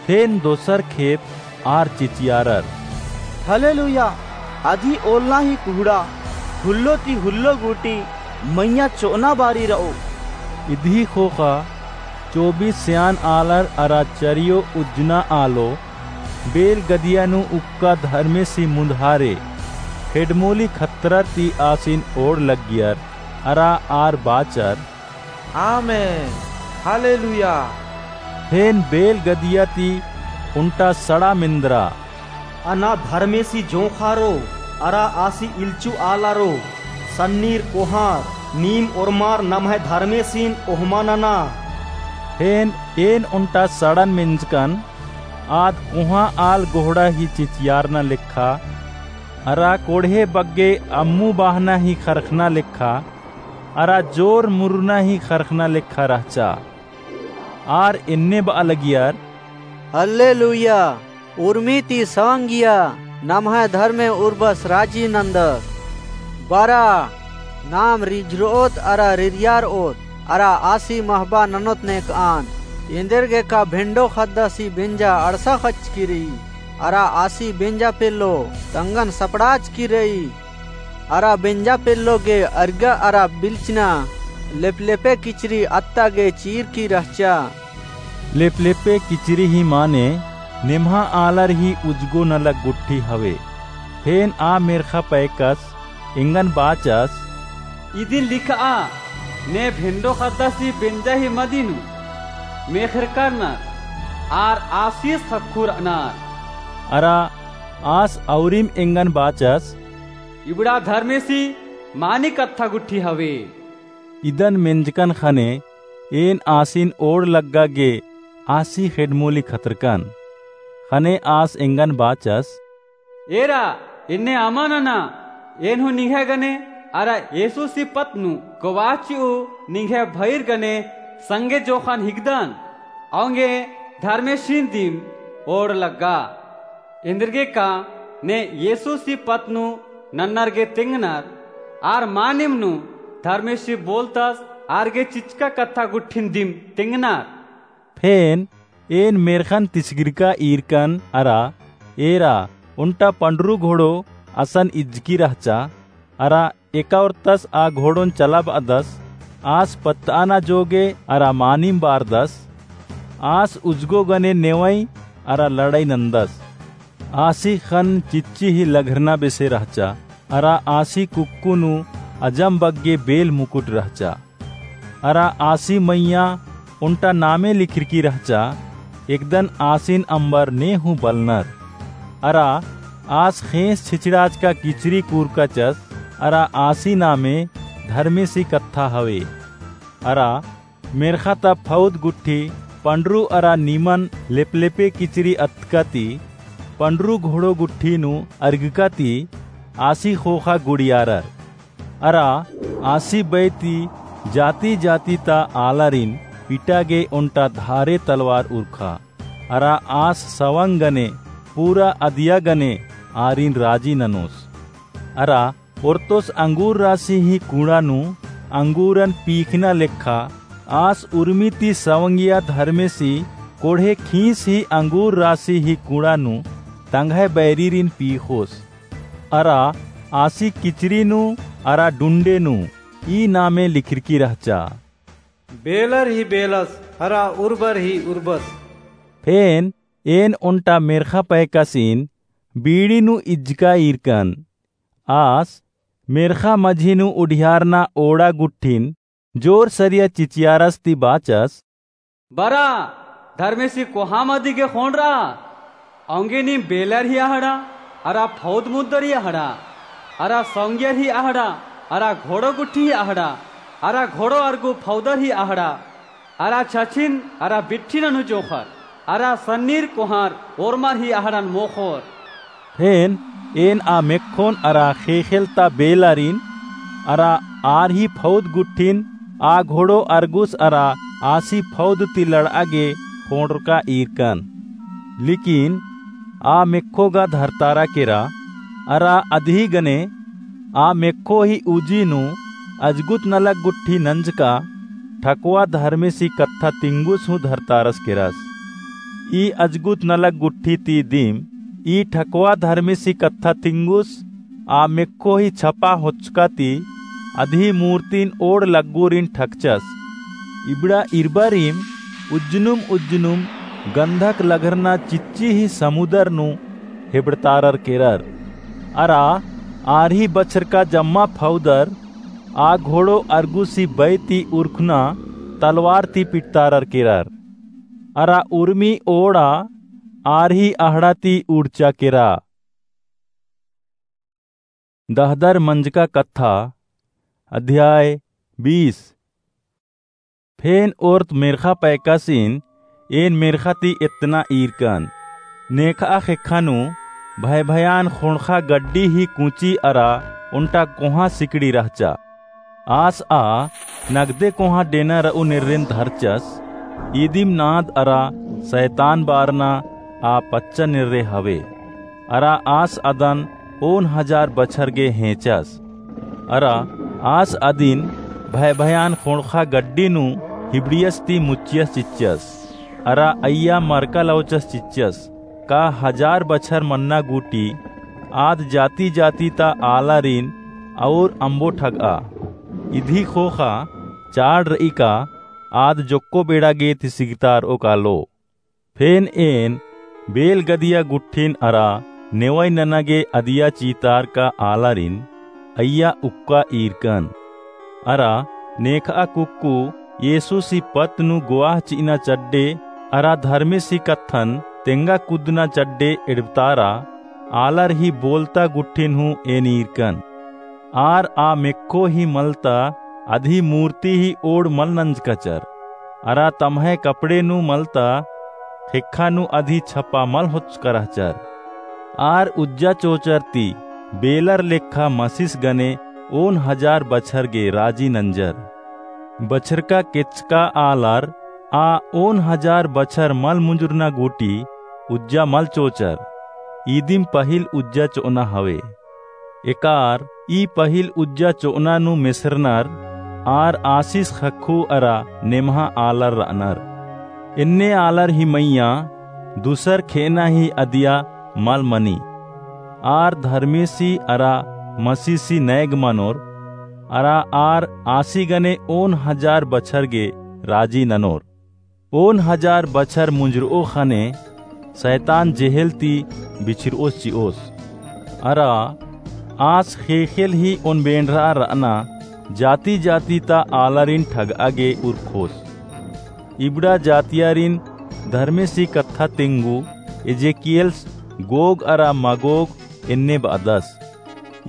फेन दोसर खेप आर चिचियारर, हल्लेलुया! अदी ओलना ही कुहड़ा हुल्लो ती हुल्लो गूटी मइय्याँ चोअना बारी रओ। इदी ख़ोख़ा चौबीस स्यान आलर अरा चरियो उज्जना आलो बेल गदिया नू उक्का धर्मेसी मुन्दहारे खेडमोली खतरर ती आसिन ओड़ लग्गियर अरा आर बाचर, आमेन, हल्लेलुया। फेन बेल गदिया ती ओन्टा सड़ा मेन्दरा, अना धर्मेसी जोंख़ारो अरा आसी इल्लचु आलारो, सन्नीर कोहाँर, नीम ओर्मार नम्है धर्मेसिन ओहमा नना। फेन एन ओन्टा सड़न मेंजकन आद कोहाँ आल गोहड़ा ही चिचियारना लेखा, अरा कोड़हे बग्गे अम्मु बाहना ही ख़रख़ना लेखा, अरा जोर मुरुना ही ख़रख़ना लेखा रहचा। आर एन्ने बआ लगियर, हल्लेलुया! उर्मी ती सवंगिया नम्है धर्मे उर्बस राजी नन्दस। बरा, नाम रिझरओत अरा रिरियारओत, अरा आसी महबा ननोत नेकआन। एन्देरगे का भेंडो ख़द्दासी बेंजा अंड़सा ख़च्चकी रई, अरा आसी बेंजा पेल्लो तंगन सपड़ाचकी रई। अरा बेंजा पेल्लो गे अरगा अरा बिलचना लेपलेपे किचरी अत्ता गे चीरकी रहचा। लेपलेपे किचरी ही माने नेम्हा आलर ही उजगो नलख गुट्ठी हवे। फेन आ मेर्ख़ा पैकस एंगन बाचस, इदिन लिखआ, ने भेंडो ख़द्दासी बेंजा ही मदी नू मेख़रका रअनर, आर आसिस ख़क्खु रअनर। अरा आस अउरिम एंगन बाचस, इबड़ा धर्मेसी मानी कत्था गुट्ठी हवे। इदन मेंजकन ख़ने एन आसिन ओड़ लग्गा गे आसी ख़ेड्डमोली खतरकन। ख़ने आस एंगन बाचस, एरा, एन्ने अमा नना, एन हूँ निंग्है गने अरा येसुसी पत्त नू कोवाचिउ निंग्है भइर गने संगे जोख़न हिकदन, औंगे धर्मेसिन दिम ओड़ लग्गा। एन्देरगे का ने येसुसी पत्त नू नन्नर गे तेंगनर, आर मानिम नू धर्मेसी बोलतस आर गे चिचका कत्था गुट्ठिन दिम तेंगनर। फेन एन मेर्ख़न तिसगिरका ईरकन अरा एरा ओन्टा पंडरू घोड़ो असन इज्जकी रहचा, अरा एका ओर्तस आ घोड़ोन चलाबअदस, आस पत्तआना जोगे अरा मानिम बारदस, आस उजगो गने नेवई अरा लड़ई नन्दस। आसी ख़न्न चिच्ची ही लघरना बेसे रहचा, अरा आसी कुक्कु नू अजम बग्गे बेल मुकुट रहचा। अरा आसी मइय्याँ ओन्टा नामे लिखरकी रहचा, एकदन आसिन अम्बर ने हूँ बलनर। अरा आस ख़ेंस छिछड़ाचका किचरी कूरकाचस, अरा आसी नामे धर्मेसी कत्था हवे। अरा मेर्ख़ा ता फौद गुट्ठी पंडरू अरा निमन लेपलेपे किचरी अतका ती पंडरू घोड़ो गुट्ठी नू अरगका ती आसी ख़ोख़ा गुड़ियारर। अरा आसी बई ती जाति-जाति ता आलारिन पिटा गे ओन्टा धारे तलवार उरखा। अरा आस सवंग गने पूरा अदिया गने आरिन राजी ननोस। अरा ओर्तोस अंगूर रासी ही कुंड़ा नू अंगूरन पीखना लेखा आस उर्मी ती सवंगिया धर्मेसी कोड़हे खीस ही अंगूर रासी ही कुंड़ा नू तंग्है बैरीरिन पीख़ोस। अरा आसी किचरी नू अरा डुंडे नू ई नामे लिखरकी रहचा। बेलर ही बेलस, अरा उर्बर ही उर्बस, फेन एन ओन्टा मेर्ख़ा पैकासिन बीड़ी नू इज्जका ईरकन। आस मेर्ख़ा मझी नू उढियारना ओड़ा गुट्ठिन जोर सरिया चिचियारस ती बाचस, बरा, धर्मेसी कोहाँ मदी गे ख़ोंड़रआ। औंगे नीम बेलर ही अहड़ा, अरा फौद मुद्दर ही अहड़ा, अरा सौंगियर ही अहड़ा, अरा घोड़ो गुट्ठी ही अहड़ा, अरा घोड़ो अरगु फौदर ही अहड़ा, अरा छछिन अरा बिट्ठिन नू जोंख़र, अरा सन्नीर कोहाँर ओर्मर ही अहड़न मोख़ोर। फेन एन आ मेक्खोन अरा ख़ेख़ेल ता बेलारिन अरा आर ही फौद गुट्ठिन आ घोड़ो अरगुस अरा आसी फौद ती लड़आ गे ख़ोंड़रका ईरकन। लेकिन आ मेक्खो गा धरतारा केरा, अरा अदही गने आ मेक्खो ही उजी नू अजगुत नलख गुट्ठी नंजका ठकवा धर्मेसी कत्था तिंगुस हूँ धरतारस केरस। ई अजगुत नलख गुट्ठी ती दिम ई ठकवा धर्मेसी कत्था तिंगुस आ मेक्खो ही छपा होचका ती अदही मूर्तिन ओड़ लग्गुरिन ठकचस। इबड़ा इरबारिम उज्जनुम उज्जनुम गंधक लघरना चिच्ची ही समुदर नू हेबड़तारर केरर। अरा आर ही बछरका जम्मा फौदर आ घोड़ो अरगुसी बै ती उरखना तलवार ती पिटतारर केरर। अरा उर्मी ओड़ा आर ही अहड़ा ती उड़चा केरा। दहदर मंजका कत्था, अध्याय बीस। फेन ओर्त मेर्ख़ा पैकासिन एन मेर्ख़ा ती एतना ईरकन। नेखआ ख़ेक्खा नू भय भयान ख़ोंड़ख़ा गड्डी ही कुची अरा ओन्टा कोहाँ सिकड़ी रहचा। आस आ नगदे कोहाँ डेना रऊ नेर्रेन धरचस। इदिम नाद अरा सैतान बारना आ पच्चा नेर्रे हवे। अरा आस अदन ओन हजार बछर गे हेंचस। अरा आस अदिन भय भयान ख़ोंड़ख़ा गड्डी नू हिबड़ियस ती मुच्चियस चिच्चस। अरा अइय्या मरका लौचस चिच्चस, का हजार बछर मन्ना गूटी आद जाति जाति ता आलारिन और अम्बो ठगआ। इदही ख़ोख़ा चाड़ रई का आद जोक्को बेड़ा गे तिसिगतारओ कालो। फेन एन बेल गदिया गुट्ठिन अरा नेवई नना गे अदिया चीतारका आलारिन अइय्या उक्का ईरकन। अरा नेखआ कुक्कु येसुसी पत्त नू गोआह चिअना चड्डे अरा धर्मेसी कत्थन तेंगा कुद्दना चड्डे एड़बतारा आलर ही बोलता गुट्ठिन हूँ एन ईरकन। आर आ मेक्खो ही मलता अदही मूर्ति ही ओड़ मल नंजकचर। अरा तम्है कपड़े नू मलता ख़ेक्खा नू अदही छपा मल होचका रहचर। आर उज्जा चोचर ती बेलर लेखा मसिस गने ओन हजार बछर गे राजी नंजर। बछरका केचका आलर आ ओन हजार बछर मल मुंजुरना गूटी उज्जा मल चोचर। इदिम पहिल उज्जा चोअना हवे। एकार ई पहिल उज्जा चोअना नू मेसरनर आर आसिस ख़क्खु अरा नेम्हा आलर रअनर। एन्ने आलर ही मइय्याँ दुसर खेअना ही अदिया मल मनी। आर धर्मेसी अरा मसीसी नैग मनोर, अरा आर आसी गने ओन हजार बछर गे राजी ननोर। ओन हजार बछर मुंजरओ ख़ने सैतान जेहेल ती बिछरओस चिओस। अरा आस ख़ेख़ेल ही ओन बेंड़रआ रअना जाति जाति ता आलारिन ठगआ गे उरखोस। इबड़ा जातियारिन धर्मेसी कत्था तेंगु एजेकियेल्स गोग अरा मगोग एन्ने बअदस।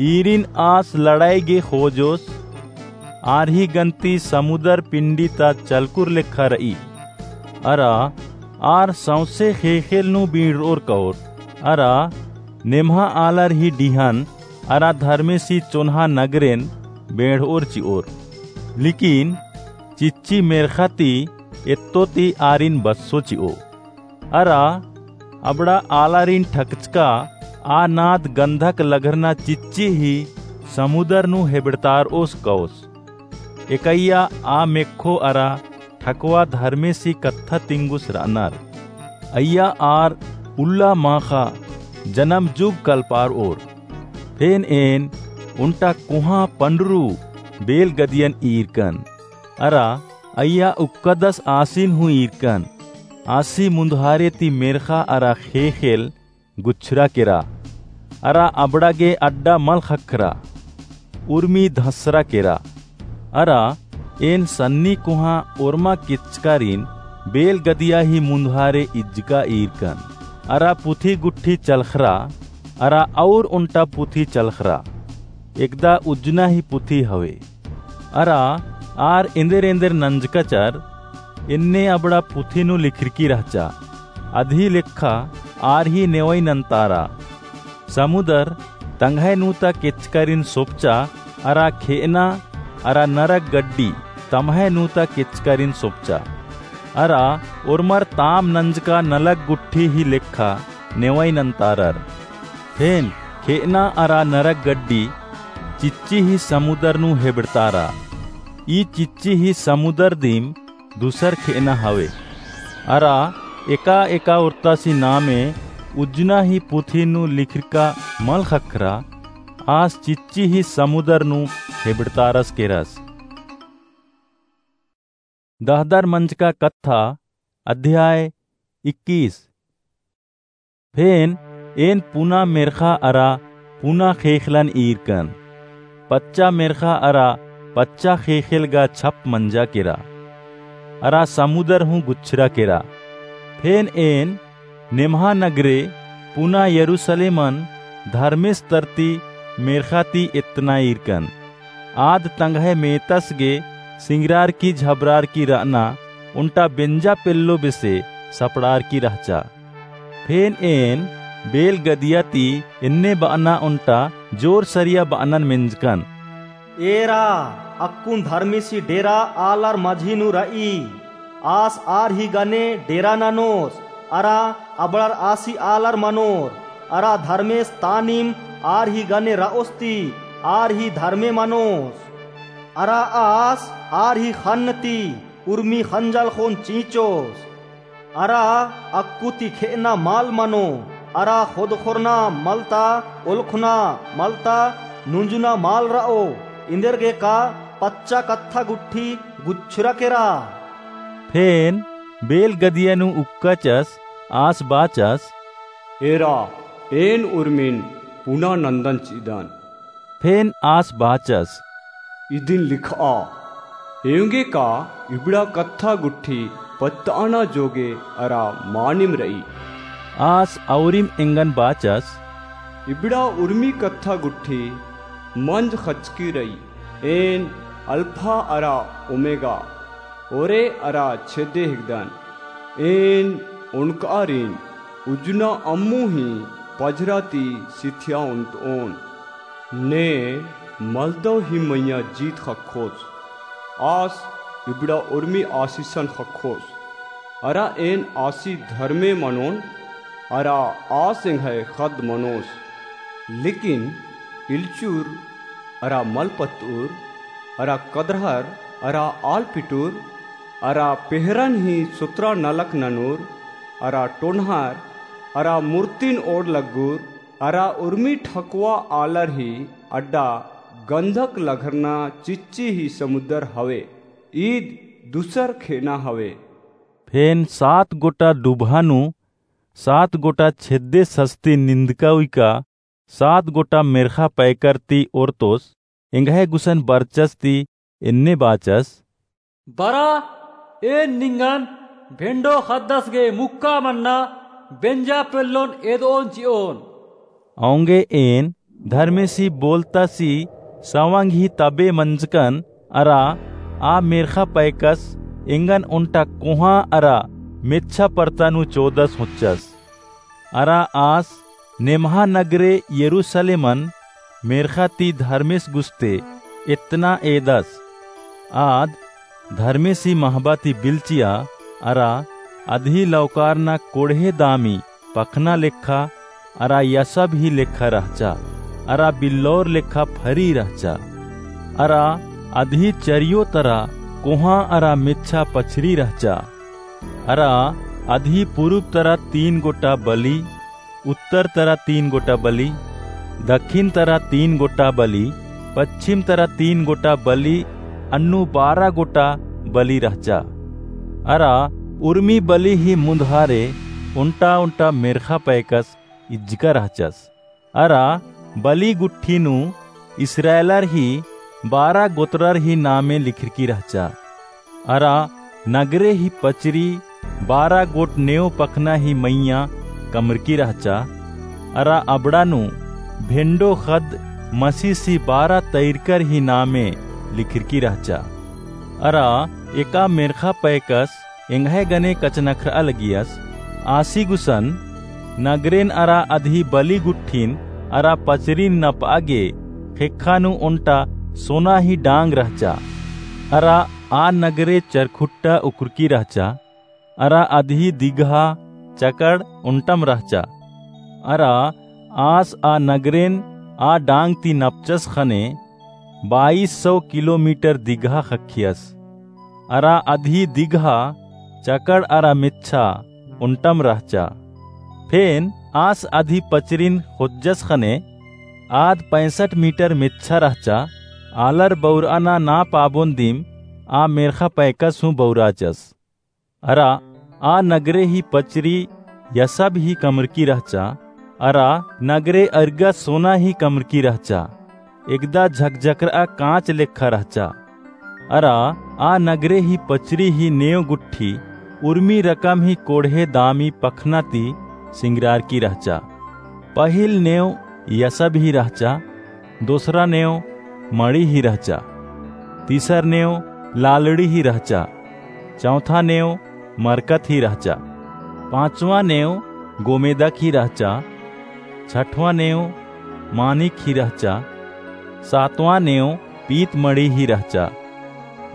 ईरिन आस लड़ाई गे ख़ोजोस। आर ही गन्ती समुदर पिंडी ता चलकुर लेखा रई। अरा आर सौंसे ख़ेख़ेल नू बींड़रओर कओर। अरा नेम्हा आलर ही डिहन अरा धर्मेसी चोन्हा नगरेन बेंड़ओर चिओर। लेकिन चिच्ची मेर्ख़ा ती एत्तो ती आरिन बस्सो चिओ। अरा अबड़ा आलारिन ठकचका आ नाद गंधक लघरना चिच्ची ही समुदर नू हेबड़तारओस कओस। एकइया आ मेक्खो अरा ठकवा धर्मेसी कत्था तिंगुस रअनर। अइय्या आर उल्ला माख़ा जनम जुग कलपारओर। फेन एन ओन्टा कोहाँ पंडरू बेल गदियन ईरकन। अरा अइय्या उक्कादस आसिन हूँ ईरकन। आसी मुन्दहारे ती मेर्ख़ा अरा ख़ेख़ेल गुच्छरा केरा, अरा अबड़ा गे अड्डा मल ख़क्खरा, उर्मी धसरा केरा। अरा एन सन्नी कोहाँ ओर्मा केचकारिन बेल गदिया ही मुन्दहारे इज्जका ईरकन। अरा पुथी गुट्ठी चलख़रा, अरा अउर ओन्टा पुथी चलख़रा, एकदा उज्जना ही पुथी हवे। अरा आर एन्देर एन्देर नंजकाचर, एन्ने अबड़ा पुथी नू लिखरकी रहचा, अदही लेखा आर ही नेवई नन्तारा। समुदर तंग्है नू ता केचकारिन सोपचा, अरा खेअना अरा नरक गड्डी तम्है नू ता केचकारिन सोपचा। अरा ओर्मर ताम नंजका नलख गुट्ठी ही लेखा नेवई नन्तारर। फेन खेअना अरा नरक गड्डी चिच्ची ही समुदर नू हेबड़तारा। ई चिच्ची ही समुदर दिम दुसर खेअना हवे। अरा एका एका ओर्तासी नामे उज्जना ही पुथी नू लिखरका मल ख़क्खरा, आस चिच्ची ही समुदर नू हेबड़तारस केरस। दहदर मंजका कत्था, अध्याय इक्कीस। फेन एन पुना मेर्ख़ा अरा पुना ख़ेख़लन ईरकन। पच्चा मेर्ख़ा अरा पच्चा ख़ेख़ेल गा छप मंजा केरा, अरा समुदर हूँ गुच्छरा केरा। फेन एन नेम्हा नगरे पुना यरूसलेमन धर्मेस तरती मेर्ख़ा ती एतना ईरकन। आद तंग्है मेतस गे सिंगरारकी झबरारकी रअना ओन्टा बेंजा पेल्लो बेसे सपड़ारकी रहचा। फेन एन बेल गदिया ती एन्ने बअना ओन्टा जोर सरिया बअनन मेंजकन। एरा, अक्कुन धर्मेसी डेरा आलर मझी नू रई। आस आर ही गने डेरा ननोस, अरा अबड़र आसी आलर मनोर, अरा धर्मेस तानिम आर ही गने रओस ती आर ही धर्मे मनोस। अरा आस आर ही ख़न्न ती उर्मी ख़ंजल ख़ोन चींचोस। अरा अक्कु ती खेअना मल मनो, अरा ख़ोदख़ोरना मलता, ओलख़ना मलता, नुंजुना मल रओ, एन्देरगेका पच्चा कत्था गुट्ठी गुच्छरा केरा। फेन बेल गदिया नू उक्काचस, आस बाचस, एरा, एन उर्मिन पुना नन्दन चिअदन। फेन आस बाचस, इदिन लिखआ, एवंगेका इबड़ा कत्था गुट्ठी पत्तअना जोगे अरा मानिम रई। आस अउरिम एंगन बाचस, इबड़ा उर्मी कत्था गुट्ठी मंज ख़चकी रई। एन अल्फा अरा ओमेगा, ओरे अरा छेदे हिकदन। एन ओनकआरिन उज्जना अम्मु ही पझरा ती सिथिया ओन्टओन। ने मलदव ही मइय्याँ जीत ख़क्खोस। आस इबड़ा उर्मी आसिसन ख़क्खोस। अरा एन आसी धर्मे मनोन, अरा आस एंग्है ख़द्द मनोस। लेकिन इलचुर अरा मलपतउर, अरा कदरहर, अरा आलपिटुर, अरा पेहरन ही सोतरा नलख ननुर, अरा टोनहर, अरा मुर्तिन ओड़ लग्गुर, अरा उर्मी ठकुआ आलर ही अड्डा गंधक लघरना चिच्ची ही समुदर हवे। ईद दुसर खेअना हवे। फेन सात गोटा डुबहा नू सात गोटा छेद्दे सस्ती निंदका उइका सात गोटा मेर्ख़ा पैकर ती ओर्तोस एंग्है गुसन बरचस ती एन्ने बाचस, बरा, एन निंगन भेंडो ख़द्दस गे मुक्का मन्ना बेंजा पेल्लोन एदओन चिओन। औंगे एन धर्मेसी बोलतासी सवंग ही तबे मंजकन अरा आ मेर्ख़ा पैकस एंगन ओन्टा कोहाँ अरा मेच्छा परता नू चोदस होच्चस। अरा आस नेम्हा नगरे यरूसलेमन मेर्ख़ा ती धर्मेस गुस्ते एतना एदस। आद धर्मेसी महबा ती बिल्चिया अरा अदही लौकारना कोड़हे दामी पखना लेखा अरा यसब ही लेखा रहचा, अरा बिल्लौर लेखा फरी रहचा। अरा अदही चरियो तरा कोहाँ अरा मेच्छा पछरी रहचा। अरा अदही पुरुब तरा तीन गोटा बली, उत्तर तरा तीन गोटा बली, दखिन तरा तीन गोटा बली, पच्छिम तरा तीन गोटा बली, अन्नु बारा गोटा बली रहचा। अरा उर्मी बली ही मुन्दहारे ओन्टा ओन्टा मेर्ख़ा पैकस इज्जका रहचस। अरा बली गुट्ठी नू इस्राएलर ही बारा गोत्रर ही नामे लिखरकी रहचा। अरा नगरे ही पचरी बारा गोट नेव पखना ही मइय्याँ कमरकी रहचा। अरा अबड़ा नू भेंडो ख़द्द मसीस ही बारा तैरकर ही नामे लिखरकी रहचा। अरा एका मेर्ख़ा पैकस एंग्है गने कछनखरआ लगियस, आसी गुसन नगरेन अरा अदही बली गुट्ठिन अरा पचरिन नपआ गे ख़ेक्खा नू ओन्टा सोना ही डांग रहचा। अरा आ नगरे चरखुट्टा उकरकी रहचा। अरा अदही दिगहा चकड़ ओन्टम रहचा। अरा आस आ नगरेन आ डांग ती नपचस ख़ने बाईस सौ किलोमीटर दिगहा ख़क्खियस। अरा अदही दिगहा चकड़ अरा मेच्छा ओन्टम रहचा। फेन आस अदही पचरिन ख़ोज्जस ख़ने आद पैंसठ मीटर मेच्छा रहचा। आलर बउरअना ना पाबोन दिम आ मेर्ख़ा पैकस हूँ बउराचस। अरा आ नगरे ही पचरी यसब ही कमरकी रहचा। अरा नगरे अरगा सोना ही कमरकी रहचा। एकदा झकझकरआ काँच लेखा रहचा। अरा आ नगरे ही पचरी ही नेव गुट्ठी उर्मी रकम ही कोड़हे दामी पखना ती सिंगरारकी रहचा। पहिल नेव यसब ही रहचा, दोसरा नेव मड़ी ही रहचा, तीसर नेव लालड़ी ही रहचा, चौथा नेव मरकत ही रहचा, पाँचवा नेव गोमेदक ही रहचा, छठवा नेव मानिक ही रहचा, सातवा नेव पीत मड़ी ही रहचा,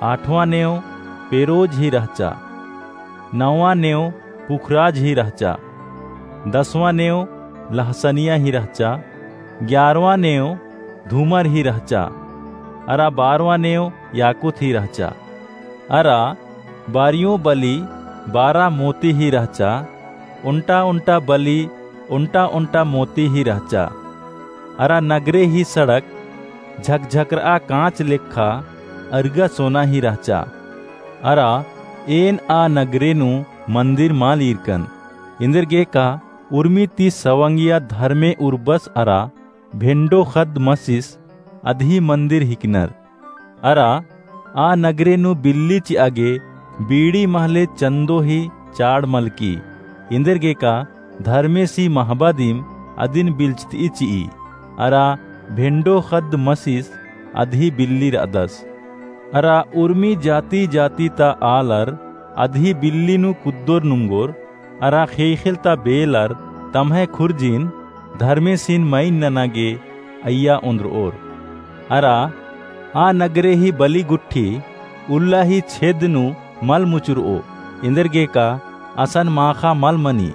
आठवा नेव पेरोज ही रहचा, नौवा नेव पुखराज ही रहचा, दसवाँ नेव लहसनिया ही रहचा, ग्यारवाँ नेव धूमर ही रहचा, अरा बारवाँ नेव याकूत ही रहचा। अरा बारियों बली बारा मोती ही रहचा, ओन्टा ओन्टा बली ओन्टा ओन्टा मोती ही रहचा। अरा नगरे ही सड़क झकझकरआ काँच लेखा अरगा सोना ही रहचा। अरा एन आ नगरे नू मंदिर मल ईरकन, एन्देरगेका उर्मी ती सवंगिया धर्मे उर्बस अरा भेंडो ख़द्द मसिस अदही मंदिर हिकनर। अरा आ नगरे नू बिल्ली चिआ गे बीड़ी महले चन्दो ही चाड़ मलकी, एन्देरगेका धर्मेसी महबा दिम अदिन बिल्चतई चिई। अरा भेंडो ख़द्द मसिस अदही बिल्ली रअदस। अरा उर्मी जाति जाति ता आलर अदही बिल्ली नू कुद्दोर नुंगोर, अरा ख़ेख़ेल ता बेलर तम्है खुर्जिन धर्मेसिन मइन नना गे अइय्या ओन्द्रओर। अरा आ नगरे ही बली गुट्ठी उल्ला ही छेद नू मल मुचुरओ, एन्देरगेका असन माख़ा मल मनी।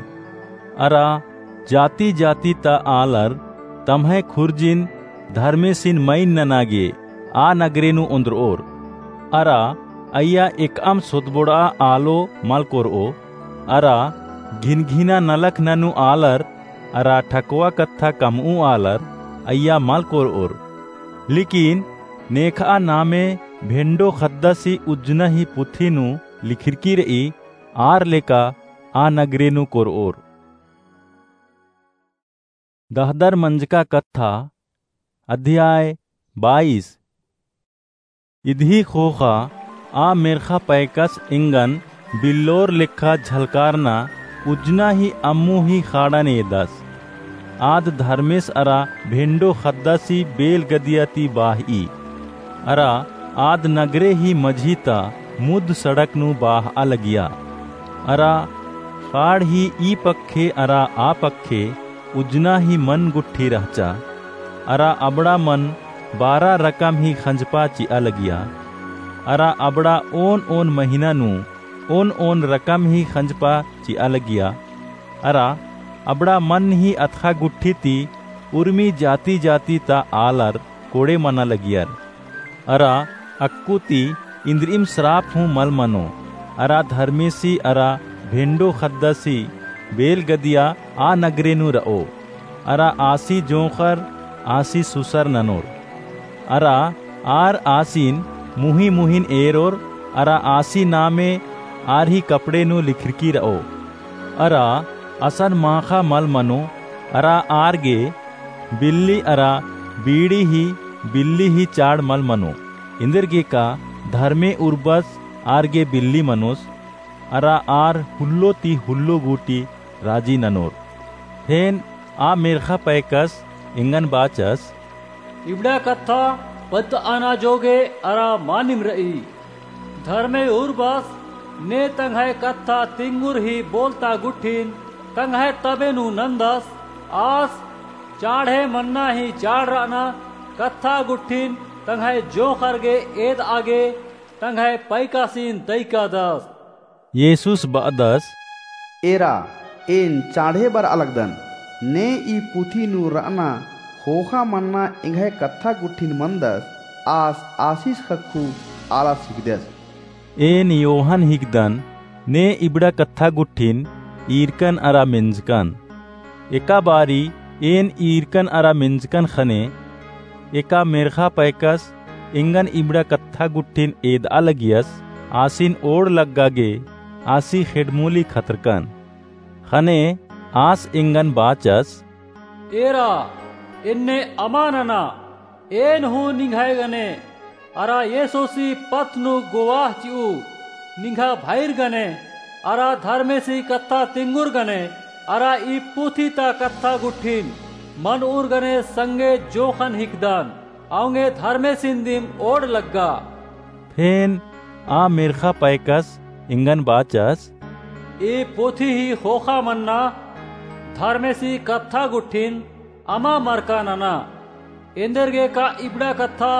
अरा जाति जाति ता आलर तम्है खुर्जिन धर्मेसिन मइन नना गे आ नगरे नू ओन्द्रओर। अरा अइय्या एकअम सोतबोड़आ आलो मल कोरओ, अरा घिनघिना नलख ननू आलर अरा ठकवा कत्था कमऊ आलर अइय्या मल कोरओर। लेकिन नेखआ नामे भेंडो ख़द्दासी उज्जना ही पुथी नू लिखिरकी रई, आर लेका आ नगरे नू कोरओर। दहदर मंजका कत्था, अध्याय बाईस। इदही ख़ोख़ा आ मेर्ख़ा पैकस एंगन बिल्लोर लेखा झलकारना उज्जना ही अम्मु ही ख़ाड़न एदस। आद धर्मेस अरा भेंडो ख़द्दासी बेल गदिया ती बाहई। अरा आद नगरे ही मझी ता मुद सड़क नू बाहआ लगिया। अरा ख़ाड़ ही ई पक्खे अरा आ पक्खे उज्जना ही मन गुट्ठी रहचा। अरा अबड़ा मन बारा रकम ही ख़ंजपा चिआ लगिया। अरा अबड़ा ओन ओन महिना नू ओन ओन रकम ही ख़ंजपा चिआ लगिया। अरा अबड़ा मन ही अतख़ा गुट्ठी ती उर्मी जाति जाति ता आलर कोड़े मना लगियर। अरा अक्कु ती इन्द्रिइम स्राप हूँ मल मनो। अरा धर्मेसी अरा भेंडो ख़द्दासी बेल गदिया आ नगरे नू रओ। अरा आसी जोंख़र आसी सुसर ननोर। अरा आर आसिन मुही मुहिन एरोर। अरा आसी नामे आर ही कपड़े नू लिखरकी र'ओ। अरा असन माखा मल मनो, अरा आर गे बिल्ली अरा बीड़ी ही बिल्ली ही चाड़ मल मनो। एन्देरगेका धर्मे उर्बस आर गे बिल्ली मनोस, अरा आर हुल्लो ती हुल्लो गूटी राजी ननोर। फेन आ मेर्खा पैकस एंगन बाचस, इबड़ा कत्था पत्त आना जोगे अरा मानिम र'ई। धर्मे उर्बस ने तंग्है कत्था तिंगुर ही बोलता गुट्ठिन तंग्है तबे नू नन्दस, आस चाढ़े मन्ना ही चाड़ र'अना कत्था गुट्ठिन तंग्है जोंख़र गे एद'आ गे तंग्है पैकासिन तैकादस। येसुस ब'अदस, एरा, एन चाढ़े बर'आ लगदन, ने ई पुथी नू र'अना ख़ोख़ा मन्ना एंग्है कत्था गुट्ठिन मन्दस, आस आसिस ख़क्खु आलस हिकदस। एन योहन हिकदन, ने इबड़ा कत्था गुट्ठिन ईरकन अरा मेंजकन। एका बारी एन ईरकन अरा मेंजकन ख़ने, एका मेर्खा पैकस एंगन इबड़ा कत्था गुट्ठिन एद'आ लगियस, आसिन ओड़ लग्गा गे आसी ख़ेड़मूली खतरकन। ख़ने आस एंगन बाचस, एरा, एन्ने अमा नना, एन हूँ निंग्है गने अरा येसुसी पत्त नू गोवाह चि'ऊ, निंग्हा भइर गने अरा धर्मेसी कत्था तिंगुर गने अरा ई पुथी ता कत्था गुट्ठिन मन'ऊर गने संगे जोंख़न हिकदन, औंगे धर्मेसिन दिम ओड़ लग्गा। फेन आ मेर्खा पैकस एंगन बाचस, ई पुथी ही ख़ोख़ा मन्ना धर्मेसी कत्था गुट्ठिन अमा मरका नना। एन्देरगेका इबड़ा कत्था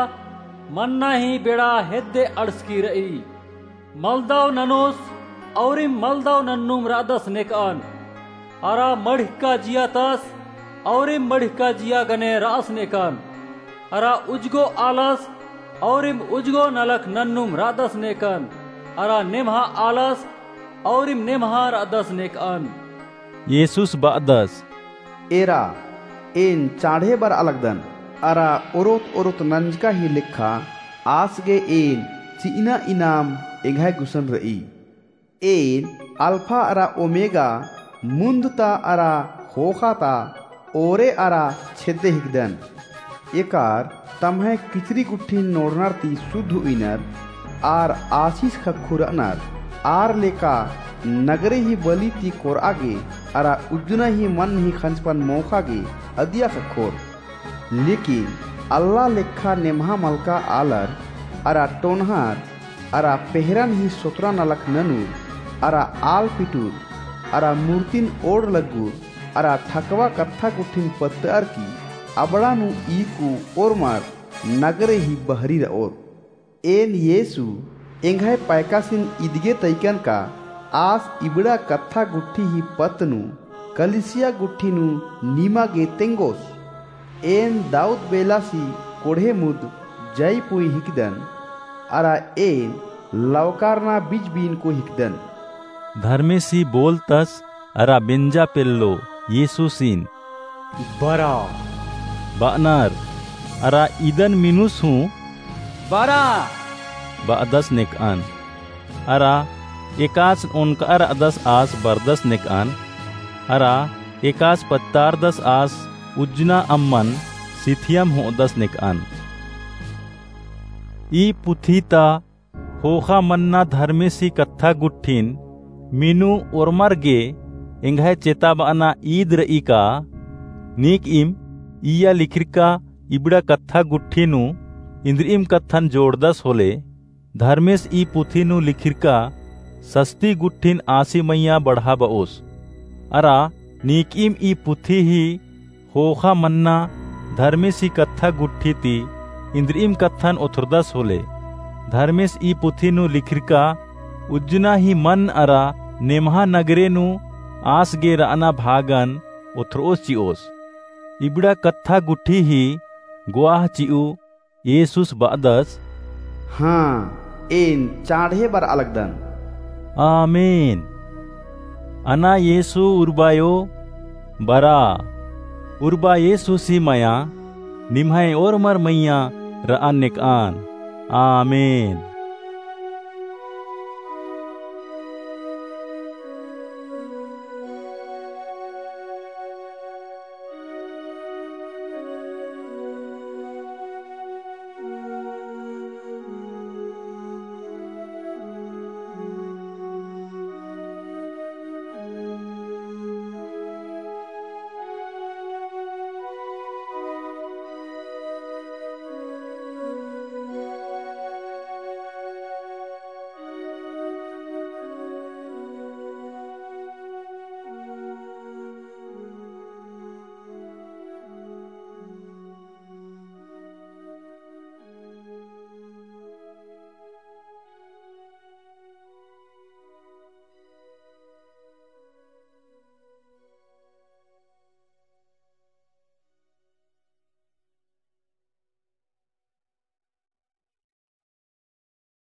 मन्ना ही बेड़ा हेद्दे अंड़सकी र'ई। मलदव ननोस औरिम मलदव नन्नुम र'अदस नेक'अन। अरा मड़िहका जिया तस औरिम मड़िहका जिया गने र'अस नेक'अन। अरा उजगो आलस औरिम उजगो नलख नन्नुम र'अदस नेक'अन। अरा नेम्हा आलस औरिम नेम्हा र'अदस नेक'अन। येसुस ब'अदस, एरा, एन चाढ़े बर'आ लगदन, अरा ओरोत-ओरोत नंजका ही लेखा आस गे एन चि'अना इनाम एंग्है गुसन र'ई। एन अल्फा अरा ओमेगा, मुन्द ता अरा ख़ोख़ा ता, ओरे अरा छेद्दे हिकदन। एकार तम्है किचरी गुट्ठिन नोड़नर ती सुद्ध उइनर, आर आसिस ख़क्खु र'अनर, आर लेका नगरे ही बली ती कोर'आ गे अरा उज्जना ही मन ही ख़ंजपन मोख़ा गे अदिया ख़क्खोर। लेकिन अल्ला लेखा नेम्हा मलका आलर अरा टोनहर अरा पेहरन ही सोतरा नलख ननुर अरा आल पिटुर अरा मूर्तिन ओड़ लग्गुर अरा ठकवा कत्था गुट्ठिन पत्त'अर की अबड़ा नू ईरकु ओर्मर नगरे ही बहरी र'ओर। एन येसु एंग्है पैकासिन इदगे तइकन का आस इबड़ा कत्था गुट्ठी ही पत्त नू कलीसिया गुट्ठी नू नीमा गे तेंगोस। एन दाऊद बेलासी कोड़हे मुद जई पुई हिकदन, अरा एन लवकारना बिजबीनको हिकदन। धर्मेसी बोलतस अरा बेंजा पेल्लो येसुसिन बरा ब'अनर, अरा इदन मिनुस हूँ बरा ब'अदस नेक'अन। अरा एकास ओनक'आ र'अदस आस बरदस नेक'अन, अरा एकास पत्तारदस आस उज्जना अम्मन सिथियम हो'अदस नेक'अन। ई पुथी ता ख़ोख़ा मन्ना धर्मेसी कत्था गुट्ठिन मिनु ओर्मर गे एंग्है चेताब'अना ईद र'ई का। नीक'इम इय्या लिखिरका इबड़ा कत्था गुट्ठी नू इन्द्रि'इम कत्थन जोड़दस होले, धर्मेस ई पुथी नू लिखिरका सस्ती गुट्ठिन आसी मइय्याँ बढ़ाब'ओस। अरा नीक'इम ई पुथी ही ख़ोख़ा मन्ना धर्मेसी कत्था गुट्ठी ती इन्द्रि'इम कत्थन ओथरदस होले, धर्मेस ई पुथी नू लिखिरका उज्जना ही मन अरा नेम्हा नगरे नू आस गे र'अना भागन ओथर'ओस चि'ओस। इबड़ा कत्था गुट्ठी ही ग्वाह चि'ऊ येसुस ब'अदस, हाँ, एन चाँड़हे बर'आ लगदन। आमीन। अना येसु उर्बायो बर'आ। उर्बा येसुसी मया निम्है ओर्मर मइय्याँ र'अन नेक'अन। आमीन।